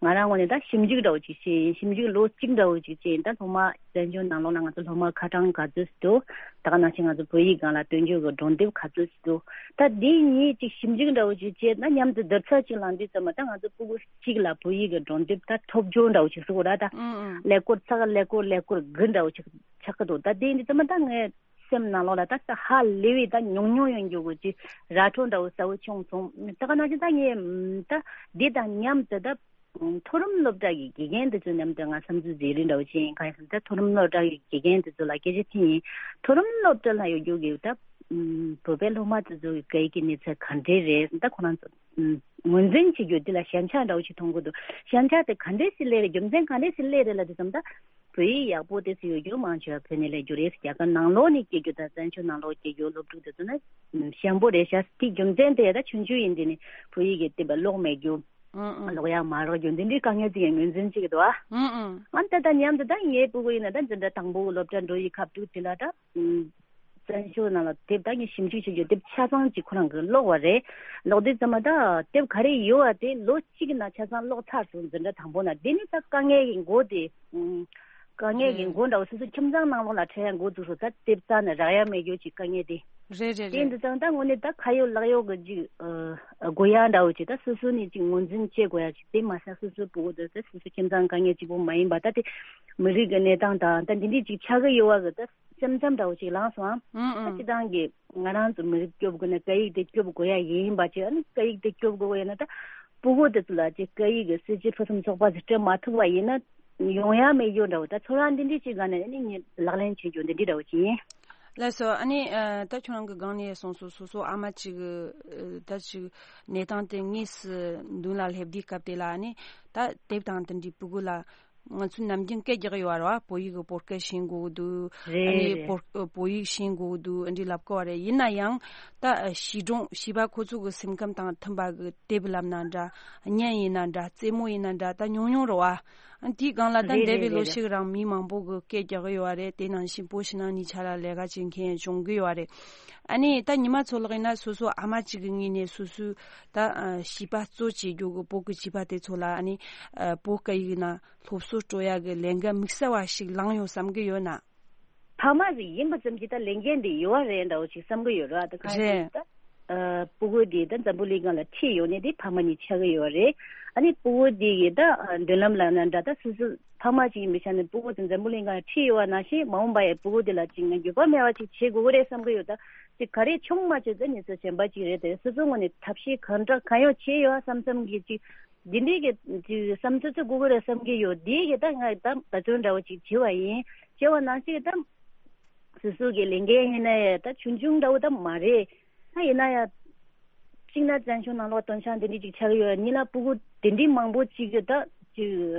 ང་རང་ངོས་ནས་ད་ཞིབ་འཇུག་འདྲ་བོ་ཅིག་བྱས་ཡིན། ཞིབ་འཇུག་ལོ་གཅིག་འདྲ་བོ་ཅིག་བྱས་ཡིན། ད་སློབ་མ་བཙན་བྱོལ་ནང་ལོགས་ལ་ང་ཚོ་སློབ་མ་ཁ་གྲངས་ག་ཚོད་ཅིག་འདུག་ད་ག་ནང་བཞིན་ང་ཚོ་བོད་ཡིག་སྒང་ལ་སྟོན་རྒྱུ་གི་སྒྲོག་འདེབས་ག་ཚོད་ཅིག་འདུག་ད་འདི་གཉིས་ཅིག་ཞིབ་འཇུག་འདྲ་བོ་ཅིག་བྱས་ན། མཉམ་དུ་བསྡུར་ཚད་ཅིག་ལ་འདི་ཙམ་མ། ད་ང་ཚོ་ཕྲུ་གུ་གཅིག་ལ་བོད་ཡིག་གི་སྒྲོག་འདེབས་ད་ཐོབ་རྒྱུ་འདྲ་བོ་ཅིག་ཟེར་དགོས་ར། ད་ཨང་ཨང་ཀླད་ཀོར་ཚེག་ཀླད་ཀོར་ཀླད་ཀོར་དགུ་འདྲ་བོ་ཅིག་ཆགས་ཀྱི་འདུག་ད་འདི་འདི་ཙམ་མ་ད་ངས་སེམས་ནང་ལོགས་ལ་ད་ད་ཧ་ལས་པའི་ད་ཉུང་ཉུང་ཡོང་རྒྱུ་གི་ཅིག་ར་སྤྲོད་འདྲ་བོ་གསལ་བོ་བྱུང་སོང་། ད་ག་ནང་བཞིན་ད་ངས་ད་འདི་དང་མཉམ་དུ་ད་མཐོ་རིམ་སློབ་གྲྭ་གི་དགེ་རྒན་དེ་ཚོ་མཉམ་དུ་ང་བསམ་ཚུལ་བརྗེ་རེས་འདྲ་བོ་བྱས་ཡིན། གང་ཡིན་ཟེར་ན་ད་མཐོ་རིམ་སློབ་གྲྭ་གི་དགེ་རྒན་དེ་ཚོ་ལ་སྐད་ཆ་དྲིས་ཡིན། མཐོ་རིམ་སློབ་གྲྭ་ལ་ཡོད་རྒྱུ་གི་ད་བོད་པའི་སློབ་མ་དེ་ཚོ་གི་སྐད་ཡིག་གི་གནས་ཚད་ག་འདྲས་རེད། ད་ཁོ་རང་ཚོ་ངོས་འཛིན་བྱེད་རྒྱུ་དེ་ལ་ཞན་ཆ་འདྲ་བོ་ཞིག་མཐོང་གི་འདུག་ཞན་ཆ་དེ་ག་འདྲས་སེ་སླེབས་རེད། རྒྱུ་མཚན་ག་འདྲས་སེ་སླེབས་རེད་ལབ་དུས་ཙམ་ད། བོད་ཡིག་ཡག་པོ་དེ་ཚོ་ཡོད་རྒྱུ་མང་ཆེ་བ་བོད་ནས་སླེབས་རྒྱུ་རེད། རྒྱ་གར་ནང་ལོགས་ནས་སྐྱེས་རྒྱུ་དང་བཙན་བྱོལ་ནང་ལོགས་སྐྱེས་རྒྱུ་སློབ་ཕྲུག་དེ་ཚོ་ནི་ཞན་པོ་རེད་ཤག་དེ་རྒྱུ་མཚན་དེ་ད་ཆུང་ཆུང་ཡིན་དུས་ནས་བོད་ཡིག་གི་དེབ་ཀློག་མེད་རྒྱུ། ཨང་ཨང་། ཀློག་ཡག་མ་རག་རྒྱུ་འདི་འདྲའི་དཀའ་ངལ་ཅིག་ཡང་ངོས་འཛིན་བྱེད་ཀྱི་འདུག་ཨ། ཨང་ཨང་། ཨ་ད་ད་མཉམ་དུ་ད་ངའི་སྤུ་གུ་ཡིན་ན་ད་འཛིན་གྲྭ་དང་པོ་སློབ་གྲྭ་འགྲོ་ཡི་སྐབས་དུས་དེ་ལ་ད། བཙན་བྱོལ་ནང་ལ་དེབ་ད་ངས་ཞིབ་འཇུག་བྱེད་རྒྱུ་དེབ་ཆ་ཚང་ཅིག་ཁོ་རང་གིས་ཀློག་པ་རེད། ཀློག་དུས་ཙམ་མ་ད་དེབ་ག་རེ་ཡོད་པ་དེ་ལོ་གཅིག་གི་ནང་ཆ་ཚང་ཀློག་ཚར་སོང་། འཛིན་གྲྭ་དང་པོ་ནང་། དེ་ནི་ད་དཀའ་ངལ་གྱི་མགོ་དེ། ཨུམ། དཀའ་ངལ་གྱི་མགོ་འདྲ་བོ་སོ་སོ་ཁྱིམ་ཚང་ནང་ལོགས་ལ་འཕྲད་ཡ་འགོ་བཙུགས་སོང་། ད་དེབ་རྩ་ནས་རག་ཡ་མེད་རྒྱུ་ཅིག་དཀའ་ངལ་དེ། རེད་རེད་དེ་རེད། འདི་ཙང་ད་དངོས་གནས་ད་ཁ་ཡོད་ལག་ཡོད་གི་ཅིག་ཨ་དགོས་ཡ་འདྲ་བོ་ཅིག་ད་སོ་སོ་ནས་ཅིག་ངོས་འཛིན་བྱེད་དགོས་ཡ་ཅིག་དེ་མ་ཟད་སོ་སོའི་སྤུ་གུ་དེ་ད་སོ་སོ་ཁྱིམ་ཚང་དཀའ་ངལ་གཅིག་པོ་མ་ཡིན་པ་ད་དེ་མི་རིགས་ཀྱི་གནས་སྟངས་དང་ད་འདི་འདྲའི་ཅིག་ཆགས་ཀྱི་ཡོད་པ་གི་ད། སེམས་ཙམ་འདྲ་བོ་ཞིག་ལངས་སོང་ཨང་། ཨང་ཨང་། ད་སྤྱིར་བཏང་གི་ང་རང་ཚོ་མི་རིགས་སྐྱོབ་དགོས་ན། སྐད་ཡིག་དེ་སྐྱོབ་དགོས་ཡ་ཡིན་པ་ཅིག་ཨ་ནི་སྐད་ཡིག་དེ་སྐྱོབ་དགོས་ཡ་ན་ད་ཕྲུ་གུ་དེ་ཚོ་ལ་ཅིག་སྐད་ཡིག་གི་སྲིད་ཇུས་ཕུན་སུམ་ཚོགས་པ་ཞིག་སྤྲད་མ་ཐུབ་པ་ཡིན་ན་ཡོང་ཡ་མེད་རྒྱུ་འདྲ་བོ། ད་ཚོར་བ་འདི་འདྲ་ཞིག་ག་ནས་ཨ་ནི་ངས་ལག་ལེན་བྱེད་རྒྱུ་འདི་འདྲ་འདྲ་བོ་ཅིག་ཡིན། ལགས་སོ། ཨ་ནི་ཨ་ད་ཁྱོད་རང་གི་སྒང་ནས་གསུངས་སོང་། སོ་སོ་ཨ་མ་ཅིག་གི་ཨ་ད་ཅིག་གནས་སྟངས་དེ་དངོས་སུ་མདུན་ལ་སླེབས་དུས་སྐབས་དེ་ལ་ཨ་ནི་ད་དེབ་དང་དེ་འདྲའི་ཕྲུ་གུ་ལ། ང་ཚོས་ནམ་རྒྱུན་སྐད་རྒྱག་གི་ཡོད་རེད་བ། བོད་ཡིག་གི་བོད་སྐད་ཤེས་དགོས་ཀྱི་འདུག་ཨ་ནི་རེད་རེད། བོད་བོད་ཡིག་ཤེས་དགོས་ཀྱི་འདུག་འདི་ལབ་ཀྱི་ཡོད་རེད། ཡིན་ན་ཡང་ད་བྱིས་སྒྲུང་བྱིས་པ་ཁོ་ཚོ་གི་སེམས་ཁམས་དང་མཐུན་པ་གི་དེབ་ལབ་ན་འདྲ། བརྙན་ཡིན་ན་འདྲ། རྩེད་མོ་ཡིན་ན་འདྲ། ད་ཉུང་ཉུང་རེད་བ། ཨ་དེའི་སྒང་ལ་ད་རེད་འདས་པའི་རེད་ལོ་རེད་རེད། ཤིག་རིང་མི་མང་པོ་གི་སྐད་རྒྱག་གི་ཡོད་རེད། དེ་ནང་བཞིན་བོད་ཕྱི་ནང་གཉིས་ཆ་ལ་ལས་ཀ་བྱེད་མཁན་བྱུང་གི་ཡོད་རེད། ཨ་ནི་ད་ཉི་མ་ཚོ་ལགས་ཡིན་ན་སོ་སོ་ཨ་མ་གཅིག་གི་ངོས་ནས་སོ་སོའི་ད་བྱིས་པ་གཙོ་བྱེད་རྒྱུ་གི་བོད་ཀྱི་བྱིས་པ་དེ་ཚོ་ལ་ཨ་ནི་བོད་སྐད་ཡིག་ནང་སློབ་གསོ་སྤྲོད་ཡ་གི་ལས་འགན་དམིགས་བསལ་བ་ཞིག་བླངས་ཡོང་བསམ་གི་ཡོད་ན། ཕ་མ་ཞིག་ཡིན་པ་ཙམ་གྱིས་ད་ལས་འགན་དེ་ཡོད་རེད་འདྲ་བོ་ཞིག་བསམ་གི་ཡོད་རེད། ད་གང་ཡིན་རེད། ད་ཨ་ཕྲུ་གུ་དེ་ད་འཛམ་བུ་གླིང་སྒང་ལ་ཁྲིད་ཡོང་ནི་དེ་ཕ་མ་གཉིས་ཆགས་ཀྱི་ཡོད་རེད། ཨ་ནི་ཕྲུ་གུ་དེ་གི་ད་ཨ་མདུན་ལམ་ལ་ན་འདྲ་ད་སོ་སོ་ཕ་མ་གཅིག་ཡིན་པའི་ཆ་ནས་ཕྲུ་གུ་དེ་འཛམ་བུ་གླིང་སྒང་ལ་ཁྲིད་ཡོང་བ་ནང་བཞིན་མ་འོངས་པ་ཡི་ཕྲུ་གུ་དེ་ལ་ཅིག་ང་འགྱོད་པ་མེད་པ་ཅིག་བྱེད་དགོས་ཀྱི་རེད་བསམ་གི་ཡོད། ད་ཅིག་ག་རེ་བྱུང་མ་བྱུང་ད་ནི་སོ་གཞན་པ་ཅིག་རེད། དེ་སོ་སོ་ངོས་ནས་ཐབས་ཤེས་གང་དྲག་གང་ཡོང་བྱས་ཡོད་བསམ་བསམ་གི་ཅིག་འདི་འདྲའི་གི་ཅིག་བསམ་ཚུལ་ཚོ་དགོས་ཀྱི་རེད་བསམ་གི་ཡོད། དེ་གི་ད་ང་ད་བརྩོན་འདྲ་བོ་ཅིག་བྱས་པ་ཡིན། བྱས་པ་ནང་བཞིན་གི་ད་སོ་སོ་གི་ལས་འགན་ཡིན་ན་ཡང་ད་ཆུང་ཆུང་འདྲ་བོ་ད་མ་རེད། ད་ཡིན་ན་ཡང་གཅིག་ན་བཙན་བྱོལ་ནང་ལོགས་སྟོང་ཆ་འདི་འདྲ་ཅིག་ཆགས་ཀྱི་ཡོད། གཉིས་ན་ཕྲུ་གུ་དེ་འདྲའི་མང་པོ་ཅིག་གི་ད་ཅིག་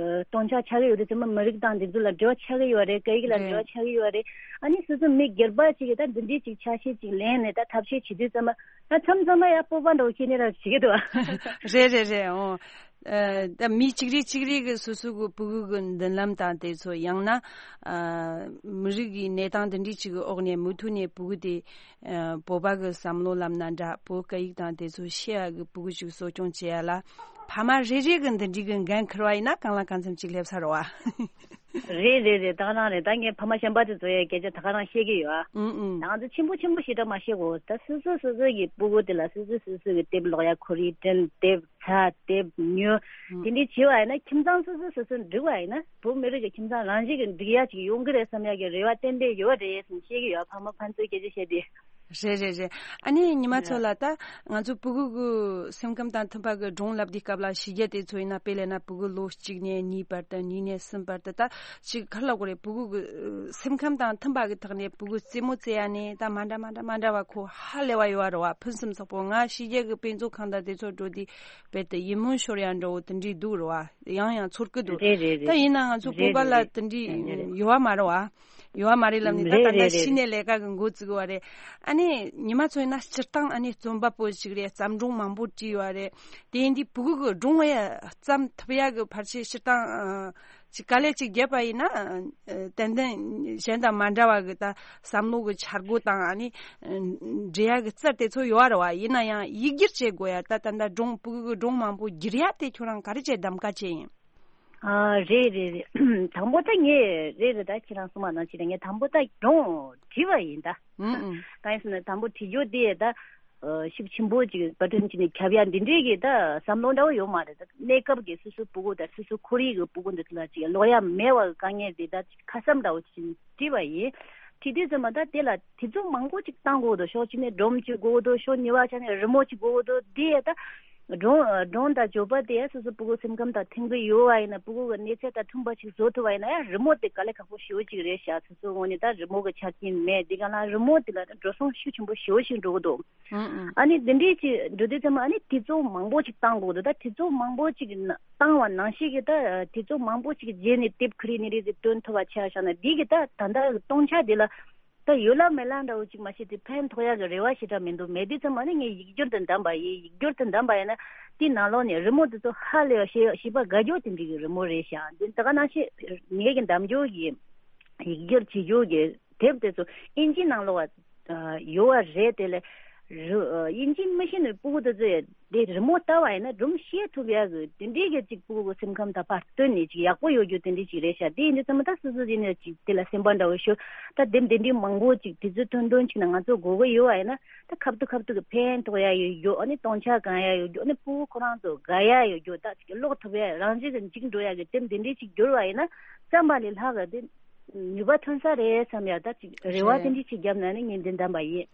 སྟོང་ཆ་ཆགས་ཀྱི་ཡོད་དུས་ཙམ་པ་མི་རིགས་དང་འདི་ཚོ་ལ་འབྲེལ་བ་ཆགས་ཀྱི་ཡོད་རེད། སྐད་ཡིག་ལ་འབྲེལ་བ་རེད། ཆགས་ཀྱི་ཡོད་རེད། ཨ་ནི་སོ་སོ་མི་སྒེར་པ་ཅིག་གི་ད་འདི་འདྲའི་ཅིག་ཆ་ཤས་ཅིག་ལེན་ནས་ད་ཐབས་ཤེས་བྱེད་དུས་ཙམ་པ་ད་མཚམས་མཚམས་ལ་ཡ་སྤོབས་པ་འདྲ་བོ་སྐྱེ་ནས་ར་བྱེད་ཀྱི་འདུག་རེད་རེད་རེད། འོ། ཨ་ད་མི་གཅིག་རེ་གཅིག་རེ་གི་སོ་སོ་གི་ཕྲུ་གུ་གི་མདུན་ལམ་དང་དེ་ཚོ། ཡང་ན་ཨ་མི་རིགས་ཀྱི་གནས་སྟངས་འདི་འདྲའི་ཅིག་གི་འོག་ནས་མུ་མཐུད་ནས་ཕྲུ་གུ་དེ་ཨ་བོད་པ་གི་བསམ་བློ་ལབ་ན་འདྲ། བོད་སྐད་ཡིག་དང་དེ་ཚོ་ཤེས་ཡ་གི་ཕྲུ་གུ་ཅིག་གསོ་སྐྱོང་བྱེད་ཡ་ལ་ཕ་མ་རེ་རེ་གི་འདི་འདྲའི་གི་འགན་འཁུར་བ་ཡིན་ན་གང་ལ་གང་འཚམ་ཅིག་སླེབས་ས་རེད་བ། རེད་རེད་རེད། ད་ག་རང་རེད། ད་ངས་ཕ་མ་གཞན་པ་ཚོ་ཚོ་ཡའི་སྐད་ཆ་ད་ག་རང་བཤད་ཀྱི་ཡོད་ཨ། ཨུང་ཨུང་། ང་ཚོ་ཆེན་པོ་ཆེན་པོ་ཞེ་དྲག་མ་བཤད་གོ། ད་སོ་སོ་སོ་སོ་གི་ཕྲུ་གུ་དེ་ལ་སོ་སོ་སོ་སོ་གི་དེབ་ཀློག་ཡ་ཁོར་ཡུག་སྤྲད། དེབ་ཚ། དེབ་ཉོ། ཨུང་། དེ་འདྲའི་བྱས་པ་ཡིན་ན་ཁྱིམ་ཚང་སོ་སོ་སོ་སོ་འགྲིག་པ་ཡིན་ན་བོད་མི་རིགས་ཀྱི་ཁྱིམ་ཚང་རང་བཞིན་གྱི་འགྲིག་ཡ་ཅིག་ཡོང་གི་རེད་བསམ་ཡ་གི་རེ་བ་ཏན་ཏན་ཡོད་རེད་ཟེར་བཤད་ཀྱི་ཡོད། ཕ་མ་ཕན་ཚུན་སྐད་ཆ་བཤད་དུས། རེད་རེད་རེད། ཨ་ནི་ཉི་མ་ཚོ་ལ་ད་ང་ཚོ་ཕྲུ་གུ་གི་སེམས་ཁམས་དང་མཐུན་པ་གི་སྒྲུང་ལབ་དུས་སྐབས་ལ་བྱས་རྗེས་དེ་ཚོ་ཡིན་ན། དཔེ་ལབ་ན་ཕྲུ་གུ་ལོ་གཅིག་ནས་གཉིས་བར་དུ། གཉིས་ནས་གསུམ་བར་དུ། ད་ཅིག་ག་རེ་ལབ་དགོས་རེད། ཕྲུ་གུ་གི་སེམས་ཁམས་དང་མཐུན་པ་གི་ཐོག་ནས་ཕྲུ་གུ་རྩེད་མོ་རྩེ་ཡ་ནས་ད་མ་འདྲ་མ་འདྲ་མ་འདྲ་བ་ཁོ་ཧ་ལས་པ་ཡོད་རེད་བ། ཕུན་སུམ་ཚོགས་པོ། ང་བྱས་རྗེས་གི་དཔེ་མཛོད་ཁང་དང་དེ་ཚོ་འགྲོ་དུས་དཔེ་དེ་ཡིད་སྨོན་ཤོར་ཡ་འདྲ་བོ་དེ་འདྲའི་འདུག་རེད་བ། ཡང་ཡང་ཚོར་གི་འདུག་རེད་རེད་རེད། ད་ཡིན་ན་ང་ཚོ་རེད་བོད་པ་ལ་རེད་དེ་འདྲའི་རེད། ཡོད་པ་མ་རེད་བ། ཡོད་པ་མ་རེད་ལབ་ནས་ད་རེད་ད་ལྟ་རེད་རེད་ཕྱི་ནས་རེད། ལས་ཀ་གི་འགོ་བཙུགས་པ་རེད། ཨ་ནི་ཉི་མ་ཚོ་ཡིན་ན་སྤྱིར་བཏང་ཨ་ནི་རྩོམ་པ་པོ་ཞིག་རེད། བརྩམས་སྒྲུང་མང་པོ་བྲིས་ཡོད་རེད། དེ་ཡིན་དུས་ཕྲུ་གུ་གི་སྒྲུང་ཡ་བརྩམས་ཐུབ་ཡ་གི་ཕལ་ཆེར་སྤྱིར་བཏང་ཨ་ཅིག་དཀའ་ལས་ཅིག་བརྒྱབ་པ་ཡིན་ན་ཨ་ཏན་ཏན་གཞན་དང་མ་འདྲ་བ་གི་ད་བསམ་བློ་གི་འཆར་སྒོ་དང་ཨ་ནི་འབྲི་ཡ་གི་རྩལ་དེ་ཚོ་ཡོད་རེད་བ། ཡིན་ན་ཡང་ཡིག་སྒྱུར་བྱེད་དགོས་ཡ། ད་ད་ལྟ་སྒྲུང་ཕྲུ་གུ་གི་སྒྲུང་མང་པོ་བསྒྱུར་ཡ་དེ་ཁྱོད་རང་ག་རེ་བྱས་གདམ་ག་བྱས་ཡིན། ཨ་རེད་རེད་རེད། དང་པོ་ད་ངས་རེད་རེད། ད་ཁྱེད་རང་གསུངས་པ་ནང་བཞིན་ངས་དང་པོ་ད་སྒྲུང་བྲིས་པ་ཡིན་ད། ཨུ་ཨུ། གང་ཡིན་ཟེར་ན་དང་པོ་བྲིས་རྒྱུ་དེ་ད་ཨ་ཤུགས་ཆེན་པོ་ཅིག་པར་སྐྲུན་བྱས་ནས་ཁྱབ་ཡ་འདི་འདྲའི་གི་ད་བསམ་བློ་འདྲ་བོ་ཡོད་མ་རེད། ད་གནས་སྐབས་ཀྱི་སོ་སོའི་སྤུ་གུ་དང་སོ་སོའི་ཁོར་ཡུག་གི་སྤུ་གུ་འདི་ཚོ་ལ་ཅིག་ཀློག་ཡ་མེད་པ་གི་དཀའ་ངལ་དེ་ད་ཅིག་ཁ་བསམ་འདྲ་བོ་ཅིག་བྲིས་པ་ཡིན། བྲིས་དུས་ཙམ་པ་ད་དེ་ལ་དུས་ཚོད་མང་པོ་ཅིག་བཏང་དགོས་འདུག་ཕྱོགས་གཅིག་ནས་སྒྲུང་ཅིག་དགོས་འདུག་ཕྱོགས་གཉིས་པ་ཆ་ནས་རི་མོ་ཅིག་དགོས་འདུག་དེ་ད་སྒྲུང་སྒྲུང་དང་བརྗོད་པ་དེ་སོ་སོ་སྤུ་གུ་སེམས་ཁམས་དང་མཐུན་གྱི་ཡོད་པ་ཡིན་ན། སྤུ་གུ་གི་གནས་ཚད་དང་མཐུན་པ་ཅིག་བཟོ་ཐུབ་པ་ཡིན་ན་ཡང་རི་མོ་དེ་དཀའ་ལས་ཁག་པོ་ཞེ་པོ་ཅིག་རེད་ཤག་སོ་སོའི་ངོས་ནས་ད་རི་མོ་གི་ཆ་རྐྱེན་མེད། དེ་ག་ལ་རི་མོ་དེ་ལ་འགྲོ་སོང་ཤུགས་ཆེན་པོ་ཞེ་པོ་ཞིག་འགྲོ་གི་འདུག་ཨང་ཨང་། ཨ་ནི་འདི་འདྲའི་ཅིག་འགྲོ་དུས་ཙམ་པ་ཨ་ནི་དུས་ཚོད་མང་པོ་ཅིག་བཏང་དགོས་འདུག་ད་དུས་ཚོད་མང་པོ་ཅིག་ན་བཏང་བ་ནང་བཞིན་གྱི་ད་དུས་ཚོད་མང་པོ་ཅིག་རྗེས་ནས་དེབ་ཁ་རིག་ནི་རིག་ཅིག་སྟོན་ཐུབ་པ་ཆགས་བཞག་ན། འདི་གི་ད་ད་ལྟ་གི་སྟོང་ཆ་འདི་ལ་ད་ཡོད་ལ་མེད་ལ་འདྲ་བོ་ཅིག་མ་གཏོགས་དེ་ཕན་ཐོགས་ཡག་གི་རེ་བ་ཞེ་དྲག་མི་འདུག་མེད་དུས་ཙམ་པ་ནི་ངས་ཡིག་སྒྱུར་དུ་བདམས་པ་ཡིན། ཡིག་སྒྱུར་དུ་བདམས་པ་ཡིན་ན་དེའི་ནང་ལོགས་ནས་རི་མོ་དེ་ཚོ་ཧ་ལས་པ་ཞེ་ཞེ་པོ་དགའ་སྐྱོ་དེ་འདྲའི་གི་རི་མོ་རེད་ཤག་འདི་ད་ག་ནང་བཞིན་ངེད་ཀྱི་འདེམས་རྒྱུ་གི་ཡིག་སྒྱུར་བྱེད་རྒྱུ་གི་དེབ་དེ་ཚོ་ཨིན་ཇིའི་ནང་ལོགས་ཡོད་པ་རེད། དེ་ལས་རི་ཨིན་ཇི་མི་ཤེས་ནི་སྤུ་གུ་དེ་ཚོས་དེ་རི་མོ་ལྟ་བ་ཡིན་ན་སྒྲུང་བཤད་ཐུབ་ཡག་གི་དེ་འདྲའི་གི་ཅིག་སྤུ་གུ་སེམས་ཁམས་དང་ཕར་བསྟུན་ནས་ཅིག་ཡག་པོ་ཡོད་རྒྱུ་དེ་འདྲའི་ཅིག་རེད་ཤག་དེ་ཡིན་དུས་ཙམ་པ་ད་སོ་སོ་ཡིན་ན་ཅིག་དེ་ལ་སེམས་པ་འདྲ་བོ་ཤོར། ད་དེབ་དེ་འདྲའི་མང་པོ་ཅིག་དུས་ཚོད་ཐུང་ཐུང་ཅིག་ནང་ང་ཚོ་དགོས་ཀྱི་ཡོད་པ་ཡིན་ན་ད་ཁ་ཐུག་ཁ་ཐུག་གི་ཕན་ཐོགས་ཡག་ཡོད་རྒྱུ། ཨ་ནི་སྟོང་ཆ་གང་ཡག་ཡོད་རྒྱུ། ཨ་ནི་སྤུ་གུ་ཁོ་རང་ཚོ་དགའ་ཡག་ཡོད་རྒྱུ། ད་ཅིག་ཀློག་ཐུབ་ཡག་རང་བཞིན་གྱི་འཇིག་འགྲོ་ཡག་གི་དེབ་དེ་འདྲའི་ཅིག་བསྒྱུར་བ་ཡིན་ན་བརྩམས་པ་ལས་ལྷག་གི་དེ་ནུས་པ་ཐོན་ས་རེད་བསམ་ཡག་ད་ཅིག་རེ་བ་རེད། དེ་འདྲའི་ཅིག་བརྒྱབ་ན་ནི་ངས་འདི་འདམ་པ་ཡིན།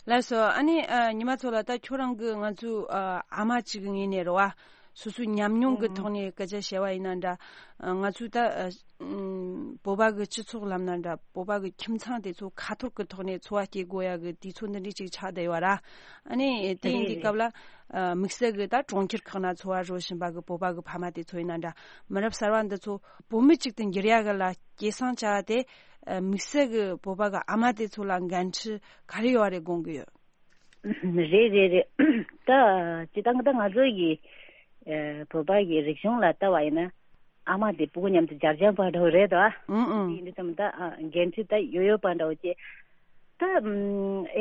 ལགས་སོ། ཨ་ནི་ཨ་ཉི་མ་ཚོ་ལ་ད་ཁྱོད་རང་གི་ང་ཚོའི་ཨ་ཨ་མ་གཅིག་གི་ངོས་ནས་རེད་བ། སོ་སོའི་ཉམས་མྱོང་གི་ཐོག་ནས་སྐད་ཆ་བཤད་པ་ཡིན་ན་འདྲ། ཨ་ང་ཚོའི་ད་ཨ་ཨམ་བོད་པ་གི་སྤྱི་ཚོགས་ལབ་ན་འདྲ། བོད་པ་གི་ཁྱིམ་ཚང་དེ་ཚོ་ཁ་ཐོར་གི་ཐོག་ནས་འཚོ་བ་སྐྱེལ་དགོས་ཡག་གི་དུས་ཚོད་འདི་འདྲའི་ཅིག་ཆགས་བསྡད་ཡོད་ར། ཨ་ནི་དེ་ཡིན་དུས་རེད་རེད། སྐབས་ལ་ཨ་དམིགས་བསལ་གི་ད་གྲོང་ཁྱེར་ཁག་ན་འཚོ་བ་རོལ་བཞིན་པ་གི་བོད་པ་གི་ཕ་མ་དེ་ཚོ་ཡིན་ན་འདྲ། མི་རབས་གསར་བ་འདི་ཚོ་བོད་མི་གཅིག་ཏུ་འགྱུར་ཡག་གི་ལ་སྐྱེད་སྲིང་བྱ་བ་དེ་ཨ་དམིགས་བསལ་གི་བོད་པ་གི་ཨ་མ་དེ་ཚོ་ལ་འགན་འཁྲི་ག་རེ་ཡོད་རེད་དགོངས་ཀྱི་ཡོད། རེད་རེད་རེད། ད་སྤྱིར་བཏང་ད་ང་ཚོ་གི་ཨ་བོད་པ་གི་རིག་གཞུང་ལ་ལྟ་བ་ཡིན་ན་ཨ་མ་དེ་སྤུ་གུ་མཉམ་དུ་སྦྱར་སྦྱར་པ་འདྲ་བོ་རེད་དོ། ཨུང་ཨུང་། དེ་ཡིན་དུས་ཙམ་ད་ཨ་འགན་འཁྲི་ད་ཡོད་ཡོད་པ་འདྲ་བོ་བྱས། ད་ཨམ་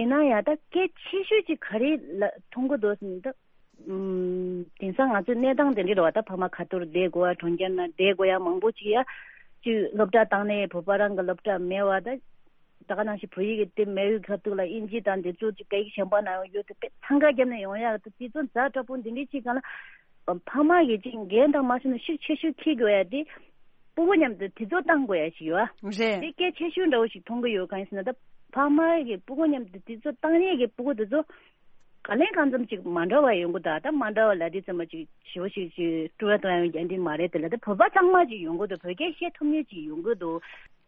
ཡིན་ན་ཡང་ད་གལ་ཆེ་ཤོས་ཅིག་ག་རེ་ལ་མཐོང་གི་འདུག་ཟེར་ན་ད། ཨུམ། དེང་སང་ང་ཚོའི་གནས་སྟངས་དེ་འདྲ་རེད་བ། ད་ཕ་མ་ཁ་ཐོར་བསྡད་དགོས་པ། གྲོང་ཁྱེར་ན་བསྡད་དགོས་ཡ་མང་པོ་ཅིག་ཡ། ཅིག་སློབ་གྲྭ་བཏང་ནས་བོད་པ་རང་གི་སློབ་གྲྭ་མེད་བ། ད་ད་ག་ནང་བཞིན་བོད་ཡིག་གི་དེབ་མེད་པའི་ཁ་ཐུག་ལ་ཨིན་ཇི་དང་འདི་ཚོ་ཅིག་སྐད་ཡིག་གཞན་པ་ནང་ཡོད་དེ་དཔེ་འཚང་ཁ་བརྒྱབ་ནས་ཡོང་ཡ། ད་དེ་ཚོ་ཛ་དྲག་པོ་འདི་འདྲའི་ཅིག་སྒང་ལ་ཕ་མ་གིས་ཅིག་འགན་དང་མ་སོང་ན་ཤུགས་ཆེ་ཤོས་འཁྱེར་དགོས་ཡ་དེ་སྤུ་གུ་མཉམ་དུ་དུས་ཚོད་བཏང་དགོས་ཡ་ཞིག་ཡོད་ཨ། རེད། དེ་གལ་ཆེ་ཤོས་འདྲ་བོ་ཞིག་མཐོང་གི་ཡོད། གང་ཡིན་ཟེར་ན་ད་ཕ་མ་གིས་སྤུ་གུ་མཉམ་དུ་དུས་ཚོད་བཏང་ཡས་ཀྱི་སྤུ་གུ་དེ་ཚོ། ག་ལེ་གང་འཚམ་ཅིག་མ་འདྲ་བ་ཡོང་གི་ད། ད་མ་འདྲ་བ་ལ་དེ་ཚང་མ་ཅིག་ཞེ་པོ་ཞིག་ཅིག་སྤྲོ་བ་གཏོང་ཡ་ཡོང་རྒྱུ་འདི་མ་རེད། དེ་ལ་ད་བོད་པ་གཙང་མ་ཅིག་ཡོང་གི་འདུག་བོད་སྐད་བཤད་ཐུབ་མཁན་ཅིག་ཡོང་གི་འདུག་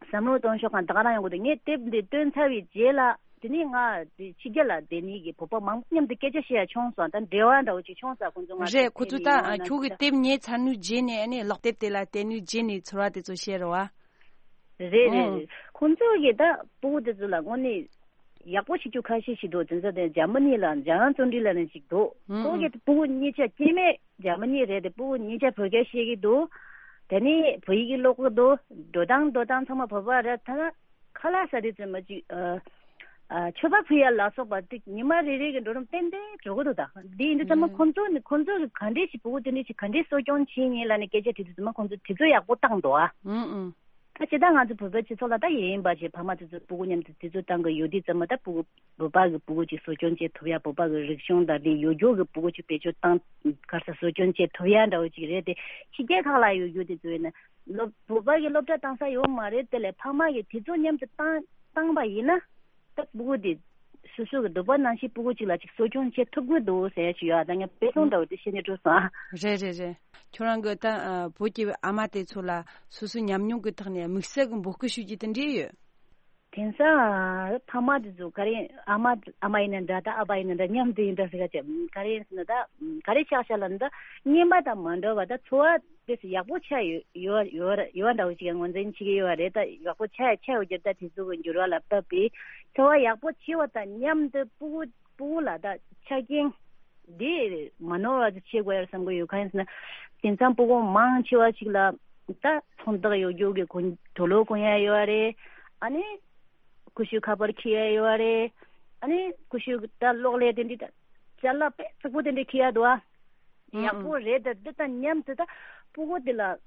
བསམ་བློ་གཏོང་ཕྱོགས་གང་ད་ག་རང་ཡོང་གི་འདུག་ངས་དེབ་འདི་བཏོན་ཚར་བའི་རྗེས་ལ་དེ་ནས་ང་དེ་ཕྱི་རྒྱལ་ལ་བསྡད་ནས་ཀྱི་བོད་པ་མང་པོ་མཉམ་དུ་སྐད་ཆ་བཤད་ཡ་བྱུང་སོང་། ད་འབྲེལ་བ་འདྲ་བོ་ཅིག་བྱུང་ས། ཁོང་ཚོ་ང་རེད། ཁོ་ཚོ་ད་ཁྱོད་ཀྱི་དེབ་ཉན་ཚར་ནུས་རྗེས་ནས་ཨ་ནི་ཀློག་དེབ་དེ་ལ་བལྟས་ནུས་རྗེས་ནས་ཚོར་བ་དེ་ཚོ་བཤད་རོགས་ཨ། རེད་རེད་ཨང་། རེད། ཁོང་ཚོ་གིས་ད་སྤུ་གུ་དེ་ཚོ་ལ་དངོས་གནས་ཡག་པོ་བྱེད་རྒྱུ་ཁ་ཤས་ཤིག་འདུག་དེ་ཚོ་དེ་འཇར་མ་ནི་ལ་འཇམ་དབྱངས་བརྩོན་འགྲུས་ལབ་ནས་ཅིག་འདུག་ཨང་ཁོ་གིས་ཨང་། སྤུ་གུ་གཉིས་ཆ་སྐྱེ་དམན་འཇར་མ་ནི་རེད་དེ། སྤུ་གུ་གཉིས་ཆ་བོད་སྐད་བཤད་ཀྱི་འདུག་དེ་ནས་བོད་ཡིག་ཀློག་གི་འདུག་འགྲོ་སྟངས་འགྲོ་སྟངས་ཚང་མ་བོད་པ་རེད། ད་ཁ་ལག་ཟ་དུས་ཙམ་པ་ཅིག་ཨ་ཨ་མཆོད་པ་ཕུལ་ཡ་ལ་སོགས་པ་ཏིག་ཉི་མ་རེ་རེ་གི་འགྲོ་རིམ་ཏན་ཏན་འགྲོ་གི་འདུག་ད་འདི་ཡིན་དུས་ཙམ་པ་ཨང་། ཁོང་ཚོ་ནི་ཁོང་ཚོ་གི་ག་འདྲས་ཤིག་སྤུ་གུ་དེ་འདྲས་ཤིག་ག་འདྲས་གསོ་སྐྱོང་བྱེད་ཉེན་ལ་ནི་སྐད་ཆ་དྲིས་དུས་ཙམ་པ་ཁོང་ཚོ་དུས་ཚོད་ཡག་པོ་བཏང་འདུག་ཨ། ཨང་ཨང་། ད་ཇི་ལྟར་ང་ཚོ་བོད་པའི་སྤྱི་ཚོགས་ལ་ད་ཡིན་པ་བྱས་ཕ་མ་དེ་ཚོ་སྤུ་གུ་མཉམ་དུ་དུས་ཚོད་བཏང་གི་ཡོད་དུས་ཙམ་པ་ད་སྤུ་གུ་བོད་པ་གི་སྤུ་གུ་ཅིག་གསོ་སྐྱོང་བྱེད་ཐུབ་ཡ། བོད་པ་གི་རིག་གཞུང་དང་དེ་ཡོད་རྒྱུ་གི་སྤུ་གུ་ཅིག་བེད་སྤྱོད་བཏང་ག་རེ་ཟེར་གསོ་སྐྱོང་བྱེད་ཐུབ་ཡ་འདྲ་བོ་ཅིག་རེད་དེ། ཕྱི་རྒྱལ་ཁག་ལ་ཡོད་རྒྱུ་དེ་ཚོ་ཡིན་ན་སློབ་བོད་པ་གི་སློབ་གྲྭ་བཏང་ས་ཡོད་མ་རེད། དེ་ལས་ཕ་མ་གི་དུས་ཚོད་མཉམ་དུ་བཏང་བཏང་པ་ཡིན་ན་ད་སྤུ་གུ་དེ་སོ་སོ་གི་འདོད་པ་ནང་བཞིན་སྤུ་གུ་ཅིག་ལ་ཅིག་གསོ་སྐྱོང་བྱེད་ཐུབ་ཀྱི་འདུག་ཟེར་ཡ་ཅིག་ཡོད། ད་ངས་དཔེ་ལྟ་བུ་འདྲ་བོ་དེ་བཤད་ནས་འགྲོ་སོང་ཨ། རེད་རེད་རེད། ཁྱོད་རང་གི་ད་ཨ་བོད་ཀྱི་ཨ་མ་དེ་ཚོ་ལ་སོ་སོའི་ཉམས་མྱོང་གི་ཐོག་ནས་དམིགས་བསལ་གྱི་འབོད་སྐུལ་ཞུ་རྒྱུ་དེ་འདྲས་ཡོད། དེང་སང་ཕ་མ་དེ་ཚོ་ག་རེ་ཨ་མ་ཨ་མ་ཡིན་ན་འདྲ་ད་ཨ་ཕ་ཡིན་ན་འདྲ་མཉམ་དུ་ཡིན་འདྲ་ཟེར་ག་ཅེ་ག་རེ་ཡིན་ཟེར་ན་ད་ག་རེ་ཆགས་ཤག་ལབ་ན་ད་རྔན་པ་དང་མ་འདྲ་བ་ད་འཚོ་བ་དེ་ཚོ་ཡག་པོ་ཆགས་ཡོད་ཡོད་ཡོད་ཡོད་འདྲ་བོ་ཅིག་ངོས་འཛིན་བྱེད་ཀྱི་ཡོད་པ་རེད། ད་ཡག་པོ་ཆགས་ཆགས་ཡོད་རྒྱུ་ད་དེ་ཚོ་གི་འགྱུར་བ་ལ་བབས་པས་འཚོ་བ་ཡག་པོ་བྱེད་པ་དང་མཉམ་དུ་སྤུ་གུ་སྤུ་གུ་ལ་ད་ཆ་རྐྱེན་འདི་མ་ནོར་བ་ཅིག་བྱེད་དགོས་ཡ་བསམ་གི་ཡོད། གང་ཡིན་ཟེར་ན་དེང་སང་སྤུ་གུ་མང་ཆེ་བ་ཅིག་ལ་ད་ཚོང་རྟགས་ཡོད་རྒྱུ་གི་གོན་དུག་ལོག་གོན་ཡ་ཡོད་རེད། ཨ་ནི་ཀུ་ཤུ་ཁ་པར་འཁྱེར་ཡ་ཡོད་རེད། ཨ་ནི་ཀུ་ཤུ་ད་གློག་ཀླད་དེ་འདྲི་ད་ཅ་ལག་དཔེ་རྩུབ་པོ་དེ་འདྲི་འཁྱེར་ཡ་འདུག་ཨ། ཨང་ཡག་པོ་རེད། ད་འདི་དང་མཉམ་དུ་ད་སྤུ་གུ་དེ་ལ་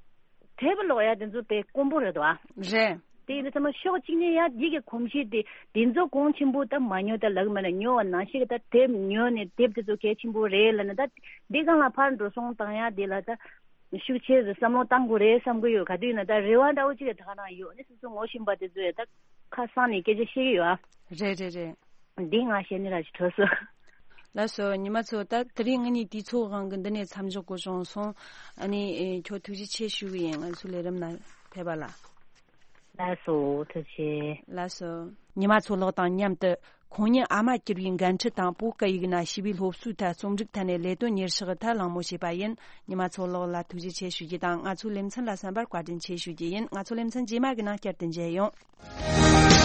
དེབ་ཀློག་ཡ་དེ་ཚོ་དཔེ་དཀོན་པོ་རེད་དོ། རེད། དེ་ཡིན་དུས་ཙམ་པ་ཕྱོགས་གཅིག་ནས་ཡ་འདི་གི་གོམས་གཤིས་དེ་དེ་ཚོ་གོང་ཆེན་པོ་ད་མ་ཉོ་ད་ལག་མ་ལ་ཉོ་བ་ནང་བཞིན་གྱི་ད་དེབ་ཉོ་ནས་དེབ་དེ་ཚོ་གལ་ཆེན་པོ་རེད་ལབ་ན། ད་འདི་སྒང་ལ་ཕར་འགྲོ་སོང་བཏང་ཡ་དེ་ལ་ད་ཤུགས་ཆེ་བསམ་བློ་བཏང་དགོས་རེད་བསམ་གི་ཡོད། ག་དུས་ཡིན་ན་ད་རེ་བ་འདྲ་བོ་ཅིག་ད་ག་རང་ཡོད་ནས་སོ་སོ་ངོ་ཤེས་པ་དེ་ཚོས་ད་ཁ་གསང་ནས་སྐད་ཆ་བཤད་ཀྱི་ཡོད་ཨ། རེད་རེད་རེད། འདི་ང་བཤད་ནི་ར་ཅིག་གྲོལ་སོང་། ལགས་སོ། ཉི་མ་ཚོ། ད་དེ་རིང་ང་གཉིས་དུས་ཚོད་དབང་གིས་འདི་ནས་མཚམས་འཇོག་དགོས་བྱུང་སོང་། ཨ་ནི་ཨེ་ཁྱོད་ཐུགས་རྗེ་ཆེ་ཞུ་གི་ཡིན། ང་ཚོའི་ལས་རིམ་ནང་ཕེབས་པ་ལ། ལགས་སོ། ཐུགས་རྗེ་ཆེ། ལགས་སོ། ཉི་མ་ཚོ་ལགས་དང་མཉམ་དུ་ཁོང་ཉིད་ཨ་མ་གྱུར་བའི་འགན་འཁྲི་དང་བོད་སྐད་ཡིག་ན་ཞི་བའི་སློབ་གསོའི་ཐད་རྩོམ་སྒྲིག་ཐད་ནས་ལས་དོན་གཉེར་ཕྱག་ཐད་གླེང་མོལ་བྱས་པ་ཡིན། ཉི་མ་ཚོ་ལགས་ལ་ཐུགས་རྗེ་ཆེ་ཞུ་རྒྱུ་དང་། ང་ཚོའི་ལེ་ཚན་ལ་གསན་པར་བཀའ་དྲིན་ཆེ་ཞུ་རྒྱུ་ཡིན། ང་ཚོའི་ལེ་ཚན་རྗེས་མ་གི་ནང་བསྐྱར་དུ་མཇལ་ཡོང་།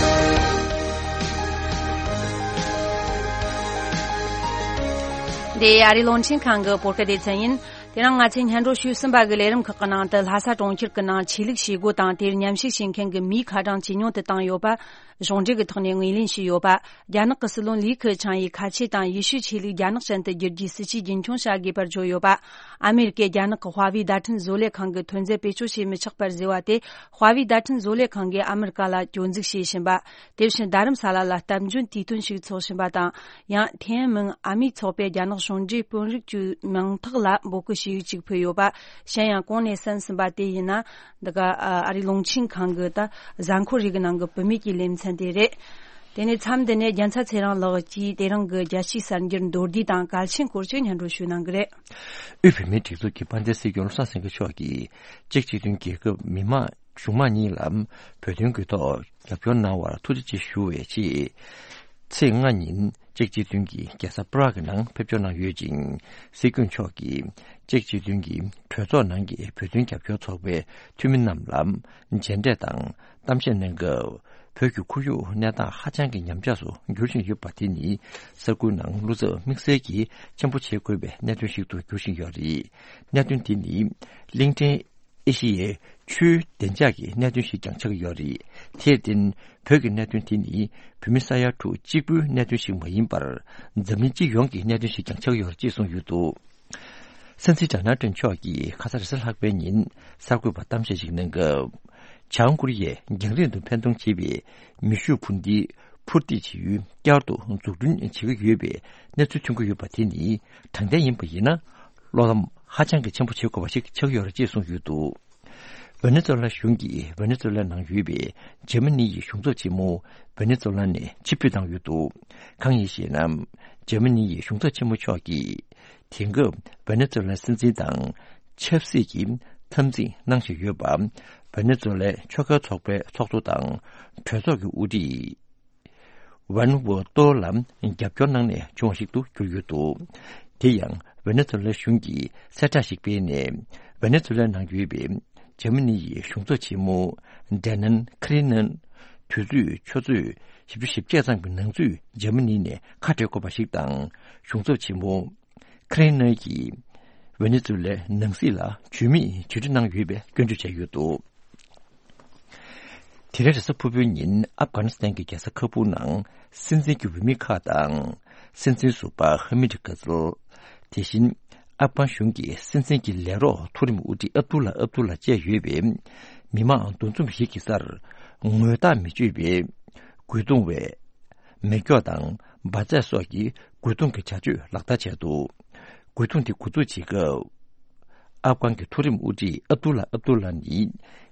འདི་ཨ་རིའི་རླུང་འཕྲིན་ཁང་གི་བོད་སྐད་སྡེ་ཚན་ཡིན། དེ་རིང་ང་ཚོས་སྙན་སྒྲོན་ཞུས་ཟིན་པ་གི་ལས་རིམ་ཁག་གི་ནང་དུ། ལྷ་ས་གྲོང་ཁྱེར་གྱི་ནང་ཆོས་ལུགས་བྱེད་སྒོ་དང་དེར་མཉམ་ཞུགས་བྱེད་མཁན་གྱི་མིའི་ཁ་གྲངས་ཇེ་ཉུང་དུ་བཏང་ཡོད་པ། གཞུང་འབྲེལ་གྱི་ཐོག་ནས་ངོས་ལེན་བྱས་ཡོད་པ། རྒྱ་ནག་གི་སྲིད་བློན་ལི་ཁེ་ཆང་ཡིས་ཁ་ཆེ་དང་ཡེ་ཤུའི་ཆོས་ལུགས་རྒྱ་ནག་ཅན་དུ་བསྒྱུར་རྒྱུའི་སྲིད་ཇུས་རྒྱུན་འཁྱོངས་བྱ་དགོས་པར་བརྗོད་ཡོད་པ། ཨ་མེ་རི་ཀས་རྒྱ་ནག་གི་ཧྭ་ཝེ་བརྡ་འཕྲིན་བཟོ་ལས་ཁང་གི་ཐོན་རྫས་བེད་སྤྱོད་བྱེད་མི་ཆོག་པར་བཟོས་པ་དེ། ཧྭ་ཝེ་བརྡ་འཕྲིན་བཟོ་ལས་ཁང་གིས་ཨ་མེ་རི་ཀ་ལ་སྐྱོན་འཛུགས་བྱས་བཞིན་པ། དེ་བཞིན་རྡ་རམ་ས་ལ་ལ་སྟབས་འཇོན་དུས་སྟོན་ཞིག་འཚོགས་བཞིན་པ་དང་། ཡང་ཐེན་ཨན་མིན་ཨ་མིའི་ཚོགས་པས་རྒྱ་ནག་གཞུང་འབྲེལ་དཔོན་རིགས་ཀྱི་མིང་ཐག་ལ་འབོད་སྐུལ་ཞུ་ཡིག་ཅིག་ཕུལ་ཡོད་པ། གཞན་ཡང་གོང་ནས་གསན་ཟིན་པ་དེ་ཡིན་ན། འདི་ག་ཨ་རིའི་རླུང་འཕྲིན་ཁང་གི་ད་གཟའ་འཁོར་རེ་གི་ནང་གི་བུད་མེད་ཀྱི་ལེ་ཚན་དེ་རེད། དེ་ནས་མཚམས་འདི་ནས་རྒྱལ་མཚན་ཚེ་རིང་ལགས་ཀྱིས་དེ་རིང་གི་རྒྱལ་སྤྱིའི་གསར་འགྱུར་མདོར་བསྡུས་དང་གལ་ཆེན་སྐོར་ཞིག་སྙན་སྒྲོན་ཞུ་གནང་གི་རེད། དབུས་བོད་མིའི་སྒྲིག་འཛུགས་ཀྱི་དཔལ་ལྡན་སྲིད་སྐྱོང་བློ་བཟང་སེང་གེ་མཆོག་གིས་གཅིག་གཅིག་མཐུན་རྒྱལ་ཁབ་མི་དམངས་གཞུང་མང་གཉིས་ལ་བོད་དོན་གྱི་ཐོག་རྒྱབ་སྐྱོར་གནང་བར་ཐུགས་རྗེ་ཆེ་ཞུ་བའི་ཆེད། ཚེས་ལྔ་ཉིན་གཅིག་གཅིག་མཐུན་གྱིས་རྒྱལ་ས་པ་རག་གི་ནང་ཕེབས་འབྱོར་གནང་ཡོད་ཅིང་། སྲིད་སྐྱོང་མཆོག་གིས་གཅིག་གཅིག་མཐུན་གྱི་གྲོས་ཚོགས་ནང་གི་བོད་དོན་རྒྱབ་སྐྱོར་ཚོགས་པའི་འཐུས་མི་རྣམས་ལ་མཇལ་འཕྲད་དང་གཏམ་བཤད་གནང་སྐབས། བོད་ཀྱི་ཁོར་ཡུག་གནས་སྟངས་ཧ་ཅང་གི་ཉམས་ཆག་སུ་འགྱུར་བཞིན་ཡོད་པ་དེ་ནི་ས་ཁུལ་ནང་བློ་འཚབ་དམིགས་བསལ་གྱིས་ཆེན་པོ་བྱེད་དགོས་པའི་གནད་དོན་ཞིག་ཏུ་འགྱུར་བཞིན་ཡོད་རེད། གནད་དོན་དེ་ནི་གླིང་ཕྲན་ཨེ་ཤི་ཡའི་ཆུའི་བདེ་འཇགས་ཀྱི་གནད་དོན་ཞིག་ཀྱང་ཆགས་ཀྱི་ཡོད་རེད། དེར་བརྟེན། བོད་ཀྱི་གནད་དོན་དེ་ནི་བོད་མི་ས་ཡ་དྲུག་གཅིག་པུའི་གནད་དོན་ཞིག་མ་ཡིན་པར། འཛམ་གླིང་སྤྱི་ཡོངས་ཀྱི་གནད་དོན་ཞིག་ཀྱང་ཆགས་ཀྱི་ཡོད་རེད་ཅེས་གསུངས་ཡོད་འདུག། སྲིད་འཛིན་ཌོ་ནལ་ཊམ་མཆོག་གིས་ཁ་ས་རེས་གཟའ་ལྷག་པའི་ཉིན་གསར་འགོད་པར་གཏམ་བཤད་ཞིག་གནང་སྐབས། བྱང་ཀོ་རི་ཡས་རྒྱང་རིང་དུ་འཕེན་གཏོང་བྱེད་པའི་མེ་ཤུགས་འཕུར་མདེལ་འཕུར་མདེལ་བྱེད་ཡུལ་བསྐྱར་དུ་འཛུགས་སྐྲུན་བྱེད་ཀྱི་ཡོད་པའི་གནས་ཚུལ་ཐོན་གྱི་ཡོད་པ་དེ་ནི་དྲང་བདེན་ཡིན་པ་ཡིན་ན། བློ་ཕམ་ཧ་ཅང་གི་ཆེན་པོ་བྱེད་དགོས་པ་ཞིག་ཆགས་ཡོད་རེད་ཅེས་གསུངས་ཡོད་འདུག། ཝེ་ནེ་ཛུ་ལ་གཞུང་གིས་ཝེ་ནེ་ཛུ་ལ་ནང་ཡོད་པའི་འཇར་མ་ནི་ཡི་གཞུང་ཚབ་ཆེན་མོ་ཝེ་ནེ་ཛུ་ལ་ནས་ཕྱིར་འབུད་བཏང་ཡོད་འདུག། གང་ཡིན་ཞེ་ན། འཇར་མ་ནི་ཡི་གཞུང་ཚབ་ཆེན་མོ་མཆོག་གིས། དེང་སྐབས་ཝེ་ནེ་ཛུ་ལའི་སྲིད་འཛིན་དང་ཆབ་སྲིད་ཀྱི་འཐབ་འཛིང་གནང་བཞིན་ཡོད་པ། ཝེ་ནེ་ཛུ་ལའི་ཆོལ་ཁའི་ཚོགས་པའི་ཚོགས་གཙོ་དང་གྲོས་ཚོགས་ཀྱི་དབུ་ཁྲིད་ཝན་ཝོ་ཏོ་ལ་རྒྱབ་སྐྱོར་གནང་ནས་བྱུང་བ་ཞིག་ཏུ་གྱུར་ཡོད་འདུག། དེ་ཡང་ཝེ་ནེ་ཛུ་ལའི་གཞུང་གིས་གསལ་བསྒྲགས་ཤིག་སྤེལ་ནས། ཝེ་ནེ་ཛུ་ལའི་ནང་ཡོད་པའི་འཇར་མ་ནི་ཡི་གཞུང་ཚབ་ཆེན་མོ་ཌེ་ནན་ཁི་རི་ནན་དུས་ཚོད་ཆུ་ཚོད་བཞི་བཅུ་ཞེ་བརྒྱད་ཙམ་གྱི་ནང་ཚུད་འཇར་མ་ནི་ནས་ཁ་བྲལ་དགོས་པ་ཞིག་དང་། གཞུང་ཚབ་ཆེན་མོ་ཁི་རེན་ནེ་ཡིས་ཝེ་ནེ་ཛུ་ལའི་ནང་སྲིད་ལ་ཇུས་མེད་བརྒྱུད་སྒྲིག་གནང་ཡོད་པའི་སྐྱོན་བརྗོད་བྱས་ཡོད་འདུག། དེ་རིང་རེས་གཟའ་ཕུར་བུའི་ཉིན་ཨབ་གྷ་ནི་སི་ཐན་གྱི་རྒྱལ་ས་ཁ་བུར་ནང་སྲིད་འཛིན་གྱི་འོས་མི་ཁག་དང་། སྲིད་འཛིན་ཟུར་པ་ཧ་མིད་ཀ་ཛལ། དེ་བཞིན་ཨབ་གྷ་གཞུང་གི་སྲིད་འཛིན་གྱི་ལས་རོགས་མཐོ་རིམ་དབུ་ཁྲིད་ཨབ་དུ་ལ་ཨབ་དུ་ལ་བཅས་ཡོད་པའི་མི་མང་འདུ་འཛོམས་ཤིག་གི་སར་ངོ་རྟགས་མི་ཆོད་པའི་རྒོལ་རྡུང་བས། མེ་སྒྱོགས་དང་འབར་རྫས་སོགས་ཀྱི་རྒོལ་རྡུང་གི་བྱ་སྤྱོད་ལག་བསྟར་བྱས་འདུག། རྒོལ་རྡུང་དེ་འགོ་འཛུགས་བྱེད་སྐབས། ཨབ་གྷན་གྱི་མཐོ་རིམ་དབུ་ཁྲིད་ཨབ་དུ་ལ་ཨབ་དུ་ལ་ནི་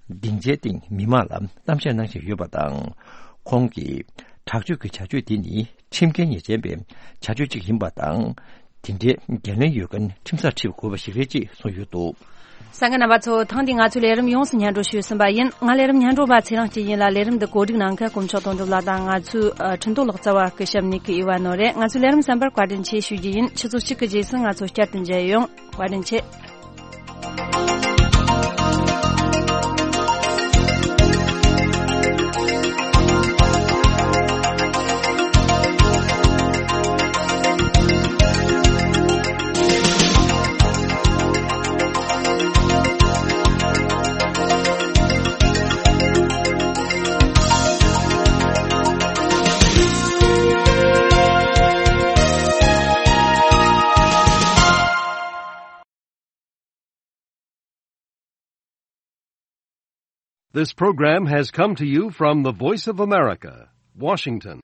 སྡིངས་ཆའི་སྟེང་མི་མང་ལ་གཏམ་བཤད་གནང་བཞིན་ཡོད་པ་དང་། ཁོང་གིས་དྲག་སྤྱོད་ཀྱི་བྱ་སྤྱོད་དེ་ནི་ཁྲིམས་འགལ་ཉེས་ཅན་པའི་བྱ་སྤྱོད་ཅིག་ཡིན་པ་དང་། དེ་འདྲའི་འགན་ལེན་ཡོད་མཁན་ཁྲིམས་སར་འཁྲིད་དགོས་པ་ཞིག་རེད་ཅེས་གསུངས་ཡོད་འདུག། གསན་མཁན་རྣམ་པ་ཚོ། ཐེངས་འདིའི་ང་ཚོའི་ལས་རིམ་ཡོངས་སུ་སྙན་སྒྲོན་ཞུས་ཟིན་པ་ཡིན། ང་ལས་རིམ་སྙན་སྒྲོན་པ་ཚེ་རིང་སྐྱིད་ཡིན་ལ། ལས་རིམ་འདི་གོ་སྒྲིག་གནང་མཁན་དཀོན་མཆོག་དོན་གྲུབ་ལགས་དང་ང་ཚོའི་ཨ་ཁྲིན་ཏུ་ལགས་རྩ་བ་སྐུ་ཞབས་ནི་ཀི་ཨི་ཝ་ནོ་རེད། ང་ཚོའི་ལས་རིམ་གསན་པར་བཀའ་དྲིན་ཆེ་ཞུ་རྒྱུ་ཡིན། ཆུ་ཚོད་གཅིག་གི་རྗེས་སུ་ང་ཚོ་བསྐྱར་དུ་མཇལ་ཡོང་། བཀའ་དྲིན་ཆེ། This program has come to you from the Voice of America, Washington.